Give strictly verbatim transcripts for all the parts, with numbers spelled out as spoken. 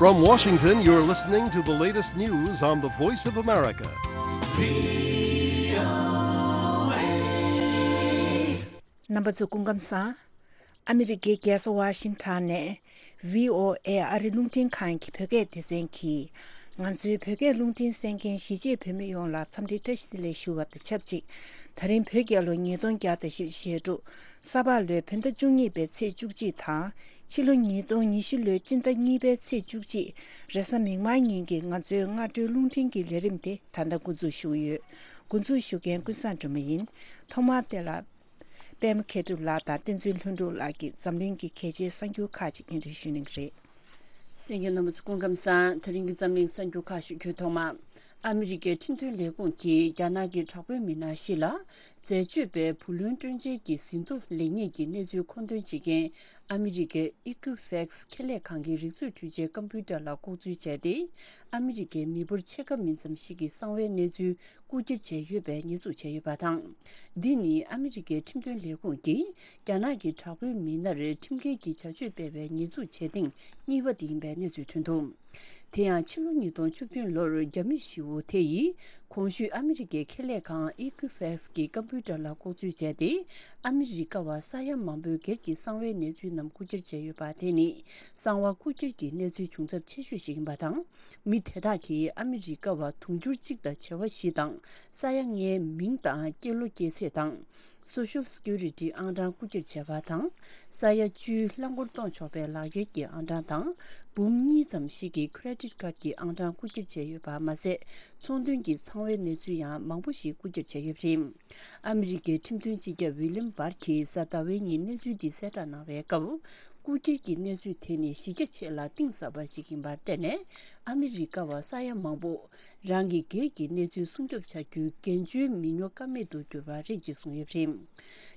From Washington, you're listening to the latest news on the Voice of America. རྣམ་པ་ཚོ་སྐུ་ཁམས་བཟང་། ཨ་མི་རི་ཀའི་རྒྱལ་ས་ཝ་ཤིང་ཊོན་ནས་བྷི་ཨོ་ཨེ་ཨ་རི་རླུང་འཕྲིན་ཁང་གི་བོད་སྐད་སྡེ་ཚན་གྱིས། ང་ཚོའི་བོད་སྐད་རླུང་འཕྲིན་གསན་མཁན་གཞིས་བྱེས་བོད་མི་ཡོངས་ལ་འཚམས་འདྲི་བཀྲ་ཤིས་བདེ་ལེགས་ཞུ་བ་དང་ཆབས་ཅིག་ད་རིང་བོད་རྒྱལ་ལོ་ཉིས་སྟོང་བརྒྱ་དང་བཞི་བཅུ་ཞེ་དྲུག་ས་ཕག་ལོའི་བོད་ཟླ་བཅུ་གཉིས་པའི་ཚེས་བཅུ་གཅིག་དང་། ཕྱི་ལོ་ཉིས་སྟོང་ཉི་ཤུ་ལོའི་སྤྱི་ཟླ་གཉིས་པའི་ཚེས་བཅུ་གཅིག་རེས་གཟའ་མིག་དམར་ཉིན་གྱི་ང་ཚོའི་སྔ་དྲོའི་རླུང་འཕྲིན་གྱི་ལས་རིམ་དེ་ད་ལྟ་འགོ་འཛུགས་ཞུ་གི་ཡོད། འགོ་འཛུགས་ཞུ་མཁན་ཀུན་བཟང་སྒྲོལ་མ་ཡིན། ཐོག་མར་དེ་ལ། པད་མ་མཁས་གྲུབ་ལགས་དང་བསྟན་འཛིན་ལྷུན་གྲུབ་ལགས་ཀྱིས་འཛམ་གླིང་གི་གལ་ཆེའི་གསར་འགྱུར་ཁག་ཅིག་སྙན་སྒྲོན་ཞུ་གནང་གི་རེད། གསན་མཁན་རྣམ་པ་ཚོ་སྐུ་ཁམས་བཟང་། དེ་རིང་གི་འཛམ་གླིང་གསར་འགྱུར་ཁག་ཞུ་རྒྱུའི་ཐོག་མ། ཨ་མི་རི་ཀའི་ཁྲིམས་དོན་ལས་ཁུངས་ཀྱིས་རྒྱ་ནག་གི་དྲག་པོའི་མི་སྣ་བཞི་ལ། འཛད་སྤྱོད་པའི་བུ་ལོན་སྤྲོད་འཇལ་གྱི་ཟིན་ཐོ་ལེགས་ཉེས་ཀྱི་གནས་ཚུལ་མཁོ་འདོན་བྱེད་མཁན་ཨ་མི་རི་ཀའི་Equifax ཁེ་ལས་ཁང་གི་རིག་མཛོད་འཕྲུལ་ཆའི་ཀམ་པུའུ་ཊར་ལ་ལྐོག་འཛུལ་བྱས་ཏེ། ཨ་མི་རི་ཀའི་མི་འབོར་ཕྱེད་ཀ་མིན་ཙམ་ཞིག་གི་གསང་བའི་གནས་ཚུལ་རྐུ་འཁྱེར་བྱས་ཡོད་པའི་ཉེས་འཛུགས་བྱས་ཡོད་པ་དང་། འདི་ནི་ཨ་མི་རི་ཀའི་ཁྲིམས་དོན་ལས་ཁུངས་ཀྱིས་རྒྱ་ནག་གི་དྲག་པོའི་མི་སྣར་ཁྲིམས་འགལ་གྱི་བྱ་སྤྱོད་སྤེལ་བའི་ཉེས་འཛུགས་བྱས་སྟེང་གཉིས་པ་དེ་ཡིན་པའི་གནས་ཚུལ་ཐོན་འདུག་དེ་ཡང་ཕྱི་ལོ་ཉིས་སྟོང་བཅུ་བདུན་ལོར་རྒྱ་མི་བཞི་བོ་དེ་ཡིས་གོང་ཞུས་ཨ་མི་རི་ཀའི་ཁེ་ལས་ཁང་Equifax གི་ཀམ་པུའུ་ཊར་ལ་ལྐོག་འཛུལ་བྱས་ཏེ། ཨ་མི་རི་ཀ་བ་ས་ཡ་མང་པོའི་སྒེར་གྱི་གསང་བའི་གནས་ཚུལ་རྣམས་རྐུ་འཁྱེར་བྱས་ཡོད་པ་དེ་ནི་གསང་བ་རྐུ་འཁྱེར་གྱི་གནས་ཚུལ་བྱུང་ཚབས་ཆེ་ཤོས་ཤིག་ཡིན་པ་དང་། མི་དེ་དག་གིས་ཨ་མི་རི་ཀ་བ་དུང་ཕྱུར་གཅིག་དང་བྱེ་བ་བཞི་དང་ས་ཡ་ལྔའི་མིང་དང་སྐྱེས་ལོ་སྐྱེས་ཚེས་དང་། Social Security ཨང་གྲངས་རྐུ་འཁྱེར་བྱས་པ་དང་། ས་ཡ་བཅུའི་རླངས་འཁོར་གཏོང་ཆོག་པའི་ལག་འཁྱེར་གྱི་ཨང་གྲངས་དང་། འབུམ་གཉིས་ཙམ་ཞིག་གི་Credit Card གྱི་ཨང་གྲངས་རྐུ་འཁྱེར་བྱས་ཡོད་པ་མ་ཟད། ཚོང་དོན་གྱི་ཚང་བའི་གནས་ཚུལ་ཡང་མང་པོ་ཞིག་རྐུ་འཁྱེར་བྱས་ཡོད་པ་རེད། ཨ་མི་རི་ཀའི་ཁྲིམས་དོན་སྤྱི་ཁྱབ་ཝི་ལིམ་བར་གྱིས་གཟའ་ཟླ་བའི་ཉིན་གནས་ཚུལ་འདི་གསལ་བསྒྲགས་གནང་བའི་སྐབས། རྐུ་འཁྱེར་གྱི་གནས་ཚུལ་དེ་ནི་གཞི་རྒྱ་ཆེ་ལ་གཏིང་ཟབ་པ་ཞིག་ཡིན་པར་བརྟེན་ནས། ཨ་མི་རི་ཀ་བ་ས་ཡ་མང་པོ། རང་གི་སྒེར་གྱི་གནས་ཚུལ་སྲུང་སྐྱོབ་བྱ་རྒྱུའི་འགན་བཅོལ་མི་ཉོ་ཀ་མེད་དུ་གྱུར་པ་རེད་ཅེས་གསུངས་ཡོད་པ་རེད།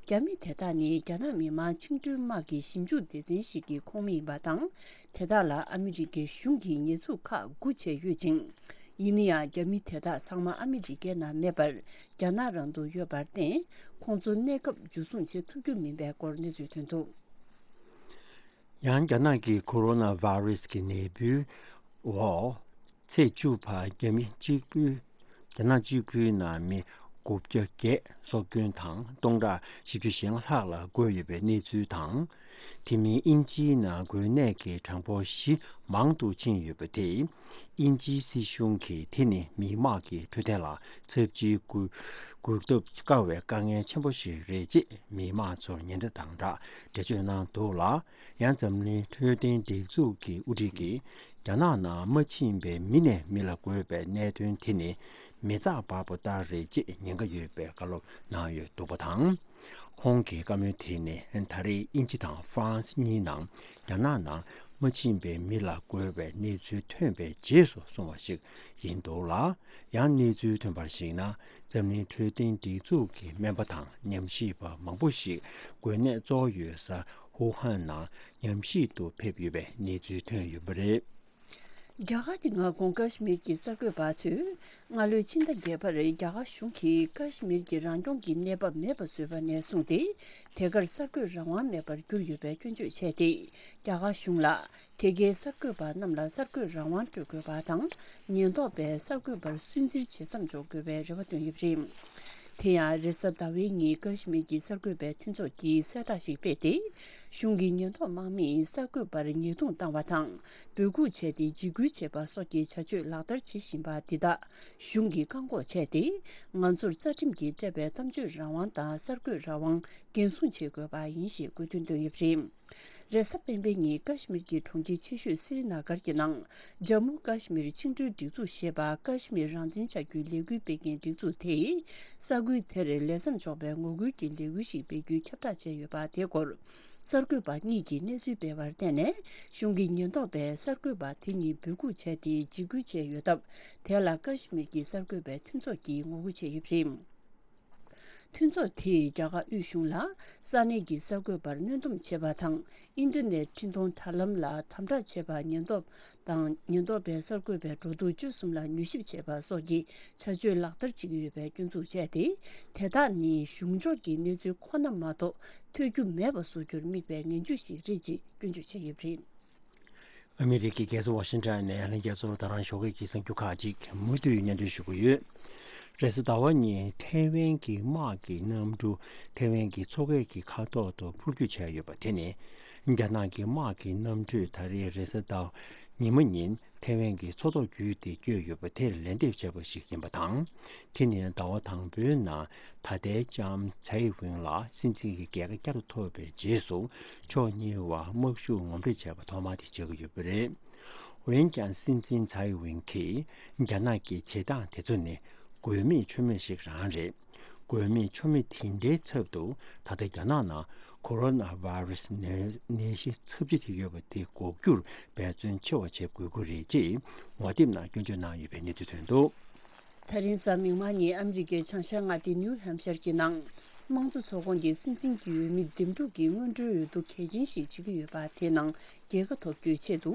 རྒྱ་མི་དེ་དག་ནི་རྒྱ་ནག་མི་དམངས་བཅིངས་འགྲོལ་དམག་གི་ཞིབ་འཇུག་སྡེ་ཚན་ཞིག་གི་ཁོངས་མི་ཡིན་པ་དང་། དེ་དག་ལ་ཨ་མི་རི་ཀའི་གཞུང་གིས་ཉེས་འཛུགས་ཁག་དགུ་བྱས་ཡོད་ཅིང་། ཡིན་ན་ཡང་རྒྱ་མི་དེ་དག་ཚང་མ་ཨ་མི་རི་ཀའི་ནང་མེད་པར་རྒྱ་ནག་རང་དུ་ཡོད་པར་བརྟེན། ཁོང་ཚོ་གནས་སྐབས་འཇུ་བཟུང་བྱེད་ཐུབ་རྒྱུ་མིན་པའི་སྐོར་གནས་ཚུལ་ཐོན་འདུག་ཡང་རྒྱ་ནག་གི་ཁོ་རོ་ན་བྷ་རུ་སི་གི་ནད་འབུའི་འོག་ཚེས་བཅུ་བར་རྒྱ་མི་གཅིག་པུའི་རྒྱ་ནག་གཅིག་པུའི་ནང་མི་དགུ་བརྒྱ་བརྒྱད་སྲོག་སྐྱོན་དང་སྟོང་ཕྲག་བཞི་བཅུ་ཞེ་ལྔ་ལྷག་ལ་འགོས་ཡོད་པའི་གནས་ཚུལ་དང་། དེ་མིན་དབྱིན་ཇིའི་ནང་འགོས་ནད་ཀྱི་གྲངས་འབོར་བཞི་མང་དུ་ཕྱིན་ཡོད་པ་དེས། དབྱིན་ཇིའི་སྲིད་གཞུང་གིས་དེ་ནི་མི་དམངས་ཀྱི་འཕྲོད་བསྟེན་ལ་ཚབས་ཆེའི་སྒུལ་སྒུལ་ཐབས་དཀའ་བའི་དཀའ་ངལ་ཆེན་པོ་ཞིག་རེད་ཅེས་མི་དམངས་ཚོར་ཉེན་བརྡ་དང་སྦྲགས་འགྲེལ་བརྗོད་གནང་འདུག་ལ། ཡང་འཛམ་གླིང་འཕྲོད་བསྟེན་སྒྲིག་འཛུགས་ཀྱི་དབུ་ཁྲིད་ཀྱིས་རྒྱ་ནག་ནང་མ་ཕྱིན་པའི་མི་ནས་མི་ལ་འགོས་པའི་གནད་དོན་དེ་ནི་མི་ཚགས་འབར་པོ་ལྟར་རེད་ཅེས་ཉེན་ཁ་ཡོད་པའི་བཀའ་སློབ་གནང་ཡོད་འདུག་པ་དང་། ཁོང་གི་བཀའ་མོལ་དེ་ནི་ད་རེས་དབྱིན་ཇི་དང་ཧྥ་རན་སི་གཉིས་ནང་རྒྱ་ནག་ནང་མ་ཕྱིན་པའི་མི་ལ་འགོས་པའི་གནས་ཚུལ་ཐོན་པའི་རྗེས་སུ་སོང་བ་ཞིག་ཡིན་འདུག་ལ། ཡང་གནས་ཚུལ་ཐོན་པར་གཞིགས་ན། འཛམ་གླིང་འཕྲོད་བསྟེན་སྒྲིག་འཛུགས་ཀྱི་སྨན་པ་དང་ཉམས་ཞིབ་པ་མང་པོ་ཞིག་འགོས་ནད་གཙོ་བོ་ཡོད་ས་ཧུ་ཧན་ནང་ཉམས་ཞིབ་ཏུ་ཕེབས་ཡོད་པའི་གནས་ཚུལ་ཐོན་ཡོད་པ་རེད། རྒྱ་གར་གྱི་མངའ་ཁོངས་ཀ་ཤི་མིར་གྱི་གསར་འགོད་པ་ཚོས་སྔ་ལོའི་ཕྱི་ཟླ་བརྒྱད་པར་རྒྱ་གར་གཞུང་གིས་ཀ་ཤི་མིར་གྱི་རང་སྐྱོང་གི་གནས་བབ་མེད་པ་བཟོས་པ་ནས་བཟུང་སྟེ། དེ་གར་གསར་འགོད་རང་དབང་མེད་པར་གྱུར་ཡོད་པའི་སྐྱོན་བརྗོད་བྱས་ཏེ། རྒྱ་གར་གཞུང་ལ་དེ་གའི་གསར་འགོད་པ་རྣམས་ལ་གསར་འགོད་རང་དབང་སྤྲོད་དགོས་པ་དང་། ཉེན་རྟོག་པས་གསར་འགོད་པར་སུན་གཙེར་ཇེ་ཙམ་འཇོག་དགོས་པའི་རེ་བ་བཏོན་ཡོད་པ་རེད། དེ་ཡང་རེས་གཟའ་ཟླ་བའི་ཉིན་ཀ་ཤི་མིར་གྱི་གསར་འགོད་པའི་མཐུན་ཚོགས་ཀྱིས་གསལ་བསྒྲགས་ཤིག་སྤེལ་ཏེ། གཞུང་གི་ཉེན་རྟོག་དམག་མིས་གསར་འགོད་པར་ཉེས་རྡུང་བཏང་བ་དང་། འབོད་འགུག་བྱས་ཏེ་འཇིགས་སྐུལ་བྱེད་པ་སོགས་ཀྱི་བྱ་སྤྱོད་ལག་བསྟར་བྱེད་བཞིན་པ་འདི་དག་གཞུང་གིས་བཀག་འགོག་བྱས་ཏེ། ང་ཚོར་རྩ་ཁྲིམས་ཀྱིས་སྤྲད་པའི་གཏམ་བརྗོད་རང་དབང་དང་གསར་འགོད་རང་དབང་འགན་སྲུང་བྱེད་དགོས་པ་ཡིན་ཞེས་དགོས་འདུན་བཏོན་ཡོད་པ་རེད། རེས་གཟའ་སྤེན་པའི་ཉིན་ཀ་ཤི་མིར་གྱི་གྲོང་ཁྱེར་ཆེ་ཤོས་སི་རི་ན་གར་གྱི་ནང་། ཇམ་མུ་ཀ་ཤི་མིར་བཅིངས་འགྲོལ་སྒྲིག་འཛུགས་ཞེས་པ་ཀ་ཤི་མིར་རང་བཙན་བྱ་རྒྱུའི་ལས་འགུལ་སྤེལ་མཁན་སྒྲིག་འཛུགས་དེས། ས་ཁུལ་དེར་ལས་མཚམས་འཇོག་པའི་ངོ་རྒོལ་གྱི་ལས་འགུལ་ཞིག་སྤེལ་རྒྱུའི་ཁྱབ་བསྒྲགས་བྱས་ཡོད་པ་དེའི་སྐོར། གསར་འགོད་པ་གཉིས་ཀྱིས་གནས་ཚུལ་སྤེལ་བར་བརྟེན་ནས། གཞུང་གི་ཉེན་རྟོག་པས་གསར་འགོད་པ་དེ་གཉིས་འབོད་འགུག་བྱས་ཏེ་འཇིགས་སྐུལ་བྱས་ཡོད་སྟབས། དེ་ལ་ཀ་ཤི་མིར་གྱི་གསར་འགོད་པའི་མཐུན་ཚོགས་ཀྱིས་ངོ་རྒོལ་བྱས་ཡོད་པ་རེད། མཐུན་ཚོགས་དེས་རྒྱ་གར་དབུས་གཞུང་ལ། ས་གནས་ཀྱི་གསར་འགོད་པར་གནོན་སྡོམ་བྱེད་པ་དང་། ཨིན་ཊར་ནེཊ་འཕྲིན་གཏོང་དྲ་ལམ་ལ་དམ་དྲག་བྱེད་པ། ཉེན་རྟོག་དང་། ཉེན་རྟོག་པས་གསར་འགོད་པའི་འགྲོ་འདུག་སྤྱོད་གསུམ་ལ་མྱུལ་ཞིབ་བྱེད་པ་སོགས་ཀྱི་བྱ་སྤྱོད་ལག་བསྟར་བྱེད་ཀྱི་ཡོད་པའི་སྐྱོན་འཛུགས་བྱས་ཏེ། དེ་དག་ནི་གཞུང་ཕྱོགས་ཀྱི་གནས་ཚུལ་ཁོ་ན་མ་གཏོགས་ཐོས་རྒྱུ་མེད་པ་བཟོ་རྒྱུར་དམིགས་པའི་ངན་ཇུས་ཤིག་རེད་ཅེས་སྐྱོན་བརྗོད་བྱས་ཡོད་པ་རེད། ཨ་མི་རི་ཀའི་རྒྱལ་ས་ཝ་ཤིང་ཊོན་ནས་ལྷན་རྒྱས་ཚོར་ད་རང་ཞོགས་ཀྱི་གསར་འགྱུར་ཁག་ཅིག་མུ་མཐུད་སྙན་སྒྲོན་ཞུ་གི་ཡོད། རེས་གཟའ་ཟླ་བ་ཉིན་ཐའེ་ཝན་གྱི་དམག་གི་གནམ་གྲུ་ཐའེ་ཝན་གྱི་མཚོ་ཁའི་མཁའ་ཐོག་ཏུ་འཕུར་སྐྱོད་བྱས་ཡོད་པ་དེ་ནི། རྒྱ་ནག་གི་དམག་གི་གནམ་གྲུས་ད་རེས་རེས་གཟའ་ཟླ་བ་ཉི་མ་ཉིན་ཐའེ་ཝན་གྱི་མཚོ་ཐོག་བརྒྱུད་དེ་བསྐྱོད་ཡོད་པ་དེར་ལན་འདེབས་བྱས་པ་ཞིག་ཡིན་པ་དང་། དེ་ནི་ཟླ་བ་དང་པོའི་ནང་ད་ལྟའི་ལྕམ་ཚའེ་ཝིན་ལ་སྲིད་འཛིན་གྱི་རྒྱལ་ཁ་བསྐྱར་དུ་ཐོབ་པའི་རྗེས་སུ་ཕྱོགས་གཉིས་བར་དམག་ཤུགས་ངོམ་སྤྲོད་བྱས་པ་ཐོག་མ་དེ་ཆགས་ཀྱི་ཡོད་པ་རེད། འོན་ཀྱང་སྲིད་འཛིན་ཚའེ་ཝིན་གྱིས་རྒྱ་ནག་གི་བྱེད་སྟངས་དེ་ཚོ་ནི་དགོས་མེད་ཆོ་མེད་ཞིག་རང་རེད། དགོས་མེད་ཆོ་མེད་དེ་འདྲའི་ཚབ་ཏུ་ད་ལྟ་རྒྱ་ནག་ནང་ཁོ་རོ་ན་ཝའི་རུ་སི་ནད་ནད་གཞི་ཚབས་ཆེ་དེ་ཡོད་པ་དེ་འགོག་རྒྱུར་འབད་བརྩོན་ཆེ་བ་བྱེད་དགོས་ཀྱི་རེད་ཅེས་ངོ་དེབ་ནང་སྐྱོན་བརྗོད་གནང་ཡོད་པའི་གནས་ཚུལ་ཐོན་འདུག། ད་རིང་གཟའ་མིག་དམར་ཉིན་ཨ་མི་རི་ཀའི་བྱང་ཤར་མངའ་སྡེ་ནིའུ་ཧེམ་ཤར་གྱི་ནང་། དམངས་གཙོ་ཚོགས་ཁོངས་ཀྱི་སྲིད་འཛིན་གྱི་འོས་མི་འདེམས་སྒྲུག་གི་སྔོན་འགྲོའི་འོས་བསྡུ་གལ་ཆེན་ཞིག་བྱེད་ཀྱི་ཡོད་པ་དེའི་ནང་རྒྱལ་ཁ་ཐོབ་རྒྱུའི་ཆེད་དུ།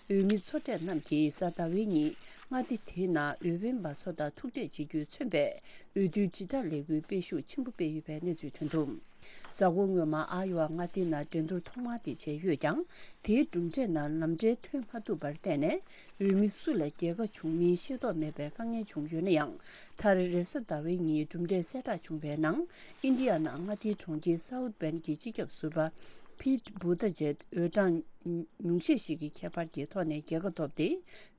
འོས་མི་ཚོ་གྲས་རྣམས་ཀྱིས་གཟའ་ཟླ་བའི་ཉིན་མངའ་སྡེ་དེའི་ནང་འོས་འཕེན་པ་ཚོ་དང་ཐུག་འཕྲད་བྱེད་རྒྱུས་མཚོན་པའི་འོས་བསྡུའི་དྲིལ་བསྒྲགས་ལས་འགུལ་སྤེལ་ཤུགས་ཆེན་པོ་སྤེལ་ཡོད་པའི་གནས་ཚུལ་ཐོན་འདུག། གཟའ་འཁོར་སྔོན་མ་ཨ་ཡོ་ཝ་མངའ་སྡེའི་ནང་འགྲན་བསྡུར་ཐོག་མ་དེ་བྱས་ཡོད་ཀྱང་། དེའི་གྲུབ་འབྲས་ནང་ལམ་འབྲས་ཐོན་མ་ཐུབ་པར་བརྟེན་ནས། འོས་མི་སུ་ལ་རྒྱལ་ཁ་བྱུང་མིན་ཤེས་རྟོགས་མེད་པའི་དཀའ་ངལ་བྱུང་ཡོད་ན་ཡང་། མཐར་རེས་གཟའ་ཟླ་བའི་ཉིན་གྲུབ་འབྲས་གསལ་བསྒྲགས་བྱུང་བའི་ནང་། ཨིན་ཌི་ཡ་ནང་མངའ་སྡེའི་གྲོང་ཁྱེར་སའུ་ཐི་བེན་གྱི་སྤྱི་ཁྱབ་ཟུར་པ་ཕིད་བྷུ་ཏ་ཇེད་འོས་གྲངས་ཉུང་ཤས་ཤིག་གི་ཁྱད་པར་གྱི་ཐོག་ནས་རྒྱལ་ཁ་ཐོབ་སྟེ།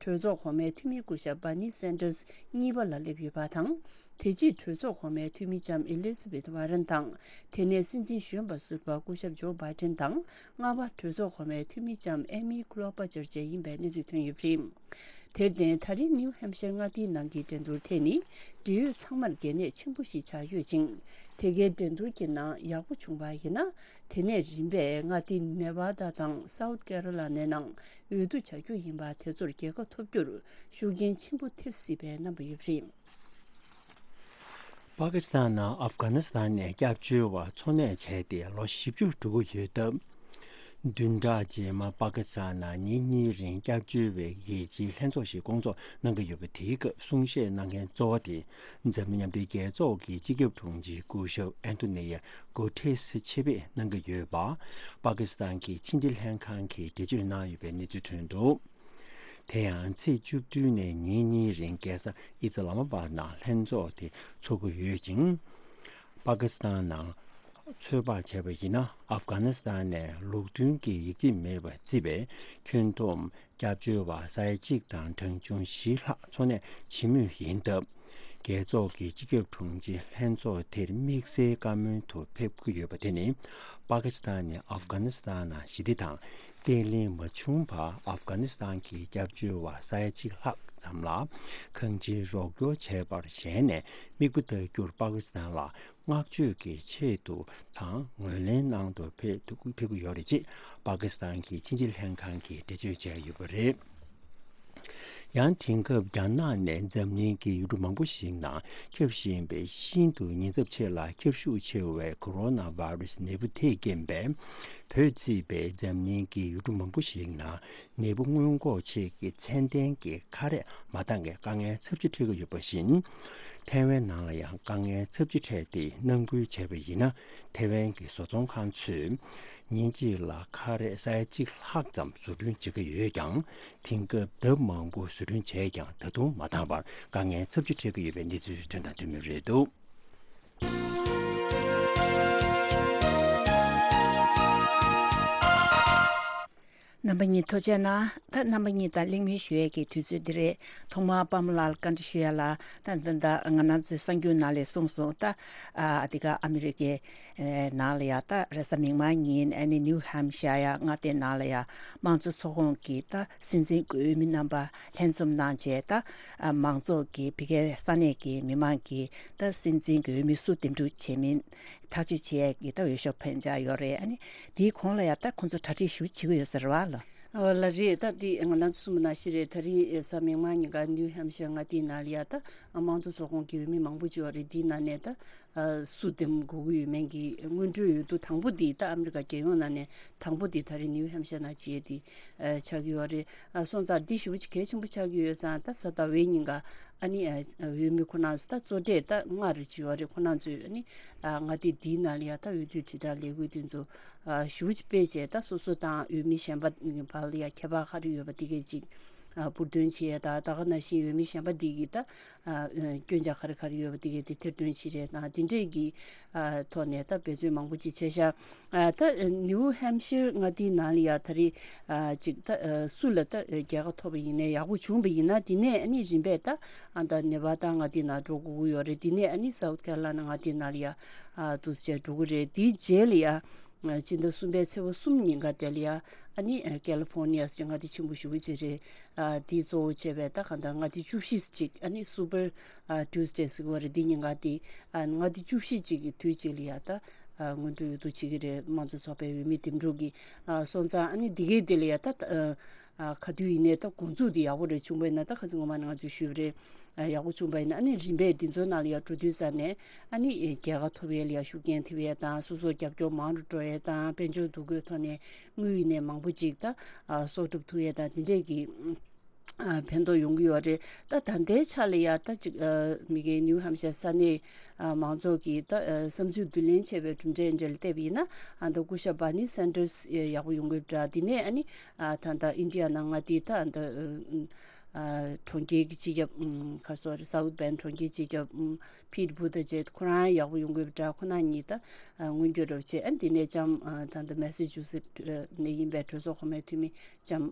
གྲོས་ཚོགས་གོང་མའི་འཐུས་མི་སྐུ་ཞབས་བྷར་ནི་སན་ཌར་སི་གཉིས་པ་ལ་སླེབས་ཡོད་པ་དང་། དེ་རྗེས་གྲོས་ཚོགས་གོང་མའི་འཐུས་མི་ལྕམ་ཨེ་ལི་ཛ་བེད་ཝ་རན་དང་། དེ་ནས་སྲིད་འཛིན་གཞོན་པ་ཟུར་པ་སྐུ་ཞབས་ཇོ་བྷའི་ཌེན་དང་། ལྔ་པ་གྲོས་ཚོགས་གོང་མའི་འཐུས་མི་ལྕམ་ཨེ་མི་ཀློ་བྷ་ཅར་བཅས་ཡིན་པའི་གནས་ཚུལ་ཐོན་ཡོད་པ་རེད། དེར་བརྟེན། ད་རིང་ནིའུ་ཧེམ་ཤར་མངའ་སྡེའི་ནང་གི་འགྲན་བསྡུར་དེ་ནི་འབྲེལ་ཡོད་ཚང་མར་གལ་གནད་ཆེན་པོ་ཞིག་ཆགས་ཡོད་ཅིང་། དེ་གའི་འགྲན་བསྡུར་གྱི་ནང་ཡག་པོ་བྱུང་བ་ཡིན་ན། དེ་ནས་རིམ་པས་མངའ་སྡེ་ནེ་བྷ་ཌ་དང་སའུ་ཐི་ཀེ་རོ་ལ་ནའི་ནང་འོས་བསྡུ་བྱ་རྒྱུ་ཡིན་པ་དེ་ཚོར་རྒྱལ་ཁ་ཐོབ་རྒྱུར་ཤུགས་རྐྱེན་ཆེན་པོ་ཐེབས་སྲིད་པའི་རྣམ་པ་ཡོད་པ་རེད། པ་ཀི་སི་ཐན་ནང་ཨབ་གྷ་ནི་སི་ཐན་ནས་སྐྱབས་བཅོལ་བ་འཚོ་གནས་བྱས་ཏེ་ལོ་བཞི་བཅུ་འགྲོ་གི་ཡོད་སྟབས། བདུན་ཕྲག་རྗེས་མ་པ་ཀི་སི་ཐན་ནང་ཉིན་གཉིས་རིང་སྐྱབས་བཅོལ་བའི་རྒྱལ་སྤྱིའི་ལྷན་ཚོགས་ཤིག་སྐོང་ཚོགས་གནང་གི་ཡོད་པ་དེའི་སྐབས་གསུང་བཤད་གནང་མཁན་གཙོ་བོ་དེ་འཛམ་གླིང་མཉམ་འབྲེལ་རྒྱལ་ཚོགས་ཀྱི་སྤྱི་ཁྱབ་དྲུང་ཆེ་སྐུ་ཞབས་ཨན་ཐོ་ནི་ཡ་གུ་ཏྲེས་ཆེད་ཕེབས་གནང་གི་ཡོད་པ། པ་ཀི་སི་ཐན་གྱི་ཕྱི་འབྲེལ་ལྷན་ཁང་གིས་འགྲེལ་བརྗོད་གནང་ཡོད་པའི་གནས་ཚུལ་ཐོན་འདུག། དེ་ཡང་ཚེས་བཅུ་བདུན་ནས་ཉིན་གཉིས་རིང་རྒྱལ་ས་ཨི་ཛི་ལ་མ་པཱད་ནང་ལྷན་ཚོགས་དེ་འཚོགས་ཀྱི་ཡོད་ཅིང་། པ་ཀི་སི་ཐན་ནང་ཚོད་དཔག་བྱས་པ་ཡིན་ན། ཨབ་གྷ་ནི་སི་ཐན་ནས་ལུགས་མཐུན་གྱི་ཡིག་ཆ་མེད་པར་བརྩིས་པའི་ཁྱོན་བསྡོམས་སྐྱབས་བཅོལ་བ་ས་ཡ་གཅིག་དང་གྲངས་ཆུང་བཞི་ལྷག་འཚོ་གནས་བྱེད་མུས་ཡིན་སྟབས། རྒྱལ་ཚོགས་ཀྱི་སྤྱི་ཁྱབ་དྲུང་ཆེ་ལྷན་ཚོགས་དེར་དམིགས་བསལ་བཀའ་མོལ་དུ་ཕེབས་ཀྱི་ཡོད་པ་དེ་ནི། པ་ཀི་སི་ཐན་ནས་ཨབ་གྷ་ནི་སི་ཐན་ནང་ཞི་བདེ་དང་བརྟན་ལྷིང་མ་བྱུང་བར་ཨབ་གྷ་ནི་སི་ཐན་གྱི་སྐྱབས་བཅོལ་བ་ས་ཡ་གཅིག་ལྷག་ཙམ་ལ་གང་ཅིའི་རོགས་སྐྱོར་བྱས་པར་ཞེན་ནས་མིག་དཔེ་ལྟ་རྒྱུར་པ་ཀི་སི་ཐན་ལ་བསྔགས་བརྗོད་ཀྱི་ཆེད་དུ་དང་ངོས་ལེན་གནང་དུ་ཕེབས་ཐུབ་ཕེབས་ཀྱི་ཡོད་རེད་ཅེས་པ་ཀི་སི་ཐན་གྱི་ཕྱི་འབྲེལ་ལྷན་ཁང་གིས་འགྲེལ་བརྗོད་བྱས་ཡོད་པ་རེད། ཡང་དེང་སྐབས་རྒྱ་ནག་ནས་འཛམ་གླིང་གི་ཡུལ་གྲུ་མང་པོ་ཞིག་ནང་ཁྱབ་བཞིན་པའི་ཤིན་ཏུ་ཉེན་ཚབས་ཆེ་ལ་ཁྱབ་ཤུགས་ཆེ་བའི་ཁོ་རོ་ན་ཝའི་རུ་སི་ནད་འབུ་དེས་རྐྱེན་པས། བོད་བརྩིས་པའི་འཛམ་གླིང་གི་ཡུལ་གྲུ་མང་པོ་ཞིག་ནང་ནད་འབུ་སྔོན་འགོག་ཆེད་ཀྱི་ཚད་ལྡན་གྱི་ཁ་རས་མ་འདང་གི་དཀའ་ངལ་ཚབས་ཆེ་འཕྲད་ཀྱི་ཡོད་པ་བཞིན། ཐའེ་ཝན་ནང་ལ་ཡང་དཀའ་ངལ་ཚབས་ཆེ་འཕྲད་དེ་ནང་ཁུལ་བྱས་པ་ཡིན་ན། ཐའེ་ཝན་གྱི་བཟོ་ཚོང་ཁང་ཚོས་ཉིན་གཅིག་ལ་ཁ་རས་ས་ཡ་གཅིག་ལྷག་ཙམ་བཟོ་སྐྲུན་བྱེད་ཀྱི་ཡོད་ཀྱང་། དེང་སྐབས་ལྡབ་མང་པོ་བཟོ་སྐྲུན་བྱས་ཀྱང་ད་དུང་མ་འདང་བར་དཀའ་ངལ་ཚབས་ཆེ་འཕྲད་ཀྱི་ཡོད་པའི་གནས་ཚུལ་ཐོན་དང་ཐོན་མུས་རེད་འདུག། རྣམ་པ་གཉིས་ཐུགས་རྗེ་གནང་། ད་རྣམ་པ་གཉིས་དང་གླེང་མོལ་ཞུ་ཡས་ཀྱི་དུས་ཚོད་འདི་རེད། ཐོག་མར་པདྨ་ལགས་ལ་བཀའ་འདྲི་ཞུ་ཡ་ལ། ད་ད་ད་ང་རང་ཚོའི་གསར་འགྱུར་ནང་ལ་གསུངས་སོང་། ད་ཨ་འདི་ག་ཨ་མི་རི་ཀའི་ནང་ལ་ཡ། ད་རེས་གཟའ་མིག་དམར་ཉིན་ཨ་ནི་ནིའུ་ཧམ་ཤ་ཡ་མངའ་སྡེ་ནང་ལ་ཡ་དམངས་གཙོ་ཚོགས་ཁོངས་ཀྱི་ད་སྲིད་འཛིན་དགོས་མི་རྣམ་པ་ལྷན་འཛོམས་གནང་བྱས། ད་མང་ཚོགས་ཀྱི་ཕ་གིའི་ས་གནས་ཀྱི་མི་མང་གིས་ད་སྲིད་འཛིན་དགོས་མི་སུ་འདེམས་སྒྲུག་བྱེད་མིན་ཐག་གཅོད་བྱེད་ཡས་ཀྱི་ད་འོས་ཤོག་འཕེན་འཆར་ཡོད་རེད། ཨ་ནི་དེའི་གོང་ལ་ཡ་ད་ཁོང་ཚོ་གྲ་སྒྲིག་ཞུ་བྱེད་ཀྱི་ཡོད་ས་རེད་བ་ལ། ཨོ་ལ་རེད། ད་དེ་ང་ལ་གསུངས་པ་ནང་བཞིན་རེད། ད་རིང་གཟའ་མིག་དམར་ཉིན་ཀ་ནིའུ་ཧམ་ཤར་མངའ་སྡེའི་ནང་ལ་ཡ་ད་དམངས་གཙོ་ཚོགས་ཁོངས་ཀྱི་འོས་མི་མང་པོ་ཅིག་ཡོད་རེད། དེའི་ནང་ནས་ད། སུ་འདེམས་དགོས་ཀྱི་ཡོད་མེད་ཀྱི་སྔོན་འགྲོའི་འོས་བསྡུ་དང་པོ་འདི་ད་ཨ་མི་རི་ཀ་རྒྱལ་ཡོངས་ནང་ནས་དང་པོ་འདི་ད་རེས་ནིའུ་ཧེམ་ཤར་ནང་བྱས་ཏེ་ཆགས་ཀྱི་ཡོད་རེད། སོང་ཙང་འདི་ཞེ་པོ་ཅིག་གལ་ཆེན་པོ་ཆགས་ཀྱི་ཡོད་ཙང་ད་གཟའ་ཟླ་བའི་ཉིན་ཀ་ཨ་ནི་འོས་མི་ཁོ་རང་ཚོ་ད་གཙོ་གྲས་ད་ལྔ་རེ་ཅིག་ཡོད་རེད། ཁོ་རང་ཚོས་ཨ་ནི་མངའ་སྡེ་འདིའི་ནང་ལ་ཡ་ད་འོས་བསྡུ་དྲིལ་བསྒྲགས་ལས་འགུལ་དེ་ཚོ་ཞེ་པོ་ཅིག་སྤེལ་བྱས་ད་སོ་སོ་དང་འོས་མི་གཞན་པ་བར་ལ་ཡ་ཁྱད་པར་ག་རེ་ཡོད་པ་དེ་གས་ཅིག་འབུར་འདོན་བྱེད་ཡས་དང་ད་ག་ནང་བཞིན་འོས་མི་གཞན་པ་འདི་གིས་ད་སྐྱོན་ཆ་ག་རེ་ག་རེ་ཡོད་པ་འདི་གས་དེ་ཐེར་འདོན་བྱེད་རེས་དང་དེ་འདྲས་ཀྱི་ཐོག་ནས་ད་འབད་བརྩོན་མང་པོ་ཅིག་བྱས་ཤག་ད་ནིའུ་ཧེམ་ཤིར་མངའ་སྡེའི་ནང་ལ་ཡ་ད་རེས་ཅིག་ད་སུ་ལ་ད་རྒྱལ་ཁ་ཐོབ་པ་ཡིན་ནའི་ཡག་པོ་བྱུང་པ་ཡིན་ན་དེ་ནས་ཨ་ནི་རིམ་པས་ད་ཨ་ད་ནེ་བྷ་ད་མངའ་སྡེའི་ནང་འགྲོ་དགོས་ཀྱི་ཡོད་རེད། དེ་ནས་ཨ་ནི་སའུ་ཐི་ཀེ་རོ་ལ་ན་མངའ་སྡེའི་ནང་ལ་ཡ་འདུག་སེ་བྱས་འགྲོ་གི་རེད། དེའི་རྗེས་ལ་ཡ། སྤྱི་ཟླ་གསུམ་པའི་ཚེས་པ་གསུམ་ཉིན་ཀ་དེ་ལ་ཡ་ཨ་ནི་ཀེ་ལི་ཧྥོར་ནི་ཡ་ཟེར་མངའ་སྡེ་ཆེན་པོ་ཞེ་པོ་ཅིག་རེད། དེ་གཙོ་བོ་བྱས་པའི་ད་གང་ལྟར་མངའ་སྡེ་བཅུ་བཞི་ཅིག་ཨ་ནི་སུ་པར་ཊུ་སི་ཌེ་ཟེར་གི་ཡོད་རེད། འདི་ཉིན་ཀ་དེ་མངའ་སྡེ་བཅུ་བཞི་ཅིག་གི་དུས་གཅིག་ལ་ཡ་ད་སྔོན་འགྲོའི་འོས་བསྡུ་བྱེད་ཀྱི་རེད། དམངས་གཙོ་ཚོགས་པའི་འོས་མི་འདེམས་སྒྲུག་གི་སོང་ཙང་ཨ་ནི་འདི་གའི་དེ་ལ་ཡ་ད། ག་དུས་ཡིན་ནའི་ད་འགོ་འཛུགས་དེ་ཡག་པོ་རེད། བྱུང་བ་ཡིན་ན་ད་ཁ་སང་ངོ་མ་ནས་ང་ཚོས་ཞུས་པ་རེད། ཡག་པོ་བྱུང་བ་ཡིན་ན་ཨ་ནི་རིམ་པས་འདི་ཚོའི་ནང་ལ་ཡ་འགྲོ་དུས་ཙ་ནས་ཨ་ནི་རྒྱལ་ཁ་ཐོབ་ཡས་ལ་ཡ་ཤུགས་རྐྱེན་ཐེབས་ཡས་དང་སོ་སོར་རྒྱབ་སྐྱོར་མང་རུ་འགྲོ་ཡས་དང་དཔལ་འབྱོར་འདུ་འགོད་ཐོག་ནས་དངུལ་ཡིན་ནའི་མང་པོ་ཅིག་ད་གསོག་སྒྲུབ་ཐུབ་ཡས་དང་དེ་འདྲས་ཀྱི་ཕན་ཐོགས་ཡོང་གི་ཡོད་རེད། ད་ད་ལྟའི་ཆ་ལ་ཡ་ད་ཅིག་མི་སྒེར་ནིའུ་ཧམ་ཤར་ས་གནས་མང་ཚོགས་ཀྱིས་ད་བསམ་ཚུལ་བསྡུ་ལེན་བྱས་པའི་གྲུབ་འབྲས་འདྲ་ལ་བལྟས་པ་ཡིན་ན་ཨ་ད་སྐུ་ཞབས་བྷར་ནི་སན་ཌར་སི་ཡག་པོ་ཡོང་གི་ཡོད་པ་འདྲ། དེ་ནས་ཨ་ནི། ད་ལྟ་ཨིན་ཌི་ཡ་ནང་མངའ་སྡེ་ད་ད་གྲོང་ཁྱེར་གྱི་སྤྱི་ཁྱབ་ག་སོ་རེད། སའུ་ཐི་བྷེན་གྲོང་ཁྱེར་སྤྱི་ཁྱབ་ཕིཊ་བྷུ་ཏ་ཇེད་ཁོ་རང་ཡག་པོ་ཡོང་གི་ཡོད་པ་འདྲ། ཁོ་རང་གཉིས་ད་མངོན་འགྱུར་རོབ་བྱས། ཨ་འདི་ནས་ལྕམ་ད་ལྟ་མེ་སི་ཅུ་སེ་ཊི་ནས་ཡིན་པའི་གྲོས་ཚོགས་གོང་མའི་འཐུས་མི་ལྕམ་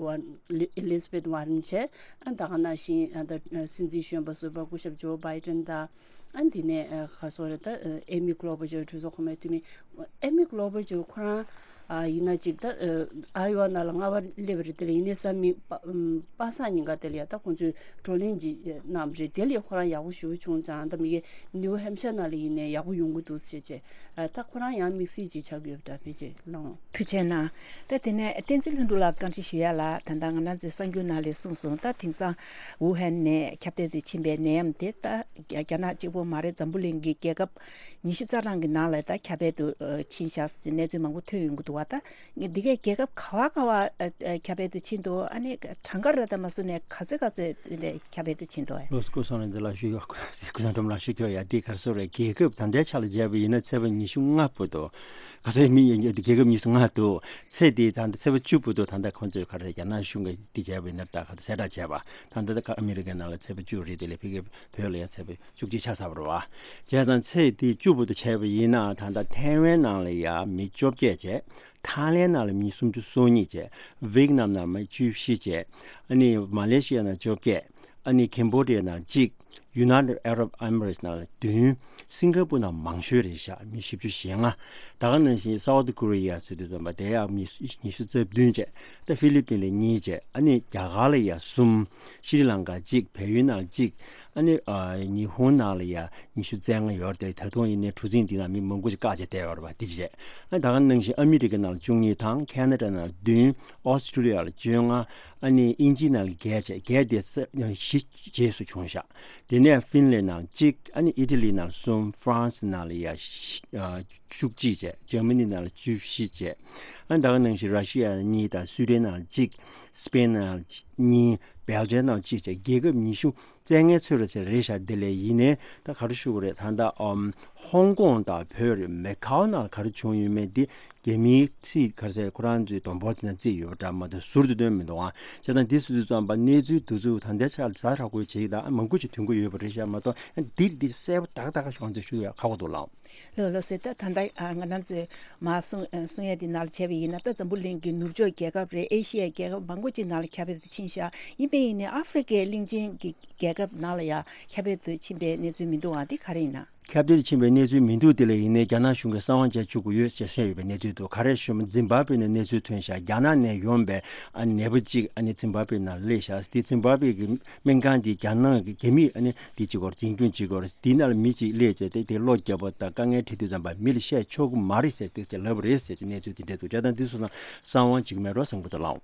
ཨེ་ལི་ཟ་བེད་ཝར་རན་བྱས། ཨ་ད་ག་ནང་བཞིན་ད་སྲིད་འཛིན་གཞོན་པ་ཟུར་པ་སྐུ་ཞབས་ཇོ་བྷའི་ཌེན་དང་། ཨ་འདི་ནས་ཁ་སོ་རེ་ད་ཨེ་མི་ཀློ་བར་ཇོ་གྲོས་ཚོགས་གོང་མའི་འཐུས་མི་ཨེ་མི་ཀློ་བར་ཇོ་ཁོ་རང་ཡིན་ན་ཅིག་ད་ཨ་ཡོ་ཝ་ནང་ལ་ལྔ་པ་སླེབས་པ་རེད། དེ་ལ་ཡིན་ནའི་ས་མིག་པ་པ་སངས་ཉིན་ཀ་དེ་ལ་ཡ་ད་ཁོང་ཚོས་བགྲོ་གླེང་ཅིག་གནང་བ་རེད། དེ་ལ་ཡ་ཁོ་རང་ཡག་པོ་ཞེ་པོ་བྱུང་ཙང་ད་མི་གེ་ནིའུ་ཧེམ་ཤར་ནང་ལ་ཡིན་ནའི་ཡག་པོ་ཡོང་གི་འདུག་ཟེར་བྱས། ད་ཁོ་རང་ཡང་དམིགས་བསལ་ཅིག་ཆགས་ཀྱི་ཡོད་པ་འདྲ། ཕལ་ཆེར་ལོང་། ཐུགས་རྗེ་གནང་། ད་དེ་ནས་བསྟན་འཛིན་ལྷུན་གྲུབ་ལགས་བཀའ་འདྲི་ཞུ་ཡ་ལ། ད་ལྟ་ང་རང་ཚོའི་གསར་འགྱུར་ནང་ལ་གསུངས་སོང་། ད་དེང་སང་ཝུ་ཧན་ནས་ཁྱབ་གདལ་དུ་ཕྱིན་པའི་ནད་ཡམས་དེ་ད་རྒྱ་རྒྱ་ནག་གཅིག་པོ་མ་རེད། འཛམ་བུ་གླིང་གི་རྒྱལ་ཁབ་ཉི་ཤུ་རྩ་གྲངས་ཀྱི་ནང་ལ་ད་ཁྱབ་གདལ་དུ་ཕྱིན་ཤག་ཟེར་གནས་ཚུལ་མང་པོ་ཐོན་ཡོང་གི་འདུག་བ། ད་འདི་གའི་རྒྱལ་ཁབ་ག་བ་ག་བ་ཁྱབ་གདལ་དུ་ཕྱིན་འདུག་ཨ་ནི་གྲངས་ཀ་ར་ད་མ་སོང་ནས་ག་ཚོད་ག་ཚོད་དེ་འདྲ་ཁྱབ་གདལ་དུ་ཕྱིན་འདུག་ལོ་སྐུ་སོང་ནས་འདི་ལ་ཞུ་ཡོད། སྐུ་སང་ཀྲམ་ལ་ཞུ་ཁྱོད་ཡ་འདི་གར་སོ་རེད། རྒྱལ་ཁབ་ད་ལྟའི་ཆ་ལ་བྱས་པ་ཡིན་ན་ཚེས་པ་ཉི་ཤུ་ལྔ་བར་དུ། ག་ཚོད་མི་ཡིན་རྒྱལ་ཁབ་ཉི་ཤུ་ལྔ་འདུག་ཚེས་དེ་ད་ལྟ་ཚེས་པ་བཅུ་བར་དུ་ད་ལྟ་ཁོང་ཚོས་ག་རེ་རྒྱ་ནག་གཞུང་གིས་འདི་བྱས་པ་ཡིན་ན་ད་ག་ཚོད་གསལ་བསྒྲགས་བྱས་པ་ད་ལྟ་ད་ཨ་མི་རི་ཀའི་ནང་ལ་ཚེས་པ་བཅུ་རེད། དེ་ལས་ཕ་གི་བོད་ལ་ཡང་ཚེས་པ་བཅུ་གཅིག་ཆགས་ཚར་བ་རེད་བ། བྱས་ཙང་ཚེས་དེ་བཅུ་བར་དུ་བྱས་པ་ཡིན་ན་ད་ལྟ་ཐའེ་ཝན་ནང་ལ་ཡ་མི་བཅོ་བརྒྱད་བྱས། ཐའི་ལེན་ནང་ལ་མི་སུམ་ཅུ་སོ་གཉིས་བྱས། ཝེད་ནམ་ནང་མི་བཅུ་བཞི་བྱས། ཨ་ནི་མ་ལེ་ཤི་ཡ་ནང་བཅོ་བརྒྱད། ཨ་ནི་ཁེམ་བྷོ་ཌི་ཡ་ནང་གཅིག United Arab Emirates ནང་ལ་བདུན། སིང་ག་པུར་ནང་མང་ཤོས་རེད་ཤག་མི་བཞི་བཅུ་ཞེ་ལྔ། ད་ག་ནང་བཞིན་South Korea ཟེར་དུས་ཙམ་པ་དེ་ཡང་མི་ཉི་ཤུ་རྩ་བདུན་བྱས། ད་ཧྥི་ལི་པིན་ལ་གཉིས་བྱས། ཨ་ནི་རྒྱ་གར་ལ་ཡ་གསུམ། ཤྲི་ལང་ཀ་གཅིག་བལ་ཡུལ་ནང་གཅིག་ཨ་ནི་ཉི་ཧོང་ནང་ལ་ཡ་ཉི་ཤུ་རྩ་ལྔ་ཡོད་རེད། ད་དུང་ཡིན་ནའི་གྲུ་གཟིངས་འདི་ནང་མི་མང་པོ་ཞིག་བཀག་བྱས་བསྡད་ཡོད་རེད་པ། འདི་བྱས། ཨ་ད་ག་ནང་བཞིན་ཨ་མི་རི་ཀ་ནང་ལ་བཅུ་གཉིས་དང་ཁེ་ན་ཌ་ནང་ལ་བདུན། ཨོ་སི་ཀྲི་ལི་ཡ་ལ་བཅོ་ལྔ། ཨ་ནི་དབྱིན་ཇི་ནང་ལ་བརྒྱད་བྱས། བརྒྱད་དེ་ས་བཞི་རྗེས་སུ་བྱུང་ཤག་དེ་ནས་ཧྥིན་ལན་ནང་གཅིག་ཨ་ནི་ཨི་ཊ་ལི་ནང་གསུམ། ཧྥ་རན་སི་ནང་ལ་ཡ་བཞི་ཨ་བཅུ་གཅིག་བྱས། འཇར་མ་ནི་ནང་ལ་བཅུ་བཞི་བྱས། ཨ་ནི་ད་ག་ནང་བཞིན་ར་ཤི་ཡ་ནང་གཉིས་དང་སུའི་ཌེན་ནང་གཅིག་སི་པེན་ནང་གཉིས། སྦེལ་ཇམ་ནང་གཅིག་བྱས། རྒྱལ་ཁབ་ཉི་ཤུ་རྩ་ལྔའི་ཚོད་རེད་ཟེར་རེད་ཤག་དེ་ལས་ཡིན་ནའི་ད་ག་རེ་ཞུ་དགོས་རེད། ད་ལྟ་ཨམ་ཧོང་ཀོང་དང་བོད་རེད། མེ་ཁའོ་ནང་ག་རེ་བྱུང་ཡོད་མེད་འདི་རྒྱ་མིའི་ཚིག་ག་རེ་ཟེར། ཁོ་རང་ཚོའི་སྡོང་པོ་དེ་ན་བརྩིས་ཡོད་པ་འདྲ་མ་གཏོགས་ཟུར་དུ་སྟོན་མི་འདུག་ཨ་བྱས་ཙང་འདི་སུ་ཚོས་བརྩམས་པ་གནས་ཚུལ་འདི་ཚོ་ད་ལྟའི་ཆར་ཛ་དྲག་པོ་བྱེད་ཀྱི་ད་མང་པོ་ཞིག་ཐོན་གྱི་ཡོད་པ་རེད་ཤག་མ་གཏོགས་འདིར་འདི་གསལ་པོ་ཏག་ཏག་ཤོག་ཚོས་ཞུ་ཡ་ཁག་པོ་འདུག་ལགས། ལགས་ལགས་སེ། ད་ད་ལྟ་ང་རང་ཚོས་མ་གསུང་གསུང་ཡས་འདི་ནང་ལ་བྱས་པ་ཡིན་ན། ད་འཛམ་བུ་གླིང་གི་ནུབ་ཕྱོགས་རྒྱལ་ཁབ་རེད། ཨེ་ཤི་ཡའི་རྒྱལ་ཁབ་མང་པོ་ཅིག་ནང་ལ་ཁྱབ་སྤེལ་དུ་ཕྱིན་ཤག་ཡིན་པས་ཡིན་ནའི་ཨ་ཧྥི་རི་ཀའི་གླིང་ཆེན་གྱི་རྒྱལ་ཁབ་ནང་ལ་ཡང་ཁྱབ་སྤེལ་དུ་ཕྱིན་པའི་གནས་ཚུལ་མི་འདུག་ཨ་འདི་ག་རེ་ཡིན་ན། ཁྱབ་གདལ་དུ་ཕྱིན་པའི་གནས་ཚུལ་མི་འདུག་དེ་ལ་ཡིན་ནའི་རྒྱ་ནག་གཞུང་གིས་གསང་བ་མཇལ་བཅུག་གི་ཡོད་ཅེས་གསུངས་ཡོད་པའི་གནས་ཚུལ་འདུག་ག་རེ་ཞུ་ན་ཛིམ་བྷ་བྷེ་ནས་གནས་ཚུལ་ཐོན་ཤག་རྒྱ་ནག་ནས་ཡོང་པའི་ཨ་ནད་པ་གཅིག་ཨ་ནི་ཛིམ་བྷ་བྷེ་ནང་སླེབས་ཤག་དེ་ཛིམ་བྷ་བྷེ་གི་སྨན་ཁང་དེ་རྒྱ་ནག་གི་རྒྱ་མིས་ཨ་ནི་དེ་གཅིག་གོ་འཛིན་སྐྱོང་བྱེད་ཀྱི་ཡོད་རེད། དེའི་ནང་ལ་མི་གཅིག་སླེབས་བྱས་ཏེ་དེ་གློ་བརྒྱབ་པ་དང་དཀའ་ངལ་འཕྲད་དུས་ཙམ་པ་མི་ལ་བཤད་ཆོག་གི་མ་རེད་ཟེར་ཏེ་ལབ་པ་རེད་ཟེར་གྱི་གནས་ཚུལ་དེ་འདྲ་འདུག་བྱས་ཙང་འདི་སོང་ཙང་གསང་བ་འཇིགས་མེད་རོ་བཟང་པོ་དང་ལགས།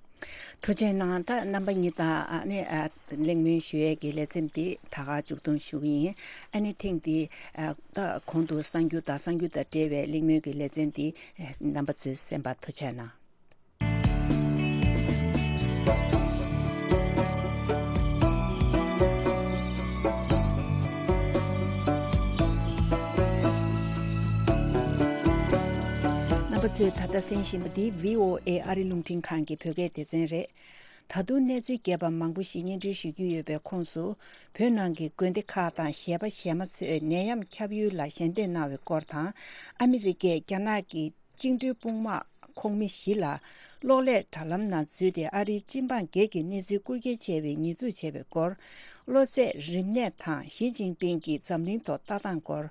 ཐུགས་རྗེ་གནང་། ད་རྣམ་པ་གཉིས་དང་ཨ་ནི་ཨ་གླེང་མོལ་ཞུ་ཡས་ཀྱི་ལེ་ཚན་འདི་ད་ག་མཇུག་སྡོམ་ཞུ་གི་ཡིན། ཨ་ནི་ཐེངས་འདི་ཨ་ད་གོང་དུ་གསར་འགྱུར་དང་གསར་འགྱུར་དང་འབྲེལ་བའི་གླེང་མོལ་གྱི་ལེ་ཚན་འདི་ཨ་རྣམ་པ་ཚོས་གསན་པར་ཐུགས་རྗེ་གནང་། རྣམ་པ་ཚོས་ད་ལྟ་གསན་བཞིན་པ་འདི་བྷི་ཨོ་ཨེ་ཨ་རི་རླུང་འཕྲིན་ཁང་གི་བོད་སྐད་སྡེ་ཚན་རེད། ད་དུང་གནས་ཚུལ་རྒྱས་པ་མང་པོ་ཞིག་སྙན་སྒྲོན་ཞུ་རྒྱུ་ཡོད་པའི་ཁོངས་སུ། བོད་ནང་གི་དགོན་སྡེ་ཁག་དང་གཞས་པ་གཞས་མ་ཚོས་ནད་ཡམས་ཁྱབ་ཡུལ་ལ་ཞལ་འདེབས་གནང་བའི་སྐོར་དང་། ཨ་མི་རི་ཀས་རྒྱ་ནག་གི་བཅིངས་འགྲོལ་དཔུང་དམག་ཁོངས་མི་བཞི་ལ་གློག་ཀླད་དྲ་ལམ་ནང་འཛུལ་ཏེ་ཨ་རིའི་སྤྱི་འབངས་སྒེར་གྱི་གནས་ཚུལ་རྐུ་འཁྱེར་བྱས་པའི་ཉེས་འཛུགས་བྱས་པའི་སྐོར། གློ་ཚད་རིམས་ནད་དང་ཞི་ཅིན་ཕིང་གི་འཛམ་གླིང་ཐོག་ལྟ་སྟངས་སྐོར།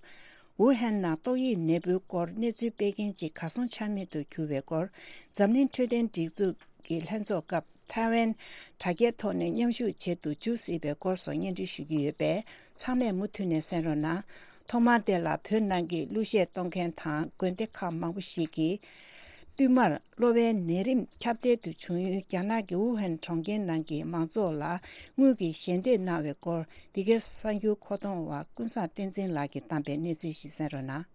ཝུ་ཧན་ནང་ཏོག་དབྱིབས་ནད་འབུའི་སྐོར་གནས་ཚུལ་སྤེལ་མཁན་གཅིག་གར་སོང་ཆ་མེད་དུ་གྱུར་བའི་སྐོར། འཛམ་གླིང་འཕྲོད་བསྟེན་སྒྲིག་འཛུགས་ཀྱི་ལྷན་ཚོགས་སྐབས་ཐའེ་ཝན་དྲ་རྒྱའི་ཐོག་ནས་མཉམ་ཞུགས་བྱེད་དུ་འཇུག་སྲིད་པའི་སྐོར་སོགས་སྙན་སྒྲོན་ཞུ་རྒྱུ་ཡོད་པས། ཚང་མས་མུ་མཐུད་ནས་གསན་རོགས་གནང་། ཐོག་མར་དེ་ལ་བོད་ནང་གི་གླུ་གཞས་གཏོང་མཁན་དང་དགོན་སྡེ་ཁག་མང་པོ་ཞིག་གིས། བསྟུད་མར་གློ་བའི་ནད་རིམས་ཁྱབ་གདལ་དུ་བྱུང་ཡུལ་རྒྱ་ནག་གི་ཝུ་ཧན་གྲོང་ཁྱེར་ནང་གི་མང་ཚོགས་ལ་དངུལ་གྱི་ཞལ་འདེབས་གནང་བའི་སྐོར། འདི་གའི་གསར་འགྱུར་མཁོ་གཏོང་བ་ཀུན་བཟང་བསྟན་འཛིན་ལགས་ཀྱིས་བཏང་པའི་གནས་ཚུལ་ཞིག་གསན་རོགས་གནང་།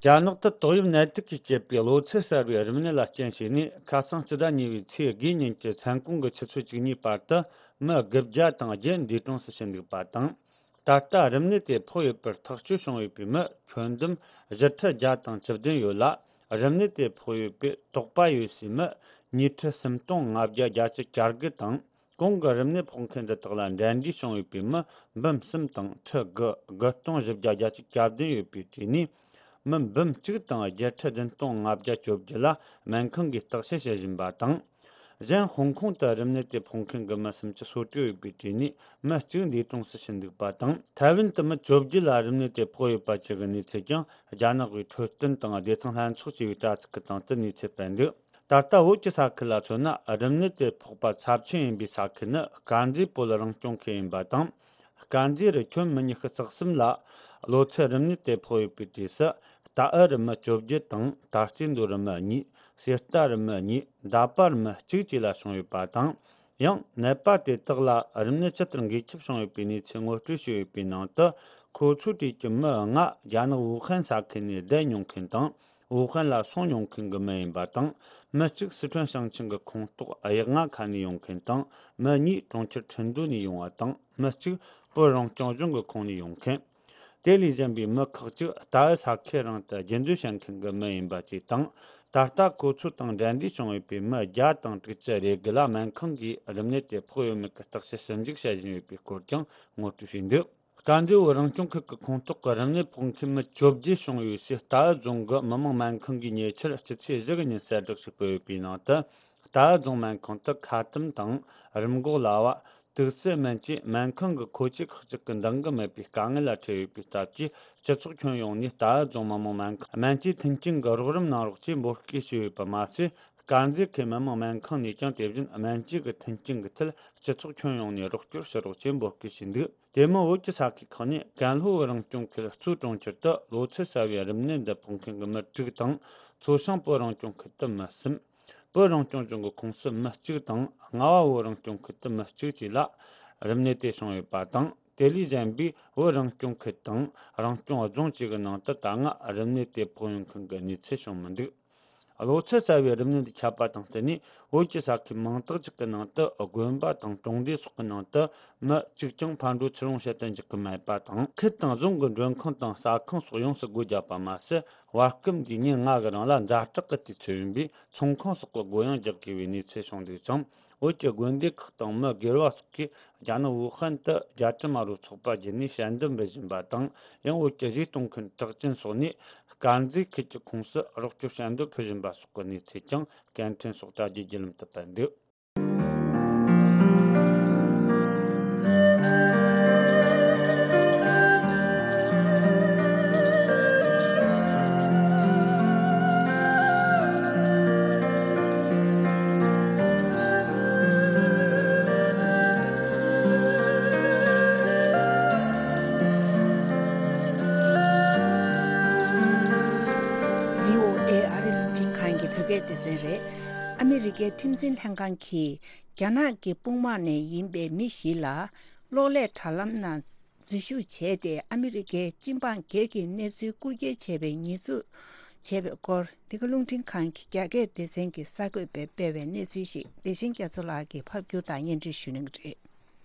རྒྱ་ནག་ཏུ་ཏོག་དབྱིབས་ནད་དུག་གིས་བསྐྱེད་པའི་གློ་ཚད་གསར་བའི་རིམས་ནད་ལ་རྐྱེན་བྱས་ནས། ཁ་སང་སྤྱི་ཟླ་གཉིས་པའི་ཚེས་དགུ་ཉིན་གྱི་མཚན་གུང་གི་ཆུ་ཚོད་བཅུ་གཉིས་བར་དུ་མི་དགུ་བརྒྱ་དང་བརྒྱད་འདས་གྲོངས་སུ་ཕྱིན་འདུག་པ་དང་། ད་ལྟ་རིམས་ནད་དེ་ཕོག་ཡོད་པར་ཐག་གཅོད་བྱུང་ཡོད་པའི་མི་ཁྱོན་བསྡོམས་བཞི་ཁྲི་བརྒྱ་དང་བཅུ་བདུན་ཡོད་ལ། རིམས་ནད་དེ་ཕོག་ཡོད་པའི་དོགས་པ་ཡོད་སའི་མི་ཉིས་ཁྲི་སུམ་སྟོང་ལྔ་བརྒྱ་བརྒྱད་ཅུ་གྱ་དགུ་དང་། གོང་གི་རིམས་ནད་ཕོག་མཁན་འདི་དག་ལ་འབྲེལ་འདྲིས་བྱུང་ཡོད་པའི་མི་འབུམ་གསུམ་དང་ཁྲི་དགུ་དགུ་སྟོང་བཞི་བརྒྱ་བརྒྱད་ཅུ་གྱ་བདུན་ཡོད་པའི་གྲས་ནས། མི་འབུམ་གཅིག་དང་བརྒྱད་ཁྲི་བདུན་སྟོང་ལྔ་བརྒྱ་བཅོ་བརྒྱད་ལ་སྨན་ཁང་གིས་བརྟག་དཔྱད་བྱེད་བཞིན་པ་དང་། གཞན་ཧོང་ཀོང་དུ་རིམས་ནད་དེ་ཕོག་མཁན་གྱི་མི་སུམ་ཅུ་སོ་དྲུག་ཡོད་པའི་གྲས་ནས་མི་གཅིག་འདས་གྲོངས་སུ་ཕྱིན་འདུག་པ་དང་། ཐའེ་ཝན་དུ་མི་བཅོ་བརྒྱད་ལ་རིམས་ནད་དེ་ཕོག་ཡོད་པ་བཅས་ཀྱི་གནས་ཚུལ་ཀྱང་རྒྱ་ནག་གི་འཕྲོད་བསྟེན་དང་བདེ་ཐང་ལྷན་ཚོགས་ཅེས་པའི་དྲ་ཚིགས་ཀྱི་སྟེང་དུ་གནས་ཚུལ་སྤེལ་འདུག་ད་ལྟ་བོད་ཀྱི་ས་ཁུལ་ལ་མཚོན་ན། རིམས་ནད་དེ་ཕོག་པ་ཚབས་ཆེན་ཡིན་པའི་ས་ཁུལ་ནི་དཀར་མཛེས་བོད་རང་སྐྱོང་ཁུལ་ཡིན་པ་དང་། དཀར་མཛེས་རུ་ཁྱོན་མི་ཉི་ཤུ་རྩ་གསུམ་ལ་གློ་ཚད་རིམས་ནད་དེ་ཕོག་ཡོད་པའི་གྲས་སུ། རྟའུ་རུ་མི་བཅོ་བརྒྱད་དང་། ད་རྩེ་མདོ་རུ་མི་གཉིས། གསེར་རྟ་རུ་མི་གཉིས། འདབ་པ་རུ་མི་གཅིག་བཅས་ལ་བྱུང་ཡོད་པ་དང་། ཡང་ནད་པ་དེ་དག་ལ་རིམས་ནད་ཇི་ལྟར་འགོས་ཁྱབ་བྱུང་ཡོད་པའི་གནས་ཚུལ་ངོ་སྤྲོད་བྱས་ཡོད་པའི་ནང་དུ། ཁོ་ཚོའི་གྲས་ཀྱི་མི་ལྔ་རྒྱ་ནག་ཝུ་ཧན་ས་ཁུལ་ནས་བསྡད་མྱོང་མཁན་དང་། ཝུ་ཧན་ལ་སོང་མྱོང་མཁན་གྱི་མི་ཡིན་པ་དང་། མི་གཅིག་སི་ཁྲོན་ཞིང་ཆེན་གྱི་ཁོངས་གཏོགས་གཡག་རྔ་ཁ་ནས་ཡོང་མཁན་དང་། མི་གཉིས་གྲོང་ཁྱེར་ཁྲིན་ཏུའུ་ནས་ཡོང་བ་དང་། མི་གཅིག་བོད་རང་སྐྱོང་ལྗོངས་ཀྱི་ཁོངས་ནས་ཡོང་མཁན། དེ་ལས་གཞན་པའི་མི་ཁག་ཅིག་རྟའུ་ས་ཁུལ་རང་དུ་རྒྱུན་སྡོད་བྱེད་མཁན་གྱི་མི་ཡིན་པ་བཅས་དང་། ད་ལྟ་ཁོ་ཚོ་དང་འབྲེལ་འདྲིས་བྱུང་ཡོད་པའི་མི་བརྒྱ་དང་དྲུག་ཅུ་རེ་དགུ་ལ་སྨན་ཁང་གིས་རིམས་ནད་དེ་ཕོག་ཡོད་མེད་ཀྱི་བརྟག་དཔྱད་ཞིབ་འཇུག་བྱེད་བཞིན་ཡོད་པའི་སྐོར་ཀྱང་ངོ་སྤྲོད་བྱས་འདུག་དཀར་མཛེས་བོད་རང་སྐྱོང་ཁུལ་གྱི་ཁོངས་གཏོགས་ཀྱི་རིམས་ནད་ཕོག་མཁན་མི་བཅོ་བརྒྱད་བྱུང་ཡོད་སའི་རྟའུ་རྫོང་གི་མི་དམངས་སྨན་ཁང་གིས་ཉེ་ཆར་སྤྱི་ཚེས་བཞི་གི་ཉིན་གསལ་བསྒྲགས་ཤིག་སྤེལ་ཡོད་པའི་ནང་དུ། རྟའུ་རྫོང་སྨན་ཁང་དུ་ཁ་ཏུམ་དང་རིམས་འགོག་ལྭ་བ། དུག་སེལ་སྨན་བཅས་སྨན་ཁང་གི་མཁོ་ཆས་ཁག་ཅིག་གི་འདང་གི་མེད་པའི་དཀའ་ངལ་ལ་འཕྲད་ཡོད་པའི་སྟབས་ཀྱིས། སྤྱི་ཚོགས་ཁྱོན་ཡོངས་ནས་རྟའུ་རྫོང་མི་དམངས་སྨན་ཁང་སྨན་བཅོས་མཐུན་རྐྱེན་གྱི་རོགས་རམ་གནང་རོགས་ཅེས་འབོད་སྐུལ་ཞུས་ཡོད་པ་མ་ཟད། དཀར་མཛེས་ཁུལ་མི་དམངས་སྨན་ཁང་ནས་ཀྱང་དེ་བཞིན་སྨན་བཅོས་ཀྱི་མཐུན་རྐྱེན་གྱི་ཐད་སྤྱི་ཚོགས་ཁྱོན་ཡོངས་ནས་རོགས་སྐྱོར་ཞུ་རོགས་ཅེས་འབོད་སྐུལ་ཞུས་འདུག་དེ་མིན་བོད་ཀྱི་ས་ཁུལ་ཁག་ནས་ཀན་ལྷོ་བོད་རང་སྐྱོང་ཁུལ་གཙོས་གྲོང་ཁྱེར་དུ་གློ་ཚད་གསར་བའི་རིམས་ནད་འདི་ཕོག་མཁན་གྱི་མི་དྲུག་དང་། མཚོ་བྱང་བོད་རང་སྐྱོང་ཁུལ་དུ་མི་གསུམ། བོད་རང་སྐྱོང་ལྗོངས་ཀྱི་ཁོངས་སུ་མི་གཅིག་དང་། རྔ་བ་བོད་རང་སྐྱོང་ཁུལ་དུ་མི་གཅིག་བཅས་ལ་རིམས་ནད་དེ་བྱུང་ཡོད་པ་དང་། དེ་ལས་གཞན་པའི་བོད་རང་སྐྱོང་ཁུལ་དང་རང་སྐྱོང་རྫོང་བཅས་ཀྱི་ནང་དུ་ད་སྔ་རིམས་ནད་དེ་ཕོག་ཡོང་མཁན་གྱི་གནས་ཚུལ་བྱུང་མི་འདུག་གློ་ཚད་གསར་བའི་རིམས་ནད་འདི་ཁྱབ་པ་དང་བསྟུན་ནས། བོད་ཀྱི་ས་ཁུལ་མང་དག་ཅིག་གི་ནང་དུ་དགོན་པ་དང་གྲོང་སྡེ་སོགས་ཀྱི་ནང་དུ་མི་གཅིག་ཀྱང་ཕར་འགྲོ་ཚུར་འོང་བྱེད་དུ་འཇུག་གི་མེད་པ་དང་། ཁུལ་དང་རྫོང་གི་མགྲོན་ཁང་དང་ཟ་ཁང་སོགས་ཡོངས་སུ་སྒོ་བརྒྱབ་པ་མ་ཟད། བར་སྐབས་འདིའི་ཉིན་ལྔ་གི་རིང་ལ་ཛ་དྲག་གི་དུས་ཚོད་ཡིན་པས། ཚོང་ཁང་སོགས་ཀྱི་སྒོ་ཡང་རྒྱག་དགོས་པའི་གནས་ཚུལ་བྱུང་འདུག་ཅིང་། བོད་ཀྱི་དགོན་སྡེ་ཁག་དང་མི་སྒེར་བ་སོགས་ཀྱིས་རྒྱ་ནག་ཝུ་ཧན་དུ་རྒྱ་དཀྲུག་དམར་པོའི་ཚོགས་པ་བརྒྱུད་ནས་ཞལ་འདེབས་འབུལ་བཞིན་པ་དང་། ཡང་བོད་ཀྱི་གཞས་གཏོང་མཁན་གྲགས་ཅན་སོགས་ནས་དཀར་མཛེས་ཁུལ་གྱི་ཁོངས་སུ་རོགས་སྐྱོར་ཞལ་འདེབས་ཕུལ་བཞིན་པ་སོགས་ཀྱི་གནས་ཚུལ་ཀྱང་སྐད་འཕྲིན་སོགས་དྲ་རྒྱའི་བརྒྱུད་ལམ་དུ་སྤེལ་འདུག་བྷི་ཨོ་ཨེ་ཨ་རི་རླུང་འཕྲིན་ཁང་གི་བོད་སྐད་སྡེ་ཚན་རེད། ཨ་མི་རི་ཀའི་ཁྲིམས་འཛིན་ལྷན་ཁང་གིས་རྒྱ་ནག་གི་དཔུང་དམག་ནས་ཡིན་པའི་མི་བཞི་ལ་གློག་ཀླད་དྲ་ལམ་ནང་འཛུལ་ཞུགས་བྱས་ཏེ། ཨ་མི་རི་ཀའི་སྤྱི་འབངས་སྒེར་གྱི་གནས་ཚུལ་རྐུ་འཁྱེར་བྱས་པའི་ཉེས་འཛུགས་བྱས་པའི་སྐོར། འདི་ག་རླུང་འཕྲིན་ཁང་གི་རྒྱ་སྐད་སྡེ་ཚན་གྱི་གསར་འགོད་པས་སྤེལ་བའི་གནས་ཚུལ་ཞིག་བདེ་ཆེན་རྒྱ་མཚོ་ལགས་ཀྱིས་ཕབ་སྒྱུར་དང་སྙན་སྒྲོན་ཞུ་གནང་གི་རེད།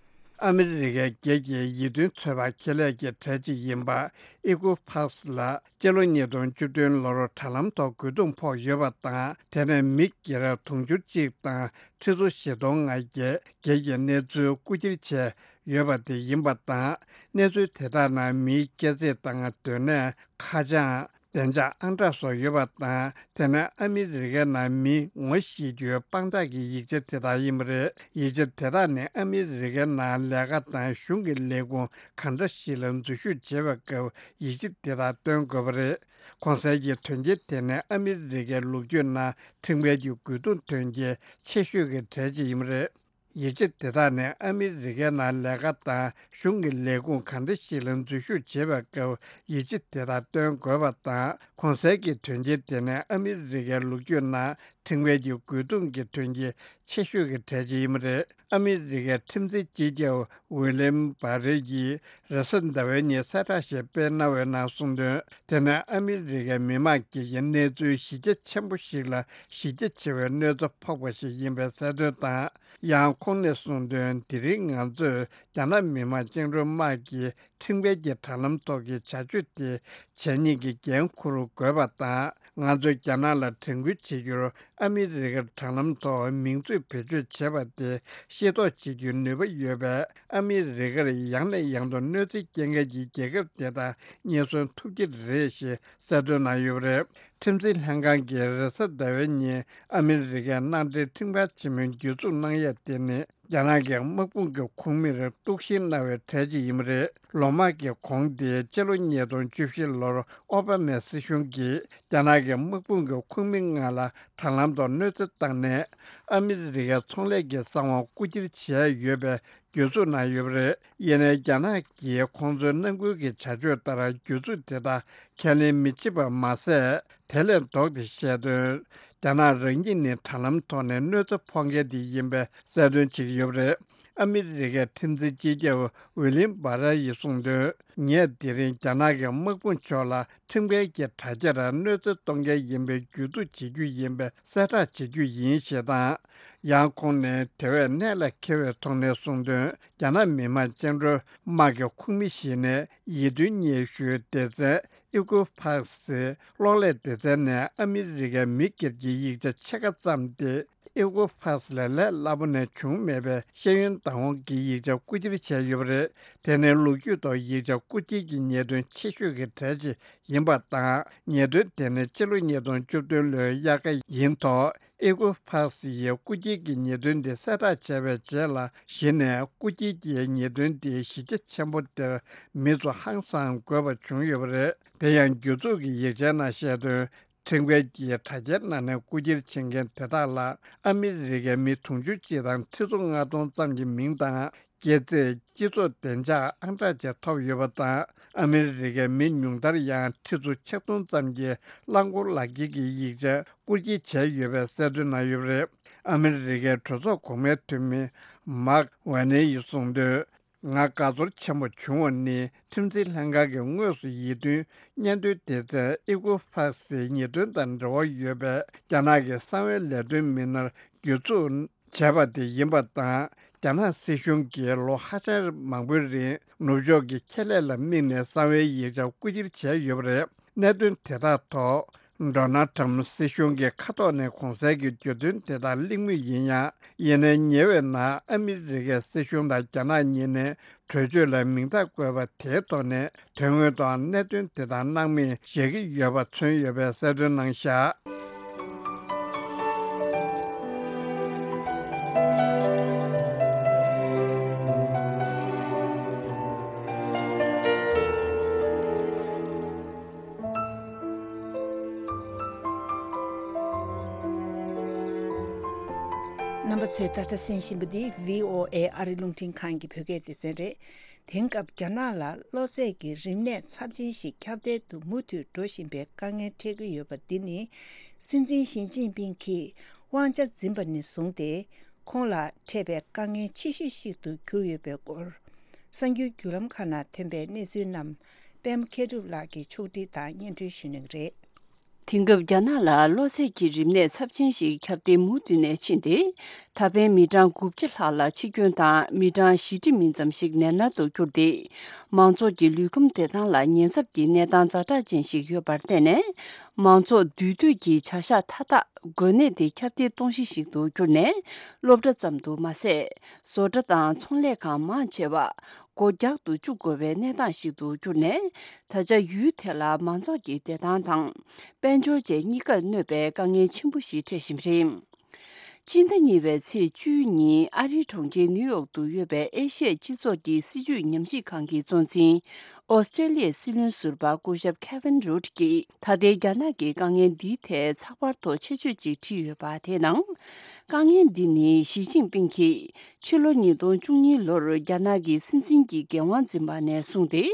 ཨ་མི་རི་ཀའི་སྒེར་གྱི་ཡིད་རྟོན་ཚོད་དཔག་ཁེ་ལས་ཀྱི་གྲས་གཅིག་ཡིན་པ་ཨི་ཀོ་ཕག་སི་ལ་སྤྱི་ལོ་ཉིས་སྟོང་བཅུ་བདུན་ལོར་དྲ་ལམ་ཐོག་རྒོལ་རྡུང་ཕོག་ཡོད་པ་དང་། དེ་ནས་མི་སྒེར་དུང་ཕྱུར་གཅིག་དང་ཁྲི་ཚོ་བཞི་སྟོང་ལྔ་བརྒྱའི་སྒེར་གྱི་གནས་ཚུལ་རྐུ་འཁྱེར་བྱས་ཡོད་པ་དེ་ཡིན་པ་དང་། གནས་ཚུལ་དེ་དག་ནང་མིའི་སྐྱེ་ཚེས་དང་སྡོད་གནས། ཁ་བྱང་། བདེ་འཇགས་ཨང་གྲངས་སོགས་ཡོད་པ་དང་། དེ་ནི་ཨ་མི་རི་ཀའི་ནང་མི་ངོ་ཤེས་རྒྱུའི་དཔང་རྟགས་ཀྱི་ཡིག་ཆ་དེ་དག་ཡིན་པ་རེད། ཡིག་ཆ་དེ་དག་ནི་ཨ་མི་རི་ཀའི་ནང་ལས་ཀ་དང་གཞུང་གི་ལས་ཁུངས་གང་འདྲ་ཞིག་ལ་འཛུལ་ཞུགས་བྱེད་པའི་སྐབས་ཡིག་ཆ་དེ་དག་སྟོན་དགོས་པ་རེད། གོང་གསལ་གྱི་དོན་རྐྱེན་དེ་ནི་ཨ་མི་རི་ཀའི་ལོ་རྒྱུས་ནང་ཁྲིམས་འགལ་གྱི་རྒོལ་རྡུང་དོན་རྐྱེན་ཆེ་ཤོས་ཀྱི་གྲས་གཅིག་ཡིན་པ་རེད། ཡིག་ཆ་དེ་དག་ནི་ཨ་མི་རི་ཀའི་ནང་ལས་ཀ་དང་གཞུང་གི་ལས་ཁུངས་གང་འདྲ་ཞིག་ལ་འཛུལ་ཞུགས་བྱེད་པའི་སྐབས་ཡིག་ཆ་དེ་དག་སྟོན་དགོས་པ་དང་། གོང་གསལ་གྱི་དོན་རྐྱེན་དེ་ནི་ཨ་མི་རི་ཀའི་ལོ་རྒྱུས་ནང་ཁྲིམས་འགལ་གྱི་རྒོལ་རྡུང་གི་དོན་རྐྱེན་ཆེ་ཤོས་ཀྱི་གྲས་གཅིག་ཡིན་པ་རེད། ཨ་མི་རི་ཀའི་ཁྲིམས་འཛིན་སྤྱི་ཁྱབ་ཝི་ལིམ་བྷ་རེ་ཡིས་རེས་གཟའ་ཟླ་བའི་ཉིན་གསལ་བསྒྲགས་ཤིག་སྤེལ་གནང་བའི་ནང་གསུངས་དོན། དེ་ནི་ཨ་མི་རི་ཀའི་མི་མང་སྒེར་གྱི་གནས་ཚུལ་གཞི་རྒྱ་ཆེན་པོ་ཞིག་ལ་གཞི་རྒྱ་ཆེ་བའི་གནོད་འཚེ་ཕོག་པ་ཞིག་ཡིན་པའི་གསལ་སྟོན་དང་། ཡང་ཁོང་ནས་གསུངས་དོན། དེ་རིང་ང་ཚོས་རྒྱ་ནག་མི་དམངས་བཅིངས་འགྲོལ་དམག་གིས་ཁྲིམས་འགལ་གྱི་དྲ་ལམ་ཐོག་གི་བྱ་སྤྱོད་དེ་བྱས་ཉེས་ཀྱི་འགན་འཁུར་དགོས་པ་དང་། ང་ཚོས་རྒྱ་ནག་ལ་དྲན་སྐུལ་བྱེད་རྒྱུར། ཨ་མི་རི་ཀར་དྲ་ལམ་ཐོག་མིང་མཛོད་བེད་སྤྱོད་བྱེད་པ་དེ་ཤེས་རྟོགས་བྱེད་རྒྱུའི་ནུས་པ་ཡོད་པས། ཨ་མི་རི་ཀར་ཡང་ནས་ཡང་དུ་གནོད་འཚེ་སྐྱེལ་མཁན་གྱི་རྒྱལ་ཁབ་དེ་དག་རྙེད་སོན་ཐུབ་ཀྱི་རེད་ཞེས་གསལ་སྟོན་གནང་ཡོད་པ་རེད། ཁྲིམས་འཛིན་ལྷན་ཁང་གིས་རེས་གཟའ་ཟླ་བའི་ཉིན་ཨ་མི་རི་ཀའི་གནམ་གྲུའི་ཁྲིམས་ཁང་ཆེན་མོའི་བརྒྱུད་འཛུགས་གནང་ཡས་དེ་ནི། རྒྱ་ནག་གི་དམག་དཔུང་གི་ཁོངས་མིར་གཏུག་བཤེར་གནང་བའི་གྲས་ཅིག་ཡིན་པ་རེད། ལོ་མང་གི་གོང་དེ་སྤྱི་ལོ་ཉིས་སྟོང་བཅུ་བཞི་ལོར་ཨོ་བྷ་མའི་སྲིད་གཞུང་གིས་རྒྱ་ནག་གི་དམག་དཔུང་གི་ཁོངས་མི་ལྔ་ལ་དྲ་ལམ་ཐོག་གནོད་འཚེ་བཏང་ནས། ཨ་མི་རི་ཀའི་ཚོང་ལས་ཀྱི་གསང་བ་རྐུ་འཁྱེར་བྱས་ཡོད་པའི་བརྒྱུད་འཛུགས་གནང་ཡོད་པ་རེད། ཡིན་ནའི་རྒྱ་ནག་གིས་ཁོང་ཚོའི་ནང་ཁུལ་གྱི་བྱ་སྤྱོད་ལྟར་བརྒྱུད་འཛུགས་དེ་དག་ཁས་ལེན་མི་བྱེད་པ་མ་ཟད། དེ་ལས་ལྡོག་སྟེ་བཤད་དོན། རྒྱ་ནག་རང་ཉིད་ནི་དྲ་ལམ་ཐོག་ནས་གནོད་འཚེ་ཕོག་མཁན་དེ་ཡིན་པའི་གསལ་སྟོན་བྱེད་ཀྱི་ཡོད་པ་རེད། ཨ་མི་རི་ཀའི་ཁྲིམས་འཛིན་སྤྱི་ཁྱབ་ཝི་ལིམ་བྷ་ར་ཡིས་གསུངས་དོན། ངས་དེ་རིང་རྒྱ་ནག་གི་དམག་དཔུང་ཕྱོགས་ལ་ཁྲིམས་འགལ་གྱི་དྲ་རྒྱར་གནོད་འཚེ་གཏོང་མཁན་ཡིན་པའི་བརྒྱུད་འཛུགས་བྱེད་རྒྱུ་ཡིན་པའི་གསལ་བསྒྲགས་བྱེད་རྒྱུ་ཡིན་ཞེས་དང་། ཡང་ཁོང་ནས་དེ་བས་གནད་ལ་འཁེལ་བའི་ཐོག་ནས་གསུངས་དོན། རྒྱ་ནག་མི་དམངས་བཅིངས་འགྲོལ་དམག་གི་ཁོངས་མི་ཞིག་ནས་ཡིད་རྟོན་སྙན་ཞུའི་སྡེ་ཚན། ཨི་ཀོ་ཕག་སི་གློག་ཀླད་སྡེ་ཚན་ནས་ཨ་མི་རི་ཀའི་མི་སྒེར་གྱི་ཡིག་ཆ་ཕྱེད་ཀ་བརྩམས་ཏེ། ཨི་ཀོ་ཕག་སི་ལས་ལས་སླ་པོ་ནས་བྱུང་མེད་པའི་ཤེས་ཡོན་བདག་དབང་གི་ཡིག་ཆ་རྐུ་འཁྱེར་བྱས་ཡོད་པ་རེད། དེ་ནི་ལོ་རྒྱུས་ཐོག་ཡིག་ཆ་རྐུ་འཁྱེར་གྱི་ཉེས་དོན་ཆེ་ཤོས་ཀྱི་གྲས་ཤིག་ཡིན་པ་དང་། ཉེས་དོན་དེ་ནི་སྤྱི་ལོ་ཉིས་སྟོང་བཅུ་བདུན་ལོའི་དབྱར་ཁ་ཡིན་ཐོག་ཨི་ཀོ་ཕག་སི་ཡིས་རྐུ་འཁྱེར་གྱི་ཉེས་དོན་འདི་གསལ་བསྒྲགས་བྱས་པའི་རྗེས་ལ། གཞི་ནས་རྐུ་འཁྱེར་གྱི་ཉེས་དོན་འདི་གཞི་རྒྱ་ཆེན་པོ་དེར་མི་ཚོ་ཧང་སངས་དགོས་པ་བྱུང་ཡོད་པ་རེད། དེ་ཡང་བརྒྱུད་འཛུགས་ཀྱི་ཡིག་ཆའི་ནང་བཤད་དོན། ཁྲིམས་འགལ་གྱིས་དྲ་རྒྱའི་ནང་ནས་རྐུ་འཁྱེར་བྱེད་མཁན་དེ་དག་ལ་ཨ་མི་རི་ཀའི་མི་དུང་ཕྱུར་གཅིག་དང་ཁྲི་ཚོ་ལྔ་སྟོང་ཙམ་གྱི་མིང་དང་། སྐྱེས་ཚེས། སྤྱི་ཚོགས་བདེ་འཇགས་ཨང་གྲངས་བཅས་ཐོབ་ཡོད་པ་དང་། ཨ་མི་རི་ཀའི་མི་ཉུང་མཐར་ཡང་ཁྲི་ཚོ་ཆིག་སྟོང་ཙམ་གྱི་རླངས་འཁོར་ལག་འཁྱེར་གྱི་ཡིག་ཆ་རྐུ་འཁྱེར་བྱས་ཡོད་པའི་གསལ་སྟོན་གནང་ཡོད་པ་རེད། ཨ་མི་རི་ཀའི་གྲོས་ཚོགས་གོང་མའི་འཐུས་མི་མཱག་ཝེ་ནེ་ཡིས་གསུངས་དོན། ང་དགའ་ཚོར་ཆེན་པོ་བྱུང་བ་ནི། ཁྲིམས་འཛིན་ལྷན་ཁང་གིས་དངོས་སུ་ཡིད་རྟོན་སྙན་ཐོའི་སྡེ་ཚན་ཨི་ཀོ་ཕག་སིའི་ཉེས་དོན་དང་འབྲེལ་བ་ཡོད་པའི་རྒྱ་ནག་གི་གསང་བའི་ལས་དོན་མི་སྣར་བརྒྱུད་འཛུགས་བྱས་པ་དེ་ཡིན་པ་དང་། རྒྱ་ནག་སྲིད་གཞུང་གིས་ལོ་ཧ་ཅང་མང་པོའི་རིང་ནུབ་ཕྱོགས་ཀྱི་ཁེ་ལས་ལ་དམིགས་ནས་གསང་བའི་ཡིག་ཆ་རྐུ་འཁྱེར་བྱས་ཡོད་པ་རེད། གནད་དོན་དེ་དག་ཐོག་ཌོ་ནལ་ཊམ་སྲིད་གཞུང་གི་ཁ་ཐོག་ནས་གོང་གསལ་གྱི་བརྗོད་དོན་དེ་དག་གླེང་མུས་ཡིན་ཡང་། ཡིན་ནའི་ཉེ་བའི་ནང་ཨ་མི་རི་ཀའི་སྲིད་གཞུང་དང་རྒྱ་ནག་གཉིས་ནས་གྲོས་ཆོད་ལ་མིང་རྟགས་བཀོད་པ་དེའི་ཐོག་ནས། དོན་དངོས་ཐོག་གནད་དོན་དེ་དག་སྣང་མེད་བཞག་གི་ཡོད་པ་མཚོན་ཡོད་པའི་གསལ་སྟོན་གནང་བཞག་རྣམ་པ་ཚོས་ད་ལྟ་གསན་བཞིན་པ་འདི་བྷི་ཨོ་ཨེ་ཨ་རི་རླུང་འཕྲིན་ཁང་གི་བོད་སྐད་སྡེ་ཚན་རེད། དེང་སྐབས་རྒྱ་ནག་ལ་གློ་ཚད་ཀྱི་རིམས་ནད་ཚབས་ཆེན་ཞིག་ཁྱབ་གདལ་དུ་མུ་མཐུད་འགྲོ་བཞིན་པའི་དཀའ་ངལ་འཕྲད་ཀྱི་ཡོད་པ་འདི་ནི། སྲིད་འཛིན་ཞི་ཅིན་ཕིང་གིས་ དབང་ཆ་འཛིན་པ་ནས་བཟུང་སྟེ། ཁོང་ལ་འཕྲད་པའི་དཀའ་ངལ་ཆེ་ཤོས་ཤིག་ཏུ་གྱུར་ཡོད་པའི་སྐོར། གསར་འགྱུར་བརྒྱུད་ལམ་ཁག་ནང་ཐོན་པའི་གནས་ཚུལ་རྣམས། པད་མ་མཁས་གྲུབ་ལགས་ཀྱིས་ཕྱོགས་སྒྲིག་དང་སྙན་སྒྲོན་ཞུ་གནང་གི་རེད། དེང་སྐབས་རྒྱ་ནག་ལ་གློ་ཚད་ཀྱི་རིམས་ནད་ཚབས་ཆེན་ཞིག་ཁྱབ་གདལ་མུ་མཐུད་ནས་ཕྱིན་ཏེ། ད་ཕན་མི་གྲངས་དགུ་བརྒྱ་ལྷག་ལ་འཆི་སྐྱོན་དང་མི་གྲངས་བཞི་ཁྲི་མིན་ཙམ་ཞིག་ནད་མནར་དུ་གྱུར་ཏེ། མང་ཚོགས་ཀྱི་ལུས་ཁམས་བདེ་ཐང་ལ་ཉེན་ཚབས་ཀྱི་གནས་སྟངས་ཛ་དྲག་ཅན་ཞིག་ཡོད་པར་བརྟེན་ནས། མང་ཚོགས་འདུས་སྡོད་ཀྱི་བྱ་གཞག་མཐའ་དག་འགོས་ནད་དེ་ཁྱབ་གདལ་གཏོང་གཞི་ཞིག་ཏུ་གྱུར་ནས། སློབ་གྲྭ་ཙམ་དུ་མ་ཟད། བཟོ་གྲྭ་དང་ཚོང་ལས་ཁང་མང་ཆེ་བ། སྒོ་རྒྱག་ཏུ་བཅུག་དགོས་པའི་གནས་སྟངས་ཤིག་ཏུ་གྱུར་ནས། ད་ཆ་ཡུལ་དེ་ལ་མང་ཚོགས་ཀྱི་བདེ་ཐང་དང་། དཔལ་འབྱོར་བཅས་གཉིས་ཀར་གནོད་པའི་དཀའ་ངལ་ཆེན་པོ་ཞིག་འཕྲད་བཞིན་པ་རེད། སྤྱི་ཟླ་གཉིས་པའི་ཚེས་བཅུའི་ཉིན་ཨ་རིའི་གྲོང་ཁྱེར་ནིའུ་ཡོག་ཏུ་ཡོད་པའི་ཨེ་ཤི་ཡའི་སྤྱི་ཚོགས་ཀྱི་སྲིད་བྱུས་ཉམས་ཞིབ་ཁང་གི་གཙོ་འཛིན། ཨོ་སི་ཀྲེ་ལི་ཡའི་སྲིད་བློན་ཟུར་པ་སྐུ་ཞབས་Kevin Root གྱིས། ད་ལྟའི་རྒྱ་ནག་གི་དཀའ་ངལ་འདིའི་ཐད་ཚགས་པར་ཐོག་ཆེད་བརྗོད་ཅིག་བྲིས་ཡོད་པ་དེའི་ནང་། དཀའ་ངལ་འདི་ནི་ཞི་ཅིན་ཕིང་གིས། ཕྱི་ལོ་ཉིས་སྟོང་བཅུ་གཉིས་ལོར་རྒྱ་ནག་གི་སྲིད་འཛིན་གྱི་འགན་དབང་འཛིན་པ་ནས་བཟུང་སྟེ།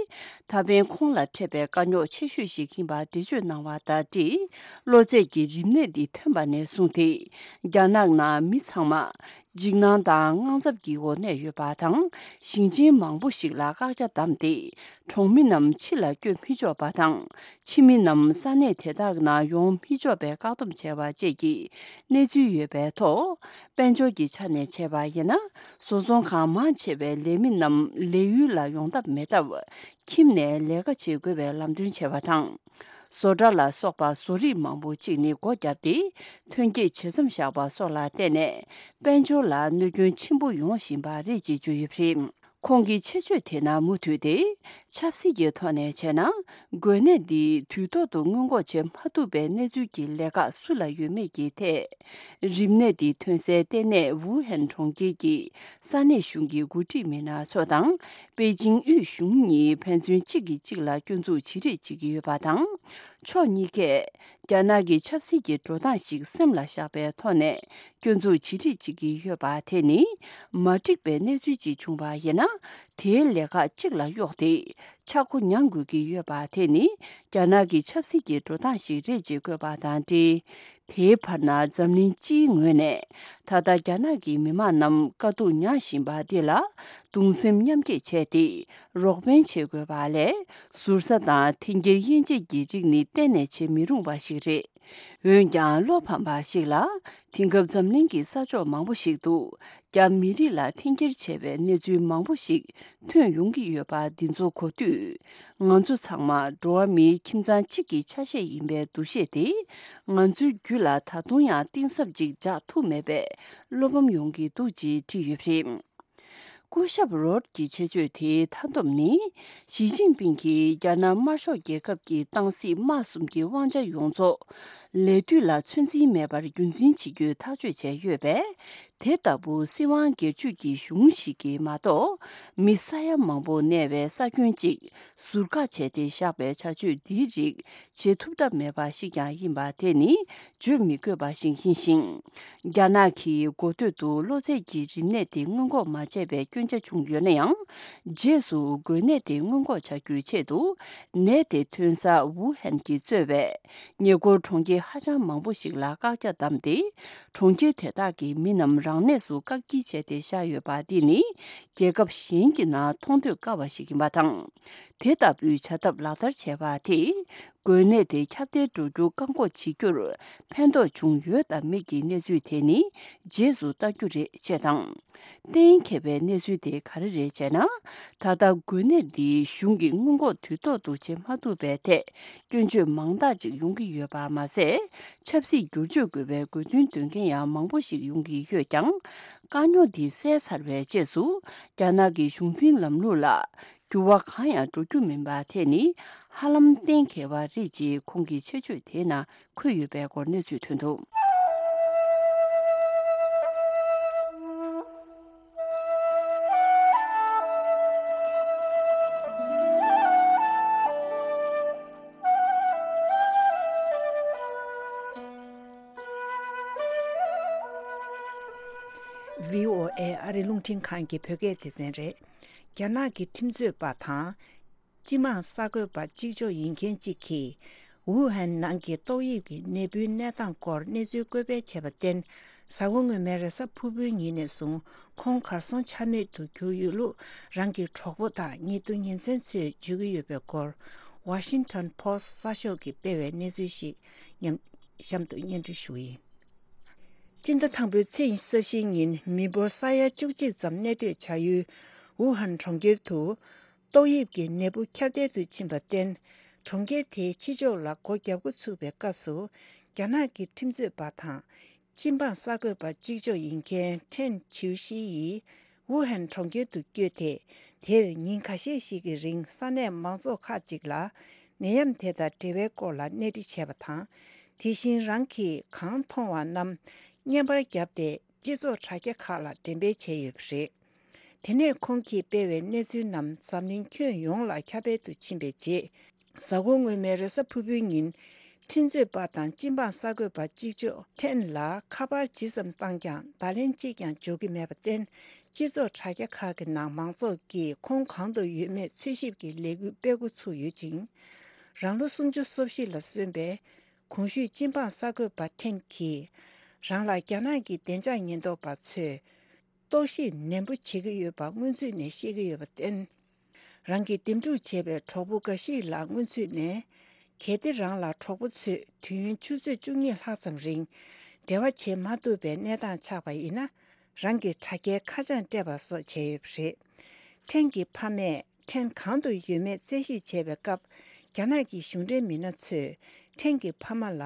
ད་ཕན་ཁོང་ལ་འཕྲད་པའི་དཀའ་རྙོག་ཆེ་ཤོས་ཤིག་ཡིན་པ་འགྲེལ་བརྗོད་གནང་བ་དང་འབྲེལ། གློ་ཚད་ཀྱི་རིམས་ནད་འདི་ཐོན་པ་ནས་བཟུང་སྟེ། རྒྱ་ནག་ནང་མི་ཚང་མ་འཇིགས་སྣང་དང་དངངས་འཚབ་ཀྱི་འོག་གནས་ཡོད་པ་དང་། ཞིང་ཆེན་མང་པོ་ཞིག་ལ་བཀག་རྒྱ་བསྡམས་ཏེ། གྲོང་མི་རྣམས་ཕྱི་ལ་བསྐྱོད་མི་ཆོག་པ་དང་། ཕྱི་མི་རྣམས་ས་གནས་དེ་དག་ནང་ཡོང་མི་ཆོག་པའི་བཀག་སྡོམ་བྱས་པ་བཅས་ཀྱི་གནས་ཚུལ་ཡོད་པའི་ཐོག་དཔལ་འབྱོར་གྱི་ཆ་ནས་བྱས་པ་ཡིན་ན། བཟོ་ཚོང་ཁང་མང་ཆེ་བའི་ལས་མི་རྣམས་ལས་ཡུལ་ལ་ཡོང་ཐབས་མེད་སྟབས། ཁྱིམ་ནས་ལས་ཀ་བྱེད་དགོས་པའི་ལམ་སྟོན་བྱས་པ་དང་། བཟོ་གྲྭ་ལ་སོགས་པ་བཟོ་རིགས་མང་པོ་གཅིག་ནི་སྒོ་བརྒྱབ་སྟེ། ཐོན་སྐྱེད་ཇེ་མཚམས་བཞག་པ་སོགས་ལ་བརྟེན་ནས། དཔལ་འབྱོར་ལ་གནོད་སྐྱོན་ཆེན་པོ་ཡོང་བཞིན་པ་རེད་ཅེས་བརྗོད་ཡོད་པ་རེད། ཁོང་གི་ཆེད་བརྗོད་དེ་ནང་མུ་མཐུད་དེ། ཆབ་སྲིད་ཀྱི་ཐོག་ནས་བྱས་ན། འགོས་ནད་འདི་དུས་ཐོག་ཏུ་སྔོན་འགོག་བྱེད་མ་ཐུབ་པའི་གནས་ཚུལ་གྱི་ལས་ཀ་སུ་ལ་ཡོད་མེད་ཀྱི་ཐད། རིམས་ནད་འདི་ཐོན་སའི་ལྟེ་གནས་ཝུ་ཧན་གྲོང་ཁྱེར་གྱི་ས་གནས་གཞུང་གི་འགོ་ཁྲིད་མི་སྣ་ཚོ་དང་། པེ་ཅིང་དབུས་གཞུང་གཉིས་ཕན་ཚུན་གཅིག་གིས་གཅིག་ལ་སྐྱོན་འཛུགས་བྱེད་རེས་བྱེད་ཀྱི་ཡོད་པ་དང་། ཕྱོགས་གཉིས་ཀས། རྒྱ་ནག་གི་ཆབ་སྲིད་ཀྱི་འགྲོ་སྟངས་ཤིག་སེམས་ལ་བཞག་པའི་ཐོག་ནས་སྐྱོན་འཛུགས་བྱེད་རེས་བྱེད་ཀྱི་ཡོད་པ་དེ་ནི་མ་འགྲིག་པའི་གནས་ཚུལ་ཅིག་བྱུང་བ་ཡིན་ན། དེའི་ལས་ཀ་གཅིག་ལ་གཡོགས་ཏེ་ཆག་སྒོ་ཉར་དགོས་ཀྱི་ཡོད་པ་དེ་ནི་རྒྱ་ནག་གི་ཆབ་སྲིད་ཀྱི་འགྲོ་སྟངས་ཤིག་རེད་ཅེས་བཀོད་པ་དང་འབྲེལ། དེའི་བར་ན་འཛམ་གླིང་སྤྱིའི་ངོས་ནས་ད་ལྟ་རྒྱ་ནག་གི་མི་དམངས་རྣམས་དཀའ་སྡུག་མྱངས་བཞིན་པ་འདི་ལ་གདུང་སེམས་མཉམ་སྐྱེད་བྱས་ཏེ་རོགས་ཕན་བྱེད་དགོས་པ་ལས། ཟུར་ཟ་དང་འཐེན་འཁྱེར་དབྱེ་འབྱེད་ཀྱི་རིགས་ནི་གཏན་ནས་བྱེད་མི་རུང་བ་ཞིག་རེད། འོན་ཀྱང་བློ་ཕམ་པ་ཞིག་ལ། དེང་སྐབས་འཛམ་གླིང་གི་ས་ཕྱོགས་མང་པོ་ཞིག་ཏུ། རྒྱ་མི་རིགས་ལ་འཐེན་འཁྱེར་བྱས་པའི་གནས་ཚུལ་མང་པོ་ཞིག་ཐོན་ཡོང་གི་ཡོད་པ་འདི་ཚོ་གོ་དུས། ང་ཚོ་ཚང་མ་འགྲོ་བ་མིའི་ཁྱིམ་ཚང་གཅིག་གི་ཆ་ཤས་ཡིན་པའི་འདུ་ཤེས་དེ། ང་ཚོའི་རྒྱུད་ལ་ད་དུང་ཡང་གཏིང་ཟབ་ཅིག་འཇགས་ཐུབ་མེད་པའི་བློ་ཕམ་ཡོང་གི་འདུག་ཅེས་བྲིས་ཡོད་པ་རེད། སྐུ་ཞབས་རོད་ཀྱི་ཆེད་བརྗོད་དེའི་མཐའ་སྡོམ་ནི། ཞི་ཅིན་ཕིང་གིས་རྒྱ་ནག་དམར་ཤོག་རྒྱལ་ཁབ་ཀྱི་ཏང་སྲིད་དམག་གསུམ་གྱི་དབང་ཆ་ཡོངས་རྫོགས་ལས་དུས་ལ་ཚོད་འཛིན་མེད་པར་རྒྱུན་འཛིན་བྱེད་རྒྱུའི་ཐག་གཅོད་བྱས་ཡོད་པས། དེ་ལྟ་བུ་སྲིད་དབང་སྒེར་གཅོད་ཀྱི་གཞུང་ཞིག་གིས་མ་གཏོགས། མི་ས་ཡ་མང་པོ་གནས་པའི་ས་ཁྱོན་གཅིག་ཟུར་བཀག་བྱས་ཏེ་བཞག་པའི་བྱ་སྤྱོད་འདིའི་རིགས་བྱེད་ཐུབ་ཐབས་མེད་པ་ཞིག་ཀྱང་ཡིན་པ་དེ་ནི་བརྗོད་མི་དགོས་པ་ཞིག་ཡིན་ཞིང་། རྒྱ་ནག་གིས་འགོ་སྟོད་དུ་གློ་ཚད་ཀྱི་རིམས་ནད་དེ་སྔོན་འགོག་མ་བྱས་པའི་སྐྱོན་ཆ་བྱུང་ཡོད་ན་ཡང་། རྗེས་སུ་འགོས་ནད་དེ་སྔོན་འགོག་བྱ་རྒྱུའི་ཆེད་དུ། ནད་དེ་ཐོན་ས་ཝུ་ཧན་གྱིས་གཙོས་པའི་ཉེ་འཁོར་གྲོང་ཁྱེར་ཧ་ཅང་མང་པོ་ཞིག་ལ་བཀག་རྒྱ་བསྡམས་ཏེ། གྲོང་ཁྱེར་དེ་དག་གི་མི་རྣམས་རང་གནས་སུ་བཀག་སྐྱིལ་བྱས་ཏེ་བཞག་ཡོད་པ་འདི་ནི། རྒྱལ་ཁབ་གཞན་གྱི་ནང་མཐོང་ཐོས་དཀའ་བ་ཞིག་ཡིན་པ་དང་། དེ་ལྟ་བུའི་བྱ་ཐབས་ལག་བསྟར་བྱས་པ་དེས། འགོས་ནད་དེ་ཁྱབ་གདལ་འགྲོ་རྒྱུ་བཀག་འགོག་བྱེད་རྒྱུར་ཕན་ཐོགས་བྱུང་ཡོད་དམ་མེད་ཀྱི་གནས་ཚུལ་དེ་ནི་རྗེས་སུ་ལྟ་རྒྱུ་རེད་ཅེས་དང་། གཏན་འཁེལ་བའི་གནས་ཚུལ་དེ་ག་རེ་རེད་ཅེ་ན། ད་ལྟ་འགོས་ནད་འདི་གཞུང་གིས་སྔོན་འགོག་དུས་ཐོག་ཏུ་བྱེད་མ་ཐུབ་པའི་ཐད་སྐྱོན་བརྗོད་མང་དག་ཅིག་ཡོང་གི་ཡོད་པ་མ་ཟད། ཆབ་སྲིད་བསྒྱུར་བཅོས་དགོས་པའི་དགོས་འདུན་འདོན་མཁན་ཡང་མང་པོ་ཞིག་ཡོང་གི་ཡོད་ཀྱང་། དཀའ་རྙོག་འདི་བསལ་ཚར་བའི་རྗེས་སུ། རྒྱ་ནག་གི་གཞུང་འཛིན་ལམ་ལུགས་ལ། འགྱུར་བ་གང་ཡང་འགྲོ་རྒྱུ་མིན་པ་དེ་ནི་ཧ་ལམ་གཏན་འཁེལ་བ་རེད་ཅེས་ཁོང་གི་ཆེད་བརྗོད་དེའི་ནང་འཁོད་ཡོད་པའི་སྐོར་གནས་ཚུལ་ཐོན་འདུག། ཝི་ཨོ་ཨེ་ཨ་རི་རླུང་འཕྲིན་ཁང་གི་བོད་སྐད་སྡེ་ཚན་རེད། རྒྱ་ནག་གི་ཁྲིམས་རྩོད་པ་དང་། སྤྱི་དམངས་གསར་འགོད་པ་གཅིག་ལྕོགས་ཡིན་མཁན་གཅིག་གིས། ཝུ་ཧན་ནང་གི་ཏོག་དབྱིབས་ཀྱི་ནད་འབུའི་གནས་སྟངས་སྐོར་གནས་ཚུལ་བཀོད་སྤེལ་བྱས་པར་བརྟེན། གཟའ་འཁོར་སྔོན་མའི་རེས་གཟའ་ཕུར་བུའི་ཉིན་ནས་བཟུང་ཁོང་གར་སོང་ཆ་མེད་དུ་གྱུར་ཡོད་ལུགས་རང་གི་གྲོགས་པོ་དང་ཉེ་དུ་ཉེ་ཚན་ཚོས་བརྗོད་ཀྱི་ཡོད་པའི་སྐོར། Washington Post་གསར་ཤོག་གིས་སྤེལ་བའི་གནས་ཚུལ་ཞིག་ཉམས་གཤམ་དུ་སྙན་སྒྲོན་ཞུ་གི་ཡིན། སྤྱི་ཟླ་དང་པོའི་ཚེས་ཉི་ཤུ་རྩ་བཞིའི་ཉིན་མི་འབོར་ས་ཡ་བཅུ་གཅིག་ཙམ་གནས་སྡོད་བྱ་ཡུལ་ཝུ་ཧན་གྲོང་ཁྱེར་དུ་ཏོག་དབྱིབས་ཀྱི་ནད་འབུ་ཁྱབ་གདལ་དུ་ཕྱིན་པར་བརྟེན། གྲོང་ཁྱེར་དེའི་ཕྱི་ཕྱོགས་ལ་སྒོ་བརྒྱབ་འགོ་ཚུགས་པའི་སྐབས་སུ། རྒྱ་ནག་གི་ཁྲིམས་རྩོད་པ་དང་། སྤྱི་འབངས་གསར་འགོད་པ་གཅིག་ལྕོགས་ཡིན་མཁན་ཁྲེན་ཆིའུ་ཤི་ཡིས་ཝུ་ཧན་གྲོང་ཁྱེར་དུ་བསྐྱོད་དེ། དེར་ཉིན་ཁ་ཤས་ཤིག་གི་རིང་ས་གནས་མང་ཚོགས་ཁག་ཅིག་ལ་ནད་ཡམས་དེ་དང་འབྲེལ་བའི་སྐོར་ལ་གནས་འདྲི་བྱས་པ་དང་། དེ་བཞིན་རང་གིས་གང་མཐོང་བ་རྣམས་བརྙན་པར་བརྒྱབ་སྟེ་སྤྱི་ཚོགས་དྲ་རྒྱ་ཁག་ལ་འགྲེམས་སྤེལ་བྱས་ཡོད་པ་རེད། དེ་ནས་ཁོང་གིས་སྤེལ་བའི་གནས་ཚུལ་རྣམས་འཛམ་གླིང་ཁྱོན་ཡོངས་ལ་ཁྱབ་སྤེལ་དུ་ཕྱིན་པའི་རྗེས། གཟའ་འཁོར་སྔོན་མའི་རེས་གཟའ་ཕུར་བུའི་ཉིན། ཁྲིམས་རྩོད་པ་དང་སྤྱི་འབངས་གསར་འགོད་པ་གཅིག་ལྕོགས་ཁྲེན་ལ་ཁ་པར་ཇི་ཙམ་བཏང་ཀྱང་བརྡ་ལན་གཅིག་ཀྱང་འབྱོར་གྱི་མེད་པར་བརྟེན། སྤྱི་ཚོགས་དྲ་རྒྱ་ཁག་གི་ནང་མང་ཚོགས་ཀྱིས་ཁོང་གང་དུ་ཡོད་མེད་འཚོལ་ཞིབ་ཀྱི་ལས་འགུལ་སྤེལ་འགོ་ཚུགས་ཡོད་ཅིང་། རང་ལོ་སུམ་ཅུ་སོ་བཞི་ལ་སོན་པའི་གོང་ཞུས་སྤྱི་འབངས་གསར་འགོད་པ་ཁྲེན་གྱིས། རང་ལ་རྒྱ་ནག་གི་བདེ་འཇགས་ཉེན་རྟོག་པ་ཚོས། རྟོག་ཞིབ་ནན་པོ་བྱེད་ཀྱི་ཡོད་པ་སྔོན་ཚུད་ནས་ཤེས་ཀྱི་ཡོད་པར་བརྟེན། རང་གིས་འདེམས་སྒྲུག་བྱས་པའི་གྲོགས་པོ་འགའ་ཞིག་ལ་སྔོན་ཚུད་ནས། གལ་ཏེ་རང་ལ་གྲོགས་པོ་ཚོས་དུས་ཡུན་ཆུ་ཚོད་བཅུ་གཉིས་ལྷག་ཙམ་རིང་འབྲེལ་བ་བྱེད་མ་ཐུབ་པའི་གནས་སྟངས་ཆགས་པ་ཡིན་ན། རང་གི་དྲ་རྒྱའི་ཁ་བྱང་སྤྲད་པ་སོགས་བྱས་ཡོད་པ་རེད། ཁྲེན་གྱི་ཕ་མས་ཁྲེན་གང་དུ་ཡོད་མེད་རྩད་ཞིབ་བྱས་པའི་སྐབས། རྒྱ་ནག་གི་གཞུང་འབྲེལ་མི་སྣ་ཚོས་ཁྲེན་གྱི་ཕ་མ་ལ།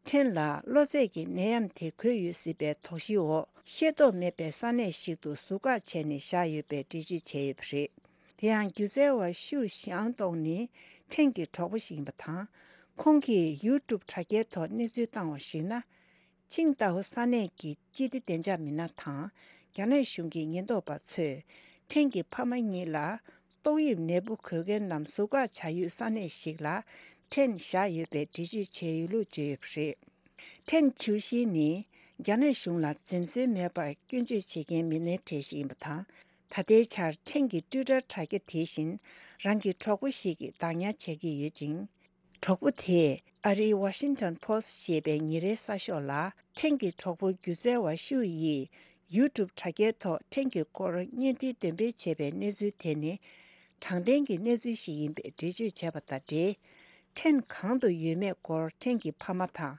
ཕྲན་ལ་གློ་ཚད་ཀྱི་ནད་ཡམས་དེ་འགོས་ཡོད་སྲིད་པའི་དོགས་གཞིའི་འོག་ཤེས་རྟོགས་མེད་པའི་ས་གནས་ཤིག་ཏུ་ཟུར་བཀག་བྱས་ནས་བཞག་ཡོད་པའི་འགྲེལ་བརྗོད་བྱས་ཡོད་པ་རེད། དེ་ཡང་སྒྱུ་རྩལ་བ་ཤུ་ཞང་ཏོང་ནི་ཕྲན་གྱི་གྲོགས་པོ་ཞིག་ཡིན་པ་དང་། ཁོང་གིས་ཡུ་ཊུབ་དྲ་རྒྱའི་ཐོག་གནས་ཚུལ་བཏང་བར་གཞིགས་ན། ཆིང་ཏའོ་ས་གནས་ཀྱི་སྤྱི་བདེ་བདེ་འཇགས་མི་སྣ་དང་རྒྱ་ནག་གཞུང་གི་ཉེན་རྟོག་པ་ཚོས་ཕྲན་གྱི་ཕ་མ་གཉིས་ལ། ཏོག་དབྱིབས་ནད་འབུ་འགོས་མཁན་རྣམས་ཟུར་བཀག་བྱ་ཡུལ་ས་གནས་ཤིག་ལ་ཕྲན་བཞག་ཡོད་པའི་འགྲེལ་བརྗོད་བྱས་ཡོད་ལུགས་བརྗོད་ཡོད་པ་རེད། ཕྲན་ཆིའུ་ཤི་ནི་རྒྱ་ནག་གཞུང་ལ་འཛེམ་ཟོན་མེད་པར་སྐྱོན་བརྗོད་བྱེད་མཁན་མི་སྣའི་གྲས་ཤིག་ཡིན་པ་དང་། ད་ལྟའི་ཆར་ཕྲན་གྱི་ཊུའི་ཊར་དྲ་རྒྱ་དེ་བཞིན་རང་གི་གྲོགས་པོ་ཞིག་གིས་བདག་ཉར་བྱེད་ཀྱི་ཡོད་ཅིང་། གྲོགས་པོ་དེས་ཨ་རིའི་Washington Post་ཞེས་པའི་ཉིན་རེའི་གསར་ཤོག་ལ་ཕྲན་གྱི་གྲོགས་པོ་སྒྱུ་རྩལ་བ་ཤུ་ཡིས་ཡུ་ཊུབ་དྲ་རྒྱའི་ཐོག་ཕྲན་གྱི་སྐོར་བརྙན་འཕྲིན་འདོན་སྤེལ་བྱས་པའི་གནས་ཚུལ་དེ་ནི་དྲང་བདེན་གྱི་གནས་ཚུལ་ཞིག་ཡིན་པའི་འགྲེལ་བརྗོད་བྱས་པ་དང་འབྲེལ། ཕྲན་གང་དུ་ཡོད་མེད་སྐོར་ཕྲན་གྱི་ཕ་མ་དང་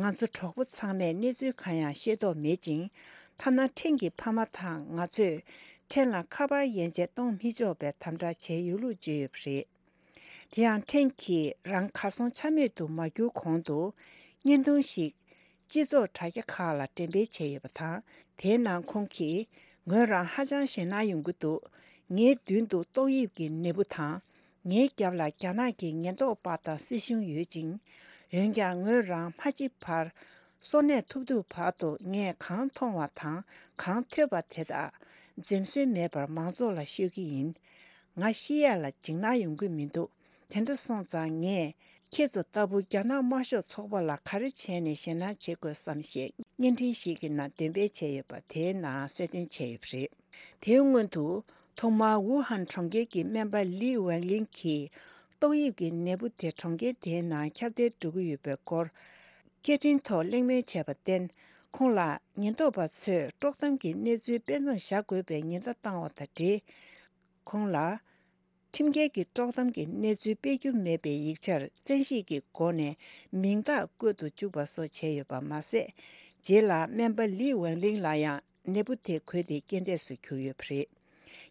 ང་ཚོ་གྲོགས་པོ་ཚང་མས་གནས་ཚུལ་གང་ཡང་ཤེས་རྟོགས་མེད་ཅིང་། ཐ་ན་ཕྲན་གྱི་ཕ་མ་དང་ང་ཚོས་ཕྲན་ལ་ཁ་པར་ཡན་ཆད་གཏོང་མི་ཆོག་པའི་དམ་དྲག་བྱས་ཡོད་ལུགས་བརྗོད་ཡོད་པ་རེད། དེ་ཡང་ཕྲན་གྱིས་རང་གར་སོང་ཆ་མེད་དུ་མ་གྱུར་གོང་དུ། བརྙན་ཐུང་ཞིག་སྤྱི་ཚོགས་དྲ་རྒྱ་ཁག་ལ་འགྲེམས་སྤེལ་བྱས་ཡོད་པ་དང་། དེའི་ནང་ཁོང་གིས། ངོས་རང་ཧ་ཅང་ཞེད་སྣང་ཡོང་གི་འདུག་ངའི་མདུན་དུ་ཏོག་དབྱིབས་ཀྱི་ནད་འབུ་དང་། ངའི་རྒྱབ་ལ་རྒྱ་ནག་གི་ཉེན་རྟོག་པ་དང་སྲིད་གཞུང་ཡོད་ཅིང་། འོན་ཀྱང་ངོས་རང་མ་འཆི་བར། གསོན་གནས་ཐུབ་ཐུབ་བར་དུ་ངས་གང་མཐོང་བ་དང་གང་ཐོས་པ་དེ་དག་འཛེམ་ཟོན་མེད་པར་མང་ཚོགས་ལ་ཤོད་ཀྱི་ཡིན། ང་ཤི་ཡས་ལ་འཇིགས་སྣང་ཡོང་གི་མི་འདུག་དེ་འདྲ་སོང་ཙང་ངས་ཁྱེད་ཚོ་ལྟ་བུ་རྒྱ་ནག་དམར་ཤོག་ཚོགས་པ་ལ་ག་རེ་བྱས་ནས་ཞེད་སྣང་བྱེད་དགོས་སམ་ཞེས་བརྙན་འཕྲིན་ཞིག་གི་ནང་འདོན་སྤེལ་བྱས་ཡོད་པ་དེའི་ནང་གསལ་སྟོན་བྱས་ཡོད་པ་རེད། དེའི་སྔོན་དུ་ཐོག་མར་ཝུ་ཧན་གྲོང་ཁྱེར་གྱི་སྨན་པ་ལི་ཝེང་ལིང་གིས་ཏོག་དབྱིབས་ཀྱི་ནད་འབུ་དེ་གྲོང་ཁྱེར་དེའི་ནང་ཁྱབ་གདལ་འགྲོ་གི་ཡོད་པའི་སྐོར། སྐད་འཕྲིན་ཐོག་གླེང་མོལ་བྱས་པར་བརྟེན། ཁོང་ལ་ཉེན་རྟོག་པ་ཚོས་དཀྲོག་གཏམ་གྱི་གནས་ཚུལ་སྤེལ་མཚམས་བཞག་དགོས་པའི་ཉེན་བརྡ་བཏང་བ་དང་འབྲེལ། ཁོང་ལ། ཁྲིམས་འགལ་གྱི་དཀྲོག་གཏམ་གྱི་གནས་ཚུལ་སྤེལ་རྒྱུ་མེད་པའི་ཡིག་ཆར་བཙན་ཤེད་ཀྱི་སྒོ་ནས་མིང་རྟགས་བཀོད་དུ་བཅུག་པ་སོགས་བྱས་ཡོད་པ་མ་ཟད། རྗེས་ལ་སྨན་པ་ལི་ཝེང་ལིང་ལ་ཡང་ནད་འབུ་དེ་འགོས་ཏེ་རྐྱེན་འདས་སུ་གྱུར་ཡོད་པ་རེད།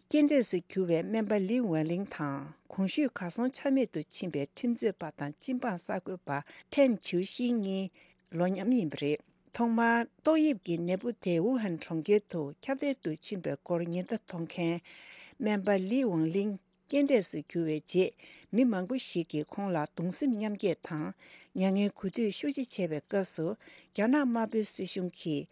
རྐྱེན་འདས་སུ་གྱུར་བའི་སྨན་པ་ལི་ཝེང་ལིང་དང་གོང་ཞུས་གར་སོང་ཆ་མེད་དུ་ཕྱིན་པའི་ཁྲིམས་རྩོད་པ་དང་སྤྱི་འབངས་གསར་འགོད་པ་ཁྲེན་ཆིའུ་ཤི་གཉིས་ལོ་མཉམ་ཡིན་པ་རེད། ཐོག་མར་ཏོག་དབྱིབས་ཀྱི་ནད་འབུ་དེ་ཝུ་ཧན་གྲོང་ཁྱེར་དུ་ཁྱབ་གདལ་དུ་ཕྱིན་པའི་སྐོར་ཉེན་བརྡ་གཏོང་མཁན་སྨན་པ་ལི་ཝང་ལིང་རྐྱེན་འདས་སུ་གྱུར་བའི་རྗེས། མི་མང་པོ་ཞིག་གིས་ཁོང་ལ་གདུང་སེམས་མཉམ་སྐྱེད་དང་མྱ་ངན་གུས་འདུད་ཤུགས་ཆེ་བྱས་པའི་སྐབས་སུ། རྒྱ་ནག་དམར་པོའི་སྲིད་གཞུང་གིས་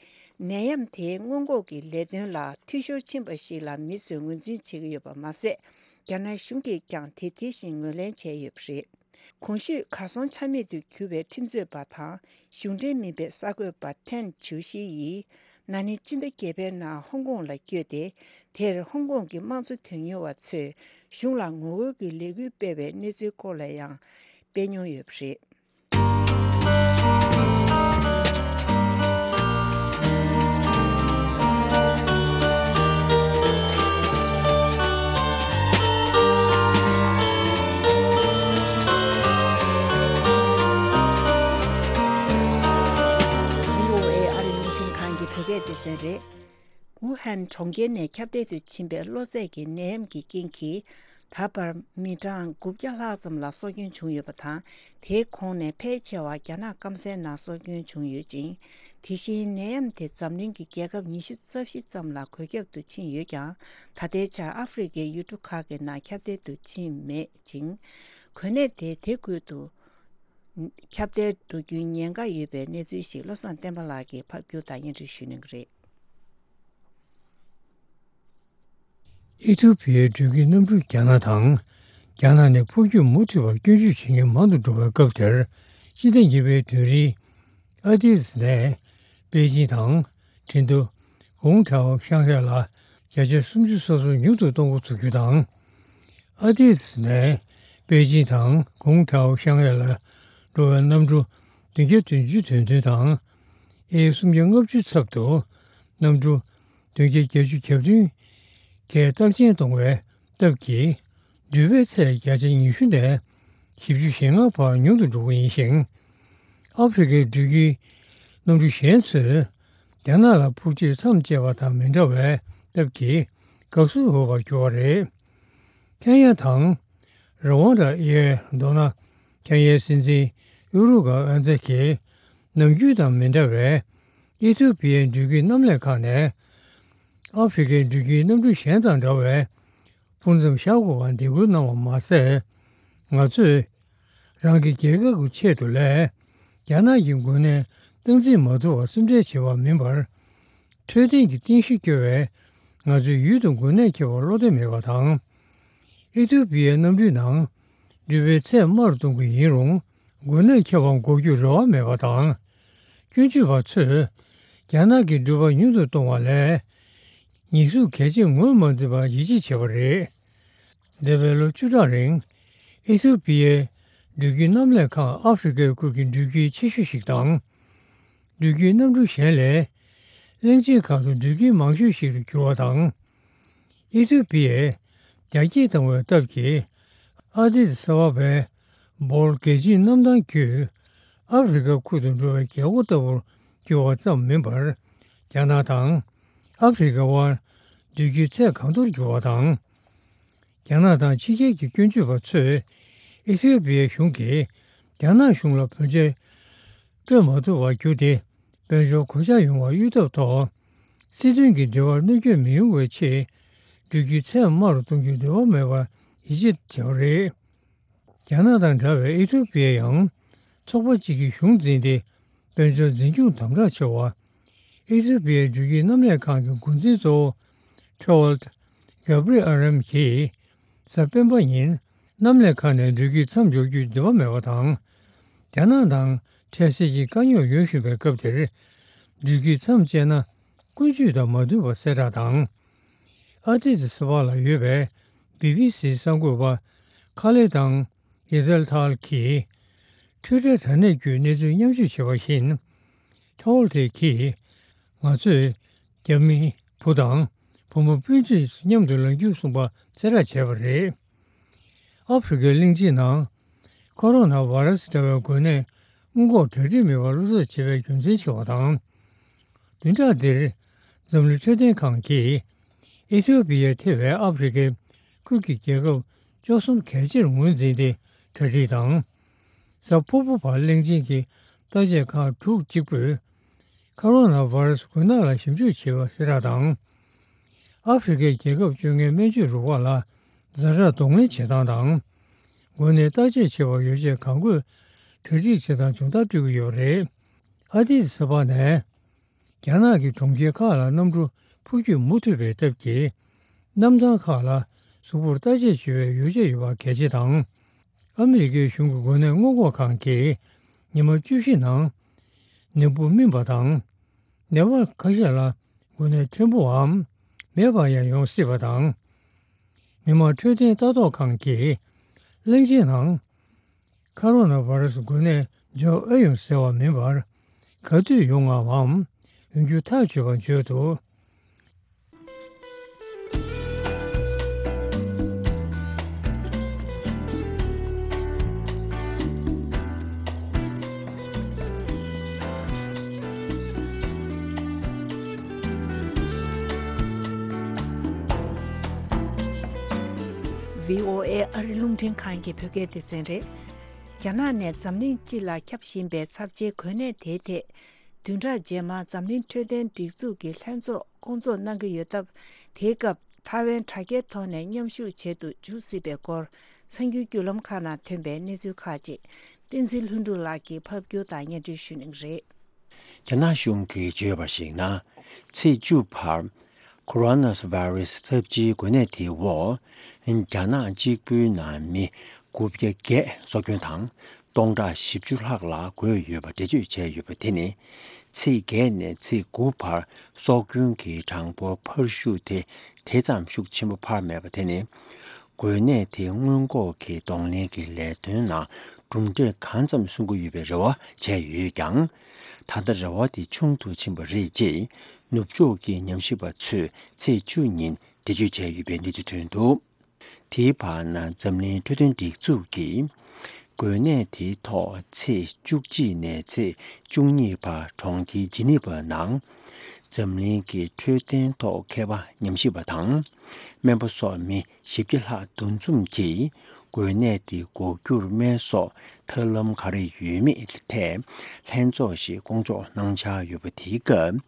ནད་ཡམས་དེའི་སྔོན་འགོག་གི་ལས་དོན་ལ་འཐུས་ཤོར་ཕྱིན་པ་ཞིག་ལ་མི་ཚོས་ངོས་འཛིན་བྱེད་ཀྱི་ཡོད་པ་མ་ཟད། རྒྱ་ནག་གཞུང་གིས་ཀྱང་དེ་དེ་བཞིན་ངོས་ལེན་བྱས་ཡོད་པ་རེད། གོང་ཞུས་གར་སོང་ཆ་མེད་དུ་གྱུར་བའི་ཁྲིམས་རྩོད་པ་དང་གཞུང་འབྲེལ་མིན་པའི་གསར་འགོད་པ་ཁྲེན་ཆུ་ཤི་ཡིས། ན་ནིང་སྤྱི་ཟླ་བརྒྱད་པའི་ནང་ཧོང་ཀོང་ལ་བསྐྱོད་དེ། དེར་ཧོང་ཀོང་གི་དམངས་གཙོ་དོན་གཉེར་བ་ཚོས་གཞུང་ལ་ངོ་རྒོལ་གྱི་ལས་འགུལ་སྤེལ་བའི་གནས་ཚུལ་སྐོར་ལ་ཡང་སྤེལ་མྱོང་ཡོད་པ་རེད། གྲོང་ཁྱེར་ནས་ཁྱབ་གདལ་དུ་ཕྱིན་པའི་གློ་ཚད་ཀྱི་ནད་ཡམས་ཀྱི་རྐྱེན་གྱིས། ད་བར་མི་གྲངས་དགུ་བརྒྱ་ལྷག་ཙམ་ལ་སྲོག་སྐྱོན་བྱུང་ཡོད་པ་དང་། དེའི་ཁོངས་ནས་ཕལ་ཆེ་བ་རྒྱ་ནག་སྐམ་སའི་ནང་སྲོག་སྐྱོན་བྱུང་ཡོད་ཅིང་། དེ་བཞིན་ནད་ཡམས་དེ་འཛམ་གླིང་གི་རྒྱལ་ཁབ་ཉི་ཤུ་རྩ་བཞི་ཙམ་ལ་འགོས་ཁྱབ་ཏུ་ཕྱིན་ཡོད་ཀྱང་། ད་ལྟའི་ཆར་ཨ་ཧྥེ་རི་ཁའི་ཡུལ་གྲུ་ཁག་གི་ནང་ཁྱབ་གདལ་དུ་ཕྱིན་མེད་ཅིང་། འགོས་ནད་དེ་དེ་ཁུལ་དུ་ཁྱབ་གདལ་འགྲོ་རྒྱུའི་ཉེན་ཁ་ཡོད་པའི་གནས་ཚུལ་ཞིག་བློ་བཟང་བསྟན་པ་ལགས་ཀྱིས་ཕབ་སྒྱུར་དང་སྙན་སྒྲོན་ཞུ་གནང་གི་རེད། ཨི་ཐུ་པི་ཡའི་འགྲུལ་སྐྱེལ་གནམ་གྲུ་རྒྱ་ནག་དང་། རྒྱ་ནག་ནས་འཕུར་སྐྱོད་མུ་མཐུད་པར་སྐྱོན་བརྗོད་བྱེད་མཁན་མང་དུ་འགྲོ་བའི་སྐབས་དེར། སྤྱི་ཟླ་གཉིས་པའི་དུས་རིང་། ཨ་ཏི་ཏི་ནས་པེ་ཅིང་དང་ཁྲིན་ཏུ། ཀུང་ཀྲའོ་ཤང་ཧའེ་ལ་བརྒྱ་ཆ་སུམ་ཅུ་སོ་སོ་ཉུང་དུ་གཏོང་འགོ་ཚུགས་རྒྱུ་དང་། ཨ་ཏི་ཏི་ནས་པེ་ཅིང་དང་ཀུང་ཀྲའོ་ཤང་ཧའེ་ལ་འགྲོ་བའི་གནམ་གྲུ་བདུན་བརྒྱ་བདུན་ཅུ་དོན་བདུན་དང་། ཨེ་སུམ་བརྒྱ་ལྔ་བཅུ་ཚབ་ཏུ་གནམ་གྲུ་བདུན་བརྒྱ་བརྒྱད་ཅུ་གྱ་བདུན་གྱིས་རྟགས་ཅན་གཏོང་བའི་སྟབས་ཀྱིས། འགྲུལ་པའི་ཚད་བརྒྱ་ཆ་ཉི་ཤུ་ནས་བཞི་བཅུ་ཞེ་ལྔ་བར་ཉུང་དུ་འགྲོ་གི་ཡིན་ཞིང་། ཨ་ཧྥེ་རི་ཁའི་འགྲུལ་སྐྱེལ་གནམ་གྲུ་གཞན་ཚོས་རྒྱ་ནག་ལ་འཕུར་སྐྱོད་མཚམས་བཅད་པ་དང་མི་འདྲ་བའི་སྟབས་ཀྱིས་དགའ་བསུ་འོས་པར་གྱུར་བ་རེད། ཁེན་ཡ་དང་ར་ཝན་ཌ་ཨི་ཡའི་མདོར་ན། ཁེན་ཡའི་སྲིད་འཛིན་ཡུ་རུ་ག་ཨན་ཛེ་གིས་ནམ་རྒྱུན་དང་མི་འདྲ་བའི་ཨི་ཐི་ཡོ་པི་ཡའི་འགྲུལ་སྐྱེལ་གནམ་ལས་ཁང་ནས་ཨ་ཧྥེ་རི་ཁའི་འགྲུལ་སྐྱེལ་གནམ་གྲུ་གཞན་དང་འདྲ་བའི་སྤུར་མཚམས་བཞག་དགོས་པར་འདེད་སྐུལ་གནང་བ་མ་ཟད། ང་ཚོས་རང་གི་རྒྱལ་ཁབ་ཀྱི་ཆེད་དུ་ལས། རྒྱ་ནག་གི་འགོས་ནད་སྟངས་འཛིན་མ་ཐུབ་པར་སེམས་ཁྲལ་བྱེད་པ་མིན་པར། འཕྲོད་བསྟེན་གྱི་རྟེན་གཞི་སྐྱོ་བས་ང་ཚོའི་ཡུལ་དུ་འགོས་ནད་ཁྱབ་པར་བློ་བདེ་མེད་པ་དང་། ཨི་ཐི་ཡོ་པི་ཡའི་གནམ་གྲུའི་ནང་འགྲུལ་པའི་ཚད་དམའ་རུ་གཏོང་གི་ཡིན་རུང་། འགོས་ནད་ཁྱབ་པར་འགོག་རྒྱུར་རེ་བ་མེད་པ་དང་། སྐྱོན་བརྗོད་པ་ཚོས་རྒྱ་ནག་གི་འགྲུལ་པ་ཉུང་དུ་གཏོང་བ་ལས་ཉེས་འཛུགས་གལ་ཆེར་ངོས་མ་འཛིན་པར་ཡིད་ཆེས་བྱས་པ་རེད། འདས་པའི་ལོ་བཅུ་ཕྲག་རིང་། ཨི་ཐི་ཡོ་པི་ཡའི་འགྲུལ་སྐྱེལ་གནམ་ལས་ཁང་ཨ་ཧྥེ་རི་ཁའི་ཁུལ་གྱི་འགྲུལ་སྐྱེལ་ཆེ་ཤོས་ཤིག་དང་། འགྲུལ་སྐྱེལ་གནམ་གྲུ་གཞན་ལས། གླིང་ཆེན་ཁག་ཏུ་འགྲུལ་སྐྱེལ་མང་ཤོས་ཤིག་ཏུ་གྱུར་བ་དང་། ཨི་ཐི་ཡོ་པི་ཡས་རྒྱ་སྐྱེད་བཏང་བའི་སྟབས་ཀྱིས། ཨ་ཏི་ཏི་ས་བབ་པའི་བོལ་རྒྱལ་སྤྱིའི་གནམ་ཐང་བརྒྱུད། ཨ་ཧྥེ་རི་ཁ་ཁུལ་དུ་འགྲོ་བའི་རྒྱལ་སྒོ་ལྟ་བུར་གྱུར་བ་ཙམ་མིན་པར། རྒྱ་ནག་དང་ཨ་ཧྥེ་རི་ཁ་དབར་འགྲུལ་སྐྱེལ་ཚད་གང་མཐོར་གྱུར་བ་དང་། རྒྱ་ནག་དང་ཕྱི་རྒྱལ་གྱི་སྐྱོན་བརྗོད་པ་ཚོས་ཨི་ཐི་ཡོ་པི་ཡའི་གཞུང་གིས་རྒྱ་ནག་གཞུང་ལ་བུན་ཆད་སྤྲོད་མ་ཐུབ་པར་གྱུར་ཏེ། དཔལ་འབྱོར་གོད་ཆག་ཡོང་བར་གཡོལ་ཐབས་ཐོག་སྲིད་དོན་གྱི་འབྲེལ་བར་གནོད་སྐྱོན་མི་ཡོང་བའི་ཆེད། འགྲུལ་སྐྱེལ་ཚད་དམའ་རུ་གཏོང་རྒྱུའི་རེ་བ་མེད་པར་ཡིད་ཆེས་བྱས་པ་རེད། རྒྱ་ནག་དང་འདྲ་བའི་ཨི་ཐི་ཡོ་པི་ཡ་ཡང་ཚོགས་པ་གཅིག་གིས་གཞུང་འཛིན་ཏེ། དཔལ་འབྱོར་འཛིན་སྐྱོང་དམ་དྲག་ཆེ་བ། ཨི་ཐི་ཡོ་པི་ཡའི་འགྲུལ་སྐྱེལ་གནམ་ལས་ཁང་གི་འགོ་འཛིན་གཙོ་བོ་ཁྲེ་ཝལ་གྷ་བྷི་རི་ཨ་རམ་གྱིས་གཟའ་སྤེན་པ་ཉིན་གནམ་ལས་ཁང་ནས་འགྲུལ་སྐྱེལ་མཚམས་འཇོག་རྒྱུའི་འདོད་པ་མེད་པ་དང་། རྒྱ་ནག་དང་འཕྲལ་སེལ་གྱི་དཀའ་རྙོག་ཡོང་བཞིན་པའི་སྐབས་དེར། འགྲུལ་སྐྱེལ་མཚམས་བཅད་ན་ཀུན་སྤྱོད་དང་མ་མཐུན་པ་གསལ་བསྒྲགས་དང་། ཨ་ཏི་ཏི་ས་ཕག་ལ་ཡོད་པའི་བི་བི་སིའི་གསར་འགོད་པ་ཁ་ལེ་དང་ཡེ་ཏལ་ཐལ་གྱིས། ཊུའི་ཊར་དྲ་གནས་བརྒྱུད་གནས་ཚུལ་མཉམ་སྤྱོད་བྱས་པ་བཞིན། ཐོལ་ཏེ་གིས། ང་ཚོས་རྒྱ་མི་བུ་དང་བུ་མོ་སྤུན་མཆེད་མཉམ་དུ་ལངས་རྒྱུར་གསུངས་པ་གསལ་བསྒྲགས་བྱས་པ་རེད། ཨ་ཧྥེ་རི་ཁའི་གླིང་ཆེན་ནང་ཁོ་རོ་ན་བྷ་ར་སི་འདྲ་བའི་འགོས་ནད་སྔོན་འགོག་གྲ་སྒྲིག་མེད་པར་བློ་འཚབ་བྱེད་པའི་རྒྱུ་མཚན་ཆེ་བ་དང་། བདུན་ཕྲག་འདིར་འཛམ་གླིང་འཕྲོད་བསྟེན་ཁང་གིས་ཨི་ཐི་ཡོ་པི་ཡ་ཐེ་བའི་ཨ་ཧྥེ་རི་ཁའི་ཁུལ་གྱི་རྒྱལ་ཁབ་བཅུ་གསུམ་གལ་ཆེར་ངོས་འཛིན་ཏེ་གྲ་སྒྲིག་དང་། གཟའ་ཕུར་བུ་བར་གླིང་ཆེན་གྱི་བརྟག་དཔྱད་ཁང་དྲུག་གཅིག་པུས། ཁ་རོ་ན་བྷ་ར་སི་འགོས་ནད་ལ་ཞིབ་འཇུག་བྱེད་པ་གསལ་བསྒྲགས་དང་། ཨ་ཧྥེ་རི་ཁའི་རྒྱལ་ཁབ་བཅོ་ལྔའི་སྨན་བཅོས་རུ་ཁག་ལ་ཛ་དྲག་གདོང་ལེན་བྱེད་སྟངས་དང་། འགོས་ནད་བརྟག་དཔྱད་བྱེད་པར་ཡོ་བྱད་གང་དགོས་གྲ་སྒྲིག་བྱེད་སྟངས་སྦྱོང་བརྡར་སྤྲོད་ཀྱི་ཡོད་པ་རེད། ཨ་ཏི་ཏི་ས་ཕག་ནས་རྒྱ་ནག་གི་གྲོང་ཁྱེར་ཁག་ལ་གནམ་གྲུ་འཕུར་སྐྱོད་མུ་མཐུད་པའི་སྟབས་ཀྱིས། གནམ་ཐང་ཁག་ལ་གཟུགས་པོར་བརྟག་དཔྱད་བྱེད་པའི་ཡོ་བྱད་ཡོད་པ་གལ་ཆེ་དང་། ཨ་མི་རི་ཀའི་གཞུང་གི་འགོས་ནད་སྔོན་འགོག་ཁང་གིས་ཉི་མ་བཅུ་བཞི་ནང་ནད་འབུ་སྨིན་པ་དང་། ནད་པ་ཁ་ཤས་ལ་འགོས་ནད་ཕྲན་བུའམ་མེད་པ་ཡང་ཡོང་སྲིད་པ་དང་། མི་དམངས་འཕྲོད་བསྟེན་ལྟ་རྟོག་ཁང་གིས་གླིང་ཆེན་ནང་ཁ་རོ་ན་བྷ་ར་སི་འགོས་ནད་འབྱོར་ཨེ་ཡོང་ཟེར་བ་མིན་པར། ག་དུས་ཡོང་ངམ་ཡོང་རྒྱུ་ཐག་ཆོད་པ་བརྗོད་འདུག། བྷི་ཨོ་ཨེ་ཨ་རི་རླུང་འཕྲིན་ཁང་གི་བོད་སྐད་སྡེ་ཚན་རེད། རྒྱ་ནག་ནས་འཛམ་གླིང་སྤྱི་ལ་ཁྱབ་བཞིན་པའི་ཚབས་ཆེའི་འགོས་ནད་དེའི་ཐད། བདུན་ཕྲག་རྗེས་མར་འཛམ་གླིང་འཕྲོད་བསྟེན་སྒྲིག་འཛུགས་ཀྱི་ལྷན་ཚོགས་བསྐོང་ཚོགས་གནང་གི་ཡོད་སྟབས། དེའི་སྐབས་ཐའེ་ཝན་དྲ་རྒྱའི་ཐོག་ནས་མཉམ་ཞུགས་བྱེད་དུ་འཇུག་སྲིད་པའི་སྐོར། གསར་འགྱུར་བརྒྱུད་ལམ་ཁག་ནང་ཐོན་པའི་གནས་ཚུལ་ཁག་ཅིག་བསྟན་འཛིན་ལྷུན་གྲུབ་ལགས་ཀྱིས་ཕབ་སྒྱུར་དང་སྙན་སྒྲོན་ཞུ་གནང་གི་རེད། རྒྱ་ནག་གཞུང་གིས་བརྗོད་པར་གཞིགས་ན། ཚེས་བཅུ་བར་ཁོ་རོ་ན་བྷ་རུ་སི་ཚབས་ཆེའི་འགོས་ནད་དེའི་འོག་རྒྱ་ནག་གཅིག་པུའི་ནང་མི་དགུ་བརྒྱ་བརྒྱད་སྲོག་སྐྱོན་དང་། སྟོང་ཕྲག་བཞི་བཅུ་ལྷག་ལ་འགོས་ཡོད་པ་འགྲེལ་བརྗོད་བྱས་ཡོད་པ་དེ་ནི། ཚེས་བརྒྱད་ནས་ཚེས་དགུ་བར་སྲོག་སྐྱོན་གྱི་གྲངས་འབོར་འཕར་ཤུགས་དེ་དེ་ཙམ་ཤུགས་ཆེན་པོ་འཕར་མེད་པ་དེ་ནི། འགོས་ནད་དེ་སྔོན་འགོག་གི་གདོང་ལེན་གྱི་ལས་དོན་ནང་གྲུབ་འབྲས་གང་ཙམ་སོན་གྱི་ཡོད་པའི་རེ་བ་བྱས་ཡོད་ཀྱང་། ད་ལྟ་རེ་བ་དེ་ཆུང་དུ་ཕྱིན་པ་རེད་ཅེས་ནུབ་ཕྱོགས་ཀྱི་ཉམས་ཞིབ་པ་ཚོས་ཚེས་བཅུ་ཉིན་འགྲེལ་བརྗོད་བྱས་ཡོད་པའི་གནས་ཚུལ་ཐོན་འདུག་དེའི་བར་ན་འཛམ་གླིང་འཕྲོད་བསྟེན་སྒྲིག་འཛུགས་ཀྱིས་འགོས་ནད་དེའི་ཐོག་ཚེས་བཅུ་གཅིག་ནས་ཚེས་བཅུ་གཉིས་བར་གྲོང་ཁྱེར་ཇི་ནི་ཝ་ནང་འཛམ་གླིང་གི་འཕྲོད་བསྟེན་ཐོག་མཁས་པ་ཉམས་ཞིབ་པ་དང་སྨན་པ་སོགས་མི་བཞི་བརྒྱ་ལྷག་འདུ་འཛོམས་ཀྱིས་འགོས་ནད་དེ་འགོག་རྒྱུར་སྨན་སོགས་ཐབས་ལམ་ག་རེ་ཡོད་མེད་ཐད་ལྷན་ཚོགས་ཤིག་བསྐོང་ཚོགས་གནང་འཆར་ཡོད་པ་དེའི་སྐབས།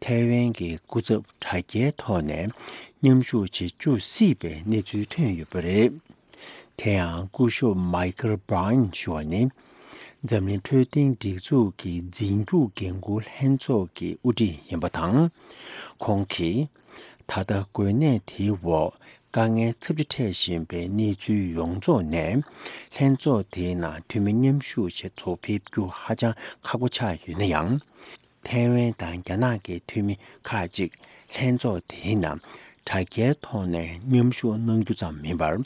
ཐའེ་ཝན་གྱི་སྐུ་ཚབ་དྲ་རྒྱའི་ཐོག་ནས་མཉམ་ཞུགས་བྱེད་བཅུག་སྲིད་པའི་གནས་ཚུལ་ཐོན་ཡོད་པ་རེད། དེ་ཡང་སྐུ་ཞབས་མའི་ཁལ་བྷ་རན་ཞུ་བ་ནི། འཛམ་གླིང་འཕྲོད་བསྟེན་སྒྲིག་འཛུགས་ཀྱི་འཛིན་སྐྱོང་འགན་འཁུར་ལྷན་ཚོགས་ཀྱི་དབུ་ཁྲིད་ཡིན་པ་དང་། ཁོང་གིས། ད་ལྟ་འགོས་ནད་དེའི་འོག་དཀའ་ངལ་ཚབས་ཆེ་འཕྲད་བཞིན་པའི་གནས་ཚུལ་ཡོངས་རྫོགས་ནས། ལྷན་ཚོགས་དེའི་ནང་འཐུས་མི་མཉམ་ཞུགས་བྱེད་ཐུབ་ཕེབས་རྒྱུ་ཧ་ཅང་ཁག་པོ་ཆགས་ཡོད་ན་ཡང་། ཐའེ་ཝན་དང་རྒྱ་ནག་གི་འཐུས་མི་ཁག་ཅིག་ལྷན་ཚོགས་དེའི་ནང་དྲ་རྒྱའི་ཐོག་ནས་མཉམ་ཞུགས་གནང་རྒྱུ་ཙམ་མིན་པར།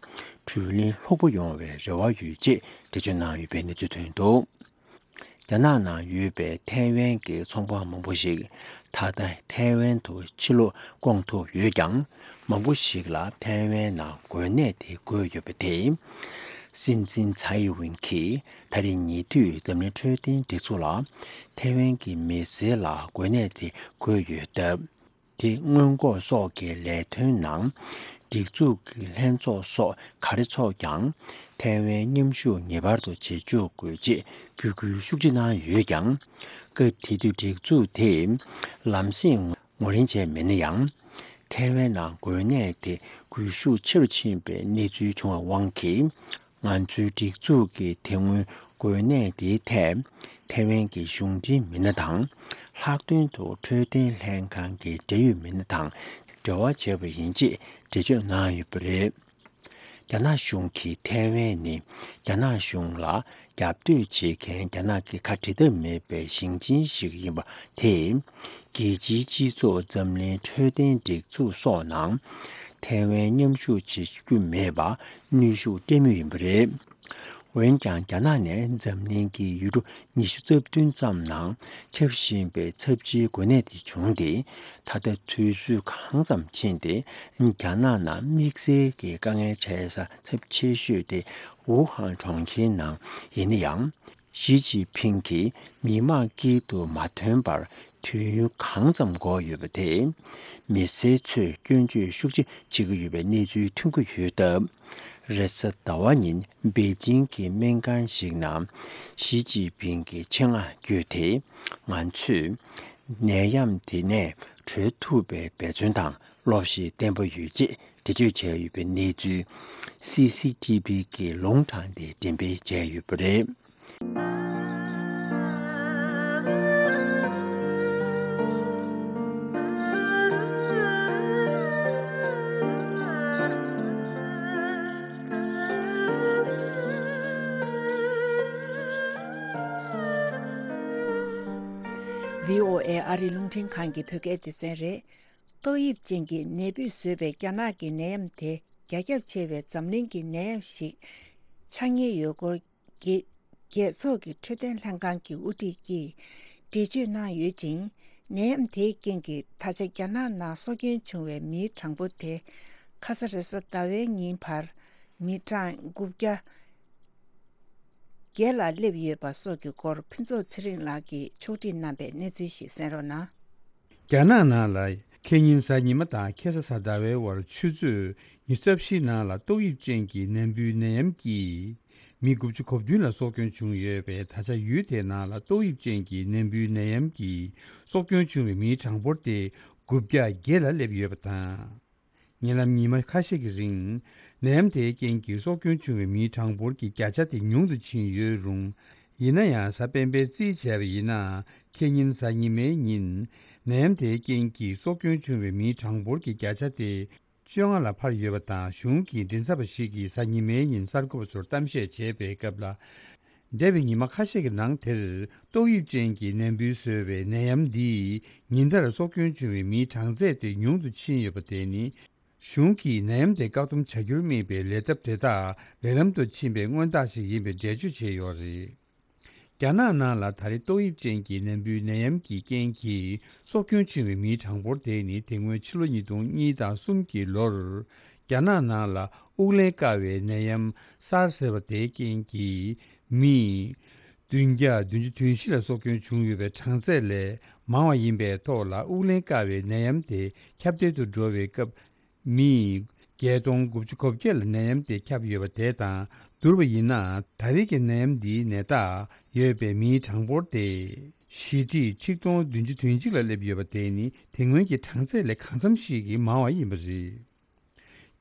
བགྲོ་གླེང་ལྷུག་པོ་ཡོང་བའི་རེ་བ་ཡོད་ཅེས་འགྲེལ་བརྗོད་གནང་ཡོད་པའི་གནས་ཚུལ་ཐོན་འདུག་རྒྱ་ནག་ནང་ཡོད་པའི་ཐའེ་ཝན་གྱི་ཚོང་པ་མང་པོ་ཞིག་ད་ལྟ་ཐའེ་ཝན་དུ་ཕྱིར་ལོག་བསྐྱོད་ཐུབ་ཡོད་ཀྱང་། མང་པོ་ཞིག་ལ་ཐའེ་ཝན་ནང་འགོས་ནད་དེ་འགོས་ཡོད་པ་དེས། སྲིད་འཛིན་ཚའེ་ཝིན་གྱིས་ད་རེས་ཉེ་དུས་འཛམ་གླིང་འཕྲོད་བསྟེན་སྒྲིག་འཛུགས་ལ་ཐའེ་ཝན་གྱི་མི་སེར་ལ་འགོས་ནད་དེ་འགོས་ཡོད་སྟབས། དེ་སྔོན་འགོག་སོགས་ཀྱི་ལས་དོན་ནང་སྒྲིག་འཛུགས་ཀྱི་ལྷན་ཚོགས་སོགས་ག་རེ་ཚོགས་ཀྱང་ཐའེ་ཝན་མཉམ་ཞུགས་ངེས་པར་དུ་བྱེད་བཅུག་དགོས་ཅེས་འབོད་སྐུལ་ཤུགས་ཆེ་གནང་ཡོད་ཀྱང་། སྐབས་དེ་དུས་སྒྲིག་འཛུགས་དེས་ལམ་སེང་ངོས་ལེན་བྱས་མེད་ན་ཡང་། ཐའེ་ཝན་ནང་འགོས་ནད་དེ་འགོས་ཤུགས་ཆེ་རུ་ཕྱིན་པའི་གནས་ཚུལ་བྱུང་བའི་དབང་གིས། ང་ཚོའི་སྒྲིག་འཛུགས་ཀྱིས་དེ་སྔོན་འགོས་ནད་འདིའི་ཐད་ཐའེ་ཝན་གྱི་གཞུང་འབྲེལ་མི་སྣ་དང་། ལྷག་དོན་དུ་འཕྲོད་བསྟེན་ལྷན་ཁང་གི་འབྲེལ་ཡོད་མི་སྣ་དང་འབྲེལ་བ་བྱས་པ་ཡིན་ཅེས་འགྲེལ་བརྗོད་གནང་ཡོད་པ་རེད། རྒྱ་ནག་གཞུང་གིས་ཐའེ་ཝན་ནི་རྒྱ་ནག་གཞུང་ལ་རྒྱབ་གཏོད་བྱེད་མཁན་རྒྱ་ནག་གི་ཁ་འབྲལ་ཐབས་མེད་པའི་ཞིང་ཆེན་ཞིག་ཡིན་པ་དེས། རྒྱལ་སྤྱིའི་སྤྱི་ཚོགས་འཛམ་གླིང་འཕྲོད་བསྟེན་སྒྲིག་འཛུགས་སོགས་ནང་ཐའེ་ཝན་མཉམ་ཞུགས་བྱེད་རྒྱུ་མེད་པར་གནོན་ཤུགས་སྤྲད་མུས་ཡིན་པ་རེད། འོན་ཀྱང་། རྒྱ་ནག་ནས་འཛམ་གླིང་གི་ཡུལ་གྲུ་ཉི་ཤུ་རྩ་བདུན་ཙམ་ནང་ཁྱབ་བཞིན་པའི་ཚབས་ཆེའི་འགོས་ནད་དེ་བྱུང་སྟེ། ད་ལྟ་དུས་ཚོད་གང་ཙམ་ཕྱིན་ཏེ། རྒྱ་ནག་ནང་དམིགས་བསལ་གྱི་དཀའ་ངལ་འཕྲད་ས་ཚབས་ཆེ་ཤོས་དེ་ཝུ་ཧན་གྲོང་ཁྱེར་ནང་ཡིན་ན་ཡང་། ཞི་ཅིན་ཕིང་གིས་མི་མང་དཀྱིལ་དུ་མ་ཐོན་པར་དུས་ཡུན་གང་ཙམ་འགོར་ཡོད་པ་དེས། མི་སེར་ཚོས་སྐྱོན་བརྗོད་ཤུགས་ཆེ་བྱེད་ཀྱི་ཡོད་པའི་གནས་ཚུལ་ཐོན་གྱི་ཡོད་སྟབས། རེས་གཟའ་ཟླ་བ་ཉིན་པེ་ཅིང་གི་སྨན་ཁང་ཞིག་ནང་ཞི་ཅིན་ཕིང་གིས་ཆེད་མངགས་བརྒྱུད་དེ། ང་ཚོས་ནད་ཡམས་དེ་ནས་གྲོལ་ཐུབ་པའི་འབད་བརྩོན་དང་སློབ་གཞི་བརྟན་པོ་ཡོད་ཅེས་འགྲེལ་བརྗོད་བྱས་ཡོད་པའི་གནས་ཚུལ་སི་སི་ཊི་བི་གི་ལུང་དྲངས་ཏེ་འགྲེམས་སྤེལ་བྱས་ཡོད་པ་རེད། བྷི་ཨོ་ཨེ་ཨ་རིའི་རླུང་འཕྲིན་ཁང་གི་བོད་སྐད་སྡེ་ཚན་རེད། ཏོག་དབྱིབས་ཅན་གྱི་ནད་འབུས་བཟོས་པའི་རྒྱ་ནག་གི་ནད་ཡམས་དེ་རྒྱ་ཁྱབ་ཆེ་བའི་འཛམ་གླིང་གི་ནད་ཡམས་ཤིག་ཆགས་ཉེན་ཡོད་སྐོར། རྒྱལ་རྒྱལ་ཚོགས་ཀྱི་འཕྲོད་བསྟེན་ལྷན་ཁང་གི་དབུ་ཁྲིད་ཀྱིས་འགྲེལ་བརྗོད་གནང་ཡོད་ཅིང་། ནད་ཡམས་དེའི་རྐྱེན་གྱིས་ད་ཆ་རྒྱ་ནག་ནང་སྲོག་སྐྱོན་བྱུང་བའི་མིའི་གྲངས་འབོར་དེ་ཁ་ས་རེས་གཟའ་ཟླ་བའི་ཉིན་བར་མི་གྲངས་དགུ་བརྒྱ་བརྒྱད་ལ་སླེབས་ཡོད་པ་སོགས་ཀྱི་སྐོར་ཕུན་ཚོགས་ཚེ་རིང་ལགས་ཀྱིས་ཕྱོགས་སྒྲིག་གནང་པའི་གནས་ཚུལ་ཞིག་གསན་རོགས་གནང་། རྒྱ་ནག་ནང་ལ་ ཁེ་ཉིན་གཟའ་ཉི་མ་དང་ཁེ་ས་གཟའ་ཟླ་བའི་བར་ཆུ་ཚོད་ཉི་ཤུ་རྩ་བཞིའི་ནང་ལ་ཏོག་དབྱིབས་ཅན་གྱི་ནད་འབུའི་ནད་ཡམས་ཀྱིས་མི་དགུ་བཅུ་གོ་བདུན་ལ་སྲོག་སྐྱོན་བྱུང་ཡོད་པས། ད་ཆ་ཡུལ་དེའི་ནང་ལ་ཏོག་དབྱིབས་ཅན་གྱི་ནད་འབུའི་ནད་ཡམས་ཀྱིས་སྲོག་སྐྱོན་བྱུང་བའི་མིའི་གྲངས་འབོར་དེ་དགུ་བརྒྱ་བརྒྱད་ལ་སླེབས་ཡོད་པ་དང་། ཉེ་ལམ་ཉི་མ་ཁ་ཤས་ཀྱི་རིང་ནད་ཡམས་དེའི་རྐྱེན་གྱིས་སྲོག་སྐྱོན་བྱུང་བའི་མིའི་གྲངས་འབོར་གྱི་བརྒྱ་ཆ་དེ་ཉུང་དུ་ཕྱིན་ཡོད་རུང་། ཡིན་ན་ཡང་གཟའ་སྤེན་པའི་རྩིས་བྱས་པ་ཡིན་ན། ཁེ་ཉིན་གཟའ་ཉི་མའི་ཉིན་ནད་ཡམས་དེའི་རྐྱེན་གྱིས་སྲོག་སྐྱོན་བྱུང་བའི་མིའི་གྲངས་འབོར་གྱི་བརྒྱ་ཆ་དེ་བཅོ་ལྔ་ལ་འཕར་ཡོད་པ་དང་། གཞུང་གི་མགྲིན་ཚབ་པ་ཞིག་གིས་གཟའ་ཉི་མའི་ཉིན་གསར་འགོད་པ་ཚོར་གཏམ་བཤད་བྱས་པའི་སྐབས་ལ། འདས་པའི་ཉི་མ་ཁ་ཤས་ཀྱི་ནང་དེར་ཏོག་དབྱིབས་ཅན་གྱི་ནད་འབུས་བཟོས་པའི་ནད་ཡམས་འདིས་ཉིན་ལྟར་སྲོག་སྐྱོན་བྱུང་བའི་མིའི་གྲངས་ཚད་དེ་ཉུང་དུ་ཕྱིན་ཡོད་པ་དེ་ནི། གཞུང་གིས་ནད་ཡམས་དེ་བཀག་སྡོམ་བྱ་རྒྱུར་དམིགས་པའི་ལས་ཐབས་དེ་དག་ལས་ལམ་དུ་ཕྱིན་པའི་མངོན་རྟགས་ཤིག་ཡིན་པའི་འགྲེལ་བརྗོད་བྱས་ཡོད་རེད། རྒྱ་ནག་ནང་ལ་ད་རེས་ཏོག་དབྱིབས་ཅན་གྱི་ནད་འབུའི་ནད་ཡམས་ཀྱི་རྐྱེན་གྱིས་སྲོག་སྐྱོན་བྱུང་བའི་མིའི་གྲངས་འབོར་དེ་ནི་དེ་སྔོན་ཕྱི་ལོ་ཉིས་སྟོང་གཉིས་དང་གསུམ་གྱི་ལོར་རྒྱ་ནག་ནང་ལ་དབུགས་ལེན་དཀའ་བའི་ནད་ཡམས་སཱར་ཟེར་བ་དེའི་རྐྱེན་གྱིས་མི་བདུན་བརྒྱ་བདུན་ཅུ་དོན་བཞི་ལ་སྲོག་སྐྱོན་བྱུང་ཡོད་པའི་གྲངས་ཚད་ལས་མང་བ་ཡིན་པའི་ཐོག་ལ། དབུགས་ལེན་དཀའ་བའི་ནད་ཡམས་དེ་ཁྱབ་གདལ་དུ་འགྲོ་བའི་སྐབས། མི་བརྒྱད་སྟོང་དགུ་བཅུ་གོ་བརྒྱད་ལ་ནད་ཡམས་དེ་ཁྱབ་ཡོད་པ་དེ་དང་བསྡུར་བ་ཡིན་ན། ད་རེས་ཀྱི་ནད་ཡམས་འདིའི་ནད་རྟགས་ཡོད་པའི་མིའི་གྲངས་འབོར་དེ་བཞི་ཁྲི་ཆིག་སྟོང་བདུན་ཅུ་དོན་གཅིག་ལ་སླེབས་ཡོད་པ་དེ་ནི་དེ་སྔོན་གྱི་གྲངས་ཚད་ལས་གང་འཚམ་ཞིག་གིས་མང་བ་ཡིན་པ་རེད།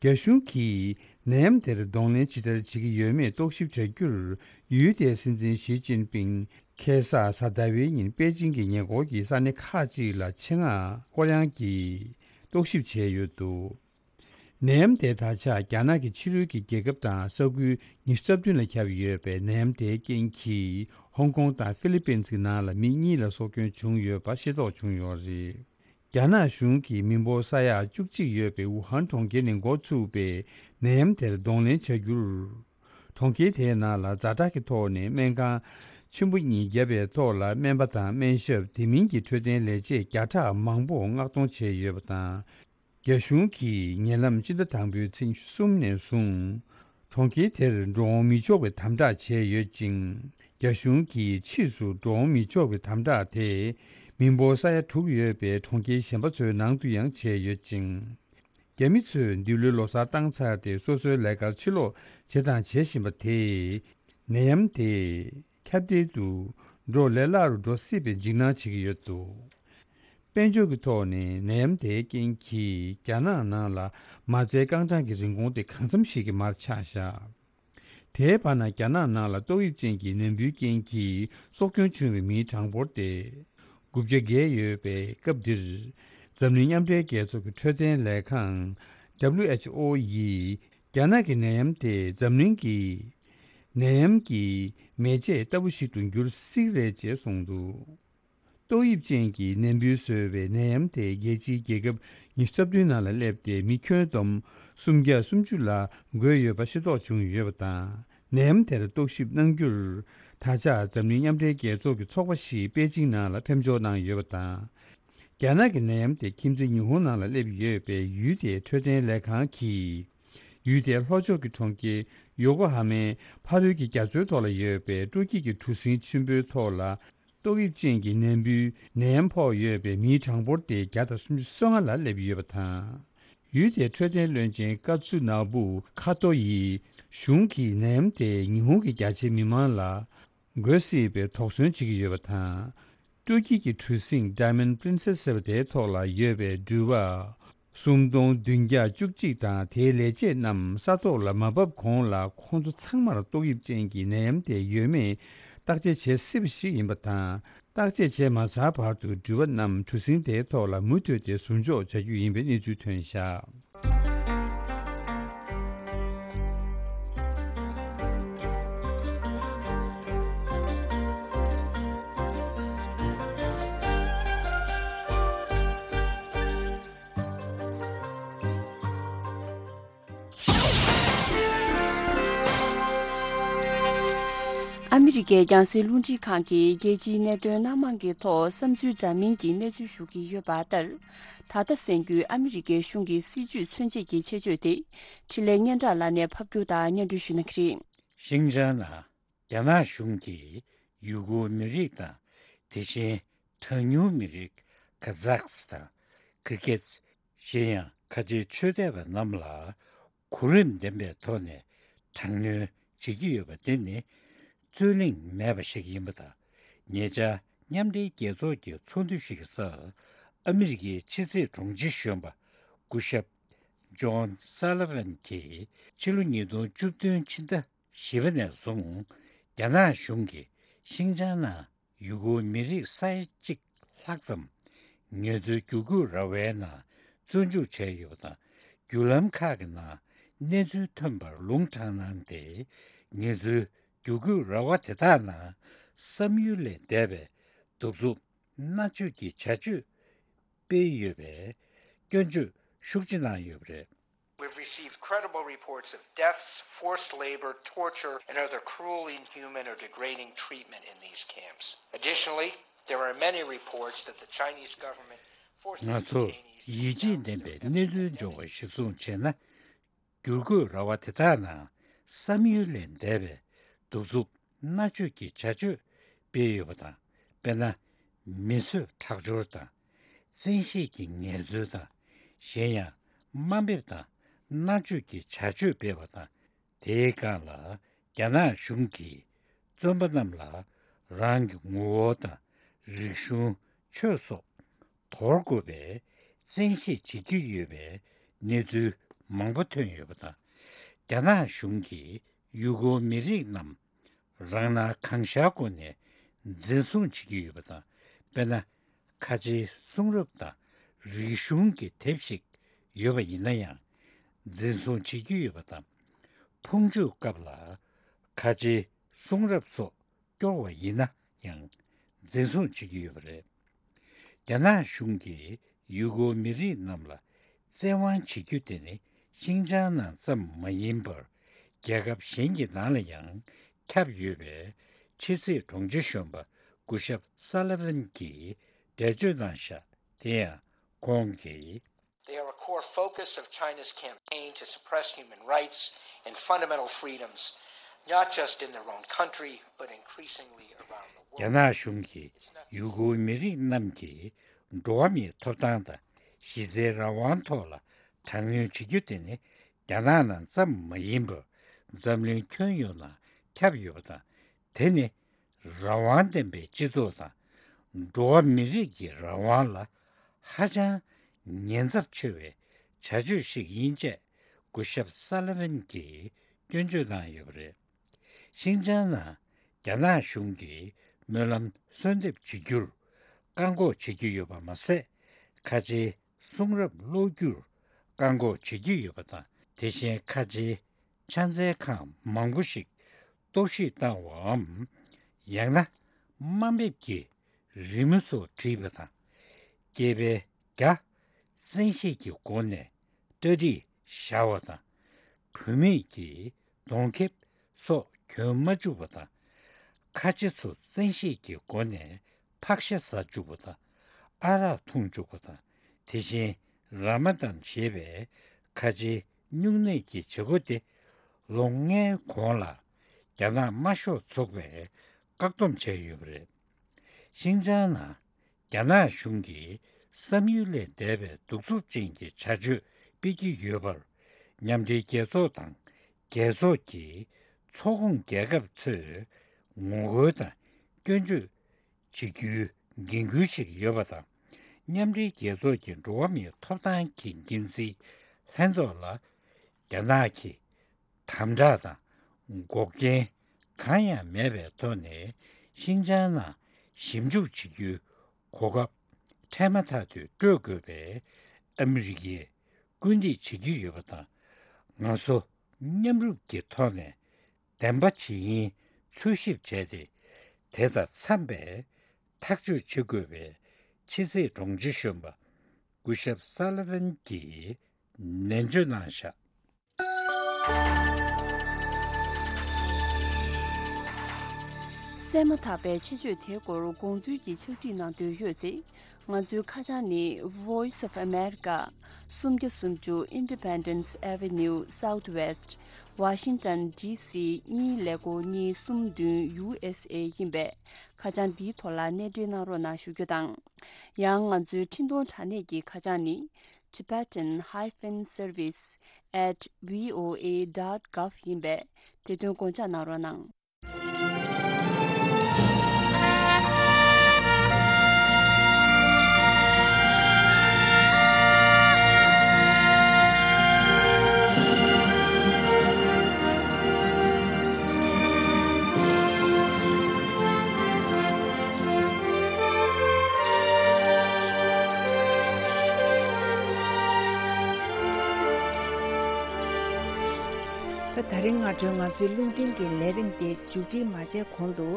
རྒྱ་གཞུང་གིས་ནད་ཡམས་དེར་གདོང་ལེན་ཇི་ལྟར་བྱེད་ཀྱི་ཡོད་མེད་རྟོག་ཞིབ་བྱ་རྒྱུར། ཡུལ་དེའི་སྲིད་འཛིན་ཞི་ཅིན་ཕིང་ཁ་སང་གཟའ་ཟླ་བའི་ཉིན་པེ་ཅིང་གི་ཉེ་འཁོར་གྱི་ས་གནས་ཁག་ཅིག་ལ་ཆེད་མངགས་སྐོར་གཡང་གིས་རྟོག་ཞིབ་བྱས་ཡོད་འདུག་ནད་ཡམས་དེ་ད་ཆ་རྒྱ་ནག་གི་ཕྱི་རོལ་གྱི་རྒྱལ་ཁབ་དང་ས་ཁུལ་ཉི་ཤུ་རྩ་བདུན་ལ་ཁྱབ་ཡོད་པའི་ནད་ཡམས་དེའི་རྐྱེན་གྱིས། ཧོང་ཀོང་དང་ཧྥི་ལི་པིན་གྱི་ནང་ལ་མི་གཉིས་ལ་སྲོག་སྐྱོན་བྱུང་ཡོད་པ་ཤེས་རྟོགས་བྱུང་ཡོད་རེད། རྒྱ་ནག་གཞུང་གིས་མི་འབོར་ས་ཡ་བཅུ་གཅིག་ཡོད་པའི་ཝུ་ཧན་གྲོང་ཁྱེར་ནས་འགོ་ཚུགས་པའི་ནད་ཡམས་དེར་གདོང་ལེན་བྱ་རྒྱུར། གྲོང་ཁྱེར་དེའི་ནང་ལ་ཛ་དྲག་གི་ཐོག་ནས་སྨན་ཁང་ཆེན་པོ་གཉིས་བརྒྱབ་པའི་ཐོག་ལ། སྨན་པ་དང་སྨན་ཞབས། དེ་མིན་གྱི་འཕྲོད་བསྟེན་ལས་བྱེད་བརྒྱ་ཕྲག་མང་པོ་མངགས་གཏོང་བྱས་ཡོད་པ་དང་། རྒྱ་གཞུང་གིས་ཉེ་ལམ་སྤྱི་ཟླ་དང་པོའི་ཚེས་ཉི་ཤུ་གསུམ་ནས་བཟུང་། གྲོང་ཁྱེར་དེར་འགྲོ་འོང་མི་ཆོག་པའི་དམ་དྲག་བྱས་ཡོད་ཅིང་། རྒྱ་གཞུང་གིས་ཕྱིས་སུ་འགྲོ་འོང་མི་ཆོག་པའི་དམ་དྲག་དེ། མི་འབོར་ས་ཡ་དྲུག་ཡོད་པའི་གྲོང་ཁྱེར་གཞན་པ་ཚོའི་ནང་དུ་ཡང་བྱས་ཡོད་ཅིང་། རྒྱ་མི་ཚོས་འདི་ལོའི་ལོ་གསར་བཏང་ཚར་ཏེ། སོ་སོའི་ལས་ཀར་ཕྱིར་ལོག་བྱས་དང་བྱེད་བཞིན་པ་དེས། ནད་ཡམས་དེ་ཁྱབ་གདལ་དུ་འགྲོ་ལས་སླ་རུ་འགྲོ་སྲིད་པའི་འཇིགས་སྣང་བྱེད་ཀྱི་ཡོད་འདུག་དཔལ་འབྱོར་གྱི་ཐོག་ནས་ནད་ཡམས་དེའི་རྐྱེན་གྱིས་རྒྱ་ནག་ནང་ལ་མ་རྩའི་རྐང་གྲངས་ཀྱི་རིན་གོང་དེ་གང་འཚམ་ཞིག་གིས་མར་ཆག་བཞག་དེའི་བར་ན། རྒྱ་ནག་ནང་ལ་ཏོག་དབྱིབས་ཅན་གྱི་ནད་འབུའི་རྐྱེན་གྱིས་སྲོག་སྐྱོན་བྱུང་བའི་མིའི་གྲངས་འབོར་དེ་དགུ་བརྒྱ་བརྒལ་ཡོད་པའི་སྐབས་འདིར། འཛམ་གླིང་མཉམ་འབྲེལ་རྒྱལ་ཚོགས་ཀྱི་འཕྲོད་བསྟེན་ལས་ཁང་། W H O ཡིས། རྒྱ་ནག་གི་ནད་ཡམས་དེ་འཛམ་གླིང་གི་ནད་ཡམས་ཀྱི་མེ་ལྕེ་ལྟ་བུ་ཞིག་ཏུ་འགྱུར་སྲིད་རེད་ཅེས་གསུངས་འདུག་ཏོག་དབྱིབས་ཅན་གྱི་ནད་འབུས་བཟོས་པའི་ནད་ཡམས་དེ་རྒྱལ་སྤྱིའི་རྒྱལ་ཁབ་ཉི་ཤུ་རྩ་བདུན་ནང་ལ་སླེབས་ཏེ། མི་ཁྱོན་བསྡོམས་སུམ་བརྒྱ་སུམ་ཅུ་ལ་འགོས་ཡོད་པ་ཤེས་རྟོགས་བྱུང་ཡོད་པ་དང་། ནད་ཡམས་དེར་རྟོག་ཞིབ་གནང་རྒྱུར། ད་ཆ་འཛམ་གླིང་མཉམ་འབྲེལ་རྒྱལ་ཚོགས་ཀྱི་ཚོགས་པ་ཞིག་པེ་ཅིང་ནང་ལ་ཕེབས་འབྱོར་གནང་ཡོད་པ་དང་། རྒྱ་ནག་གི་ནད་ཡམས་དེ་ཁྱིམ་མཚེས་ཉི་ཧོང་ནང་ལ་སླེབས་ཡོད་པའི་ཡུལ་དེའི་འཕྲོད་བསྟེན་ལས་ཁང་གིས། ཡུལ་དེའི་ལྷོ་ཕྱོགས་ཀྱི་གྲོང་ཁྱེར་ཡོ་ཀོ་ཧ་མའི་ཕ་རོལ་གྱི་རྒྱ་མཚོའི་ཐོག་ལ་ཡོད་པའི་སྤྲོ་སྐྱིད་ཀྱི་གྲུ་གཟིངས་ཆེན་པོའི་ཐོག་ལ། ཏོག་དབྱིབས་ཅན་གྱི་ནད་འབུའི་ནད་ཡམས་ཕོག་ཡོད་པའི་མིའི་གྲངས་འབོར་དེ་བརྒྱ་དང་སུམ་ཅུ་སོ་ལྔ་ལ་སླེབས་ཡོད་པ་དང་། ཡུལ་དེའི་འཕྲོད་བསྟེན་བློན་ཆེན་ཀ་ཙུ་ནག་པུ་ཁ་ཏོ་ཡིས། གཞུང་གིས་ནད་ཡམས་དེ་ཉི་ཧོང་གི་རྒྱ་ཆེའི་མི་མང་ལ་འགོས་སྲིད་པའི་དོགས་ཟོན་བྱེད་ཀྱི་ཡོད་པ་དང་། སྤྲོ་སྐྱིད་ཀྱི་གྲུ་གཟིངས་Diamond Princess ཟེར་བ་དེའི་ཐོག་ལ་ཡོད་པའི་འགྲུལ་པ་སུམ་སྟོང་བདུན་བརྒྱ་བཅུ་གཅིག་དང་དེའི་ལས་བྱེད་རྣམས་ས་ཐོག་ལ་མ་བབས་གོང་ལ། ཁོང་ཚོ་ཚང་མར་ཏོག་དབྱིབས་ཅན་གྱི་ནད་ཡམས་དེ་ཡོད་མེད་བརྟག་དཔྱད་བྱེད་སྲིད་པ་ཞིག་ཡིན་པ་དང་། བརྟག་དཔྱད་བྱས་མ་ཚར་བར་དུ་འགྲུལ་པ་རྣམས་གྲུ་གཟིངས་དེའི་ཐོག་ལ་མུ་མཐུད་དེ་ཟུར་འཇོག་བྱ་རྒྱུ་ཡིན་པའི་གནས་ཚུལ་ཐོན་བཞག་ཨ་མི་རི་ཀའི་རྒྱང་སྲིང་རླུང་འཕྲིན་ཁང་གིས་རྒྱལ་སྤྱིའི་གནད་དོན་སྣ་མང་གི་ཐོག་བསམ་ཚུལ་འདྲ་མིན་གྱི་གནས་ཚུལ་ཞུ་གི་ཡོད་པ་ལྟར། ད་ལྟ་གསན་རྒྱུའི་ཨ་མི་རི་ཀའི་གཞུང་གི་སྲིད་བྱུས་མཚོན་བྱེད་ཀྱི་ཆེད་བརྗོད་དེ། འཕྲིན་ལས་སྙན་གྲགས་ལགས་ནས་ཕབ་སྒྱུར་དང་སྙན་སྒྲོན་ཞུ་གནང་གི་རེད། ཤིན་ཅང་ནང་རྒྱ་ནག་གཞུང་གིས་ཡུ་གུར་མི་རིགས་དང་། དེ་བཞིན་གྲངས་ཉུང་མི་རིགས་ཁ་ཛག་སི་ཐན། ཀི་རི་ཀེ་ཊི། གཞན་ཡང་ཁ་ཆེའི་ཆོས་དད་པ་རྣམས་ལ་གོ་རིམ་ལྡན་པའི་ཐོག་ནས་དྲག་གནོན་བྱེད་ཀྱི་ཡོད་པ་དེ་ནི་རྩོད་གླེང་མེད་པ་ཞིག་ཡིན་པ་དང་། ཉེ་ཆར་མཉམ་འབྲེལ་རྒྱལ་ཚོགས་ཀྱི་ཚོགས་འདུ་ཞིག་གི་སྐབས་ཨ་མི་རི་ཀའི་ཕྱི་སྲིད་དྲུང་ཆེ་གཞོན་པ་སྐུ་ཞབས་ཇོན་སཱ་ལི་ཝན་གྱིས་ཕྱི་ལོ་ཉིས་སྟོང་བཅུ་བདུན་ཕྱི་ཟླ་བཞི་པ་ནས་བཟུང་རྒྱ་ནག་གཞུང་གིས་ཤིན་ཅང་ནང་ཡུ་གུར་མི་རིགས་ས་ཡ་གཅིག་ལྷག་ཙམ་ངལ་རྩོལ་བསྒྱུར་བཀོད་ར་བའི་ནང་བཙོན་འཇུག་བྱས་ཡོད་པ་དང་། བརྒྱུད་ལམ་ཁག་གི་ནང་གནས་ཚུལ་ཐོན་པར་ལུང་དྲངས་གནང་སྟེ། ངལ་རྩོལ་བསྒྱུར་བཀོད་ར་བ་དེ་དག་ནང་བསམ་ཡུལ་ལས་འདས་པའི་གདུག་རྩུབ་མནར་གཅོད་ཀྱི་བྱ་སྤྱོད་སྤེལ་ཡོད་པའི་སྐྱོན་བརྗོད་ཤུགས་ཆེ་གནང་ཡོད་པ་རེད། We've received credible reports of deaths, forced labor, torture, and other cruel, inhuman, or degrading treatment in these camps. Additionally, there are many reports that the Chinese government forces ང་ཚོར་detainees ཡིད་ཆེས་ལྡན་པའི་གནས་ཚུལ་འབྱོར་བ་གཞིར་བཟུང་བྱས་ན། བསྒྱུར་བཀོད་ར་བ་དེ་དག་ནང་བསམ་ཡུལ་ལས་འདས་པའི་གདུག་རྩུབ་མནར་གཅོད་ཀྱི་བྱ་སྤྱོད་སྤེལ་ཡོད་པ་དང་། དཔེར་ན། མི་གསོད་ཁྲག་སྦྱོར་དང་། བཙན་ཤེད་ཀྱི་ངལ་རྩོལ་དང་། གཞན་ཡང་དམའ་འབེབས་དང་མནར་གཅོད་ཀྱི་བྱ་སྤྱོད་སྤེལ་བ་དང་། དེའི་སྒང་ལ་རྒྱ་ནག་གཞུང་གིས་བཙོན་པ་རྣམས་ལ་རང་གི་ངོ་བོ་དང་རིག་གཞུང་། ཆོས་སོགས་དོར་དགོས་པའི་བཙན་ཤེད་བྱེད་ཀྱི་ཡོད་པའི་གནས་ཚུལ་མང་པོ་ཐོན་ཡོད་པ་དང་། རྒྱ་ནག་གཞུང་གིས་ཡུ་གུར་མི་རིགས་རྣམས་རང་སྣང་གང་ཤར་སྒོ་ནས་འཛིན་བཟུང་བྱེད་ཀྱི་ཡོད་པ་དང་། དཔེར་ན། ཁ་ཆེའི་གསུང་རབ་དང་རིག་གཞུང་གི་དེབ་ཞིག་ཡོད་པ་ཡིན་ན་ཡང་འཛིན་བཟུང་བྱེད་ཀྱི་ཡོད་པ་དང་། ཕུང་མཆོད་སྐབས་ལ་ཁ་ཆེའི་གསུང་རབ་སོགས་སྐྱོར་བ་ཡིན་ན་ཡང་འཛིན་བཟུང་བྱེད་ཀྱི་ཡོད་པ་རེད། རྒྱ་ནག་གཞུང་གིས་ཡུ་གུར་མི་རིགས་རྣམས་ལ་བཙན་དབང་བྱེད་རྒྱུ་དེ་ནི་ཤིན་ཅང་ནང་ཙམ་མ་ཡིན་པར་རྒྱལ་ཁབ་གཞན་གྱི་ནང་ལ་ཡང་ཁྱབ་ཡོད་པའི་ཕྱི་སྲིད་དྲུང་ཆེ་གཞོན་པ་སྐུ་ཞབས་སཱ་ལི་ཝན་གྱིས་འགྲེལ་བརྗོད་གནང་བཞག་དེ་ཡང་ཁོང་གིས། They are a core focus of China's campaign to suppress human rights and fundamental freedoms, not just in their own country, but increasingly around the world. རྒྱ་ནག་གཞུང་གིས་ཡུ་གུར་མི་རིགས་རྣམས་ཀྱི་འགྲོ་བ་མིའི་ཐོབ་ཐང་དང་གཞི་རྩའི་རང་དབང་ཐོག་ལ་དྲག་གནོན་བྱེད་རྒྱུ་དེ་ནི་རྒྱ་ནག་ནང་ཙམ་མ་ཡིན་པར་འཛམ་གླིང་ཁྱོན་ཡོངས་ནང་ཁྱབ་ཡོད་པ་དང་། དེ་ནི་རང་དབང་ལྡན་པའི་སྤྱི་ཚོགས་དང་འགྲོ་བ་མི་རིགས་ཀྱི་རང་དབང་ལ་ཧ་ཅང་ཉེན་ཚབས་ཆེ་བའི་བྱ་སྤྱོད་ཞིག་ཡིན་ཅེས་སྐུ་ཞབས་སཱ་ལི་ཝན་གྱིས་སྐྱོན་བརྗོད་གནང་ཡོད་པ་རེད། ཤིན་ཅང་ནང་རྒྱ་ནག་གཞུང་གིས་སྨོན་ལམ་གསོལ་འདེབས་བྱེད་རྒྱུར་བཀག་འགོག་བྱེད་ཀྱི་ཡོད་པ་མ་ཟད། ཁ་ཆེའི་གསུང་རབ་ཀློག་རྒྱུར་བཀག་འགོག་བྱེད་ཀྱི་ཡོད་པ་དང་། དེ་བཞིན་ཁ་ཆེའི་ཕྱག་འཚལ་ཁང་མང་པོ་ཞིག་གཏོར་བཤིག་བཏང་བའམ། ཡང་ན་དམའ་འབེབས་ཀྱི་རི་མོ་སོགས་བྲིས་པ་དང་། སྐྱེས་པའི་རྒྱ་བཙན་ཤེད་ཀྱི་སྒོ་ནས་གྲ་སྒྲིག་བཞག་པ་དང་། བུད་མེད་ཀྱི་གདོང་ཁེབས་སོགས་གྱོན་མ་བཅུག་པ་དང་། ཁ་ཆེ་ཚོ་བཙན་ཤེད་ཀྱི་སྒོ་ནས་ཕག་ཤ་ཟ་བཅུག་པ་དང་། ཨ་རག་འཐུང་བཅུག་པ་དང་། དེ་བཞིན་ར་མ་དན་ཞེས་པའི་ཁ་ཆེའི་སྨྱུང་གནས་ཀྱི་བྱེད་སྒོ་དེ་ལོ་ལྔའི་གོང་ལ་རྒྱ་ནག་དམར་ཤོག་ཚོགས་པས་བཀག་སྡོམ་བྱས་ཡོད་པ་རེད། ཤིན་ཅང་ནང་རྒྱ་ནག་གཞུང་གིས་བསམ་ཡུལ་ལས་འདས་པའི་གདུག་རྩུབ་ཅན་གྱི་བྱ་སྤྱོད་སྤེལ་གྱི་ཡོད་པར། མཉམ་འབྲེལ་རྒྱལ་ཚོགས་དང་རྒྱལ་ཚོགས་ཀྱི་ཚོགས་ཁོངས་རྒྱལ་ཁབ་ཚོས་ངོ་རྒོལ་དང་སྐྱོན་བརྗོད་བྱེད་རྒྱུའི་འགན་འཁུར་ཞིག་ཡོད་པ་དང་། མཉམ་འབྲེལ་རྒྱལ་ཚོགས་ཀྱི་འགྲོ་བ་མིའི་ཐོབ་ཐང་གི་འགན་འཛིན་ལྷན་ཚོགས་ལ་རྒྱ་ནག་གིས་དམ་དྲག་དང་འགོག་རྐྱེན་གང་ཡང་མེད་པའི་ཐོག་ནས་ཤིན་ཅང་ནང་ཞིབ་འཇུག་བྱེད་རྒྱུའི་གོ་སྐབས་འཕྲལ་མ་ཐག་ཏུ་སྤྲོད་དགོས་པའི་ཨ་མི་རི་ཀས་སྐུལ་འདེད་བྱེད་ཀྱི་ཡོད་པ་དང་། ང་ཚོ་མཉམ་རུབ་ཀྱི་ཐོག་ནས་བདེན་པ་ཇི་ཡིན་འཚོལ་ཞིབ་བྱས་ཏེ། དེ་དང་འཚམས་པའི་ཐག་གཅོད་བྱེད་དགོས་པའི་ཕྱི་སྲིད་དྲུང་ཆེ་གཞོན་པ་སྐུ་ཞབས་སཱ་ལི་ཝན་གྱིས་ནན་བརྗོད་གནང་བཞག་གསན་མ་ཐག་པའི་ཆེད་བརྗོད་དེའི་སྐོར་དགོངས་ཚུལ་གྱི་ཕྱག་བྲིས་གནང་འདོད་ཡོད་ཚེ། ང་ཚོའི་ཁ་བྱང་ནི། Voice of America, སུམ་བརྒྱ་སུམ་ཅུ་Independence Avenue Southwest, Washington D C གཉིས་ཀླད་ཀོར་གཉིས་གསུམ་བདུན། U S A ཡིན་པས། ཁ་བྱང་འདིའི་ཐོག་ལ་གནས་འབྲེལ་གནང་རོགས་གནང་ཞུ་རྒྱུ་དང་། ཡང་ང་ཚོའི་འཕྲིན་གཏོང་དྲ་གནས་ཀྱི་ཁ་བྱང་ནི། tibetan hyphen service at voa dot gov ཡིན་པས། དེ་དོན་དགོངས་འཇགས་གནང་རོགས་གནང་། ད་ད་རིང་སྔ་དྲོའི་ང་ཚོའི་རླུང་འཕྲིན་གྱི་ལས་རིམ་དེ་མཇུག་སྒྲིལ་མ་བྱས་གོང་དུ།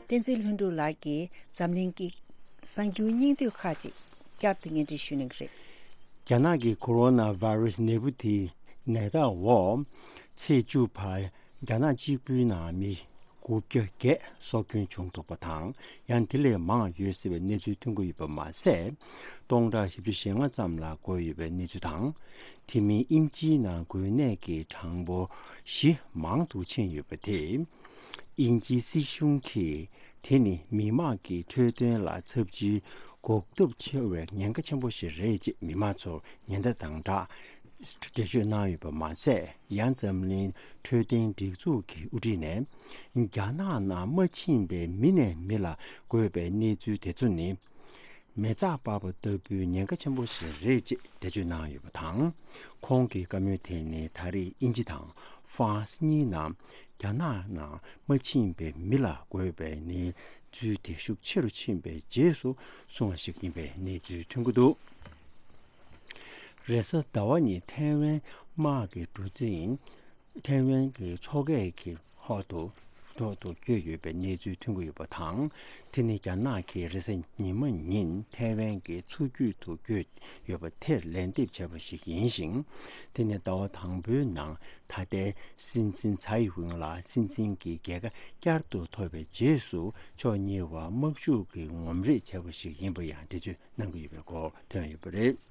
བསྟན་འཛིན་ལྷུན་གྲུབ་ལགས་ཀྱིས་འཛམ་གླིང་གི་གསར་འགྱུར་སྙིང་བསྡུས་ཁག་ཅིག་བསྐྱར་དུ་སྙན་སྒྲོན་ཞུ་གནང་གི་རེད། རྒྱ་ནག་གི་ཁོ་རོ་ན་ཝེ་རུ་སི་ནད་འབུ་དེའི་ནད་རྟགས་འོག་ཚེས་བཅུ་བར་རྒྱ་ནག་གཅིག་པུའི་ནང་མི་དགུ་བརྒྱ་བརྒྱད་སྲོག་སྐྱོན་བྱུང་འདུག་པ་དང་། ཡང་དེ་ལས་མང་ཡོད་སྲིད་པའི་གནས་ཚུལ་ཐོན་གྱི་ཡོད་པ་མ་ཟད། སྟོང་ཕྲག་བཞི་བཅུ་ཞེ་ལྔ་ཙམ་ལ་འགོས་ཡོད་པའི་གནས་ཚུལ་དང་། དེ་མིན་དབྱིན་ཇིའི་ནང་འགོས་ནད་ཀྱི་གྲངས་འབོར་གཞི་མང་དུ་ཕྱིན་ཡོད་པ་དེས། དབྱིན་ཇིའི་སྲིད་གཞུང་གིས་དེ་ནི་མི་དམངས་ཀྱི་འཕྲོད་བསྟེན་ལ་ཚབས་ཆེའི་གོ་སྐབས་ཆེ་བའི་ཉེན་ཁ་ཆེན་པོ་ཞིག་རེད་ཅེས་མི་མང་ཚོར་ཉེན་བརྡ་དང་སྦྲགས་འགྲེལ་བརྗོད་གནང་ཡོད་པ་མ་ཟད། ཡང་འཛམ་གླིང་འཕྲོད་བསྟེན་སྒྲིག་འཛུགས་ཀྱི་དབུ་ཁྲིད་ནས་རྒྱ་ནག་ནང་མ་ཕྱིན་པའི་མི་ནས་མི་ལ་འགོས་པའི་གནས་ཚུལ་དེ་ཚོ་ནི། མེ་བཙའ་སྤར་བ་ལྟ་བུའི་ཉེན་ཁ་ཆེན་པོ་ཞིག་རེད་ཅེས་འགྲེལ་བརྗོད་གནང་ཡོད་པ་དང་། ཁོང་གི་བཀའ་མོལ་དེ་ནི་ད་རེས་དབྱིན་ཇི་དང་ཧྥ་རན་སི་གཉིས་ནང་རྒྱ་ནག་ནང་མ་ཕྱིན་པའི་མི་ལ་འགོས་པའི་གནས་ཚུལ་དེ་ཤུགས་ཆེ་རུ་ཕྱིན་པའི་རྗེས་སུ་སོང་བ་ཞིག་ཡིན་པའི་གནས་ཚུལ་ཐོན་གྱི་འདུག་རེས་གཟའ་ཟླ་བ་ཉིན་ཐའེ་ཝན་དམག་གི་གྲུ་གཟིངས། ཐའེ་ཝན་གྱི་མཚོ་ཁའི་གི་ཐོག་ཏུ་ཐོག་ཏུ་བསྐྱོད་ཡོད་པའི་གནས་ཚུལ་ཐོན་གྱི་ཡོད་པ་དང་། དེ་ནི་རྒྱ་ནག་གིས་རེས་གཟའ་ཉི་མ་ཉིན་ཐའེ་ཝན་གྱི་མཚོ་རྒྱུད་དུ་བསྐྱོད་ཡོད་པ་དེར་ལན་འདེབས་བྱས་པ་ཞིག་ཡིན་ཞིང་། དེ་ནི་ཟླ་བ་དང་པོའི་ནང་ད་ལྟའི་སྲིད་འཛིན་ཚའེ་ཝེན་ལ་སྲིད་འཛིན་གྱི་རྒྱལ་ཁ་བསྐྱར་དུ་ཐོབ་པའི་རྗེས་སུ་ཕྱོགས་གཉིས་བར་དམག་ཤུགས་ཀྱི་ངོམ་རེས་བྱས་པ་ཞིག་ཡིན་པ་ཡང་འགྲེལ་བརྗོད་གནང་གི་ཡོད་པའི་སྐོར་ཐོན་ཡོད་པ་རེད།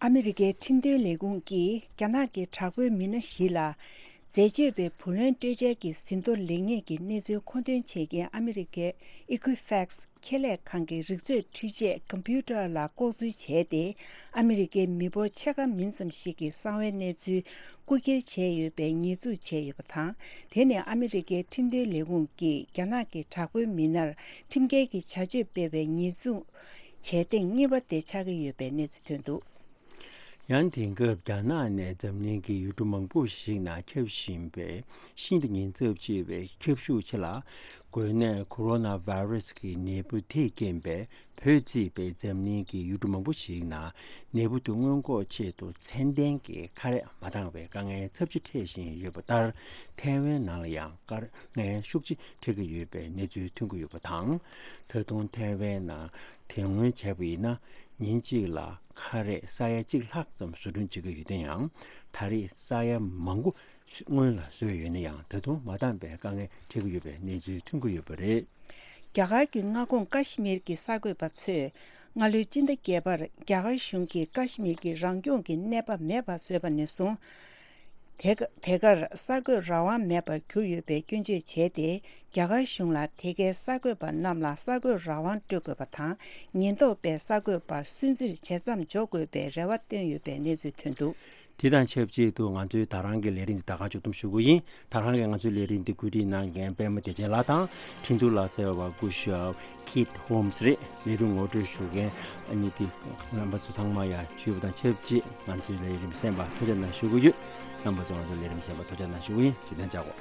ཨ་མི་རི་ཀའི་ཁྲིམས་དོན་ལས་ཁུངས་ཀྱིས་རྒྱ་ནག་གི་དྲག་པོའི་མི་སྣ་བཞི་ལ་འཛད་སྤྱོད་པའི་བུ་ལོན་སྤྲོད་འཇལ་གྱི་ཟིན་ཐོ་ལེགས་ཉེས་ཀྱི་གནས་ཚུལ་མཁོ་འདོན་བྱེད་མཁན་ཨ་མི་རི་ཀའི་Equifax ཁེ་ལས་ཁང་གི་རིག་མཛོད་འཕྲུལ་ཆས་Computer ལ་ལྐོག་འཛུལ་བྱས་ཏེ། ཨ་མི་རི་ཀའི་མི་འབོར་ཕྱེད་ཀ་མིན་ཙམ་ཞིག་གི་གསང་བའི་གནས་ཚུལ་རྐུ་འཁྱེར་བྱས་ཡོད་པའི་ཉེས་འཛུགས་བྱས་ཡོད་པ་དང་། དེ་ནི་ཨ་མི་རི་ཀའི་ཁྲིམས་དོན་ལས་ཁུངས་ཀྱིས་རྒྱ་ནག་གི་དྲག་པོའི་མི་སྣར་ཁྲིམས་འགལ་གྱི་བྱ་སྤྱོད་སྤེལ་བའི་ཉེས་འཛུགས་བྱས་སྟེང་གཉིས་པ་དེ་ཆགས་ཀྱི་ཡོད་པའི་གནས་ཚུལ་ཐོན་འདུག་ཡང་དེང་སྐབས་རྒྱ་ནག་ནས་འཛམ་གླིང་གི་ཡུལ་གྲུ་མང་པོ་ཞིག་ནང་ཁྱབ་བཞིན་པའི་ཤིན་ཏུ་ཉེན་ཚབས་ཆེ་བའི་ཁྱབ་ཤུགས་ཆེ་ལ། འགོས་ནད་ཁོ་རོ་ན་ཝེ་རུ་སི་གི་ནད་འབུ་དེས་རྐྱེན་པས་བོད་བརྩིས་པའི་འཛམ་གླིང་གི་ཡུལ་གྲུ་མང་པོ་ཞིག་ནང་ནད་འབུ་དེ་སྔོན་འགོག་ཆེད་དུ་ཚད་ལྡན་གྱི་ཁ་རས་མ་འདང་བའི་དཀའ་ངལ་ཚབས་ཆེ་འཕྲད་བཞིན་ཡོད་པ་ལྟར། ཐའེ་ཝན་ནང་ལ་ཡང་དཀའ་ངལ་ཤུགས་ཆེ་འཕྲད་ཀྱི་ཡོད་པའི་གནས་ཚུལ་ཐོན་གྱི་ཡོད་པ་དང་། ད་དུང་ཐའེ་ཝན་ནང་དེ་སྔོན་བྱས་པ་ཡིན་ན། ཉིན་གཅིག་ལ་ཁ་རས་ས་ཡ་གཅིག་ལྷག་ཙམ་བཟོ་སྐྲུན་བྱེད་ཀྱི་ཡོད་དེ་ཡང་། ད་རེས་ས་ཡ་མང་པོ་སྔོན་ལ་བཟོས་ཡོད་ན་ཡང་། ད་དུང་མ་འདང་པའི་དཀའ་ངལ་འཕྲད་ཀྱི་ཡོད་པའི་གནས་ཚུལ་ཐོན་གྱི་ཡོད་པ་རེད། རྒྱ་གར་གྱི་མངའ་ཁོངས་ཀ་ཤི་མིར་གྱི་གསར་འགོད་པ་ཚོས་སྔ་ལོའི་སྤྱི་ཟླ་བརྒྱད་པར་རྒྱ་གར་གཞུང་གིས་ཀ་ཤི་མིར་གྱི་རང་སྐྱོང་གི་གནས་བབ་མེད་པར་བཟོས་པ་ནས་བཟུང་། དེ་ག་དེ་གར་གསར་འགོད་རང་དབང་མེད་པར་གྱུར་ཡོད་པའི་སྐྱོན་བརྗོད་བྱས་ཏེ། རྒྱ་གར་གཞུང་ལ་དེ་གའི་གསར་འགོད་པ་རྣམས་ལ་གསར་འགོད་རང་དབང་སྤྲོད་དགོས་པ་དང་། ཉེན་རྟོག་པས་གསར་འགོད་པར་སུན་གཙེར་ཇེ་ཙམ་འཇོག་དགོས་པའི་རེ་བ་བཏོན་ཡོད་པའི་གནས་ཚུལ་ཐོན་འདུག་དེ་དང་ཆབས་ཅིག་ཏུ་ང་ཚོའི་ད་རང་གི་ལས་རིམ་འདི་ད་ག་མཇུག་བསྡོམས་ཞུ་གི་ཡིན། ད་རང་གིས་ང་ཚོའི་ལས་རིམ་འདི་བཀོད་སྒྲིག་གནང་མཁན་པད་མ་བདེ་ཆེན་ལགས་དང་། འཕྲིན་ཐུང་ལག་རྩལ་བ་སྐུ་ཞབས་Keith Holmes རེད། ལས་རིམ་ངོ་སྤྲོད་ཞུ་མཁན་ཨ་ནི་དེ་རྣམ་པ་ཚོ་ཚང་མ་ཡང་ཞུས་པ་དང་ཆབས་ཅིག་ང་ཚོའི་ལས་རིམ་གསན་པར་ཐུགས་རྗེ་གནང་ཞུ་གི་ཡོད། རྣམ་པ་ཚོ་ང་ཚོའི་ལས་རིམ་གསན་པར་ཐུགས་རྗེ་གནང་ཞུ་གི་ཡིན། བརྗོད་དོན་བཅར་གོ།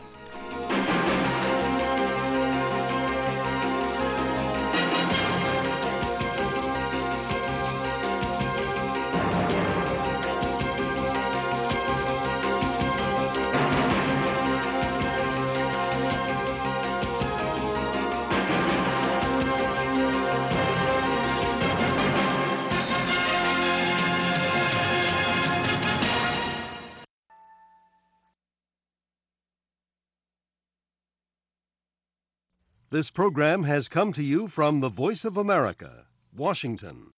This program has come to you from the Voice of America, Washington.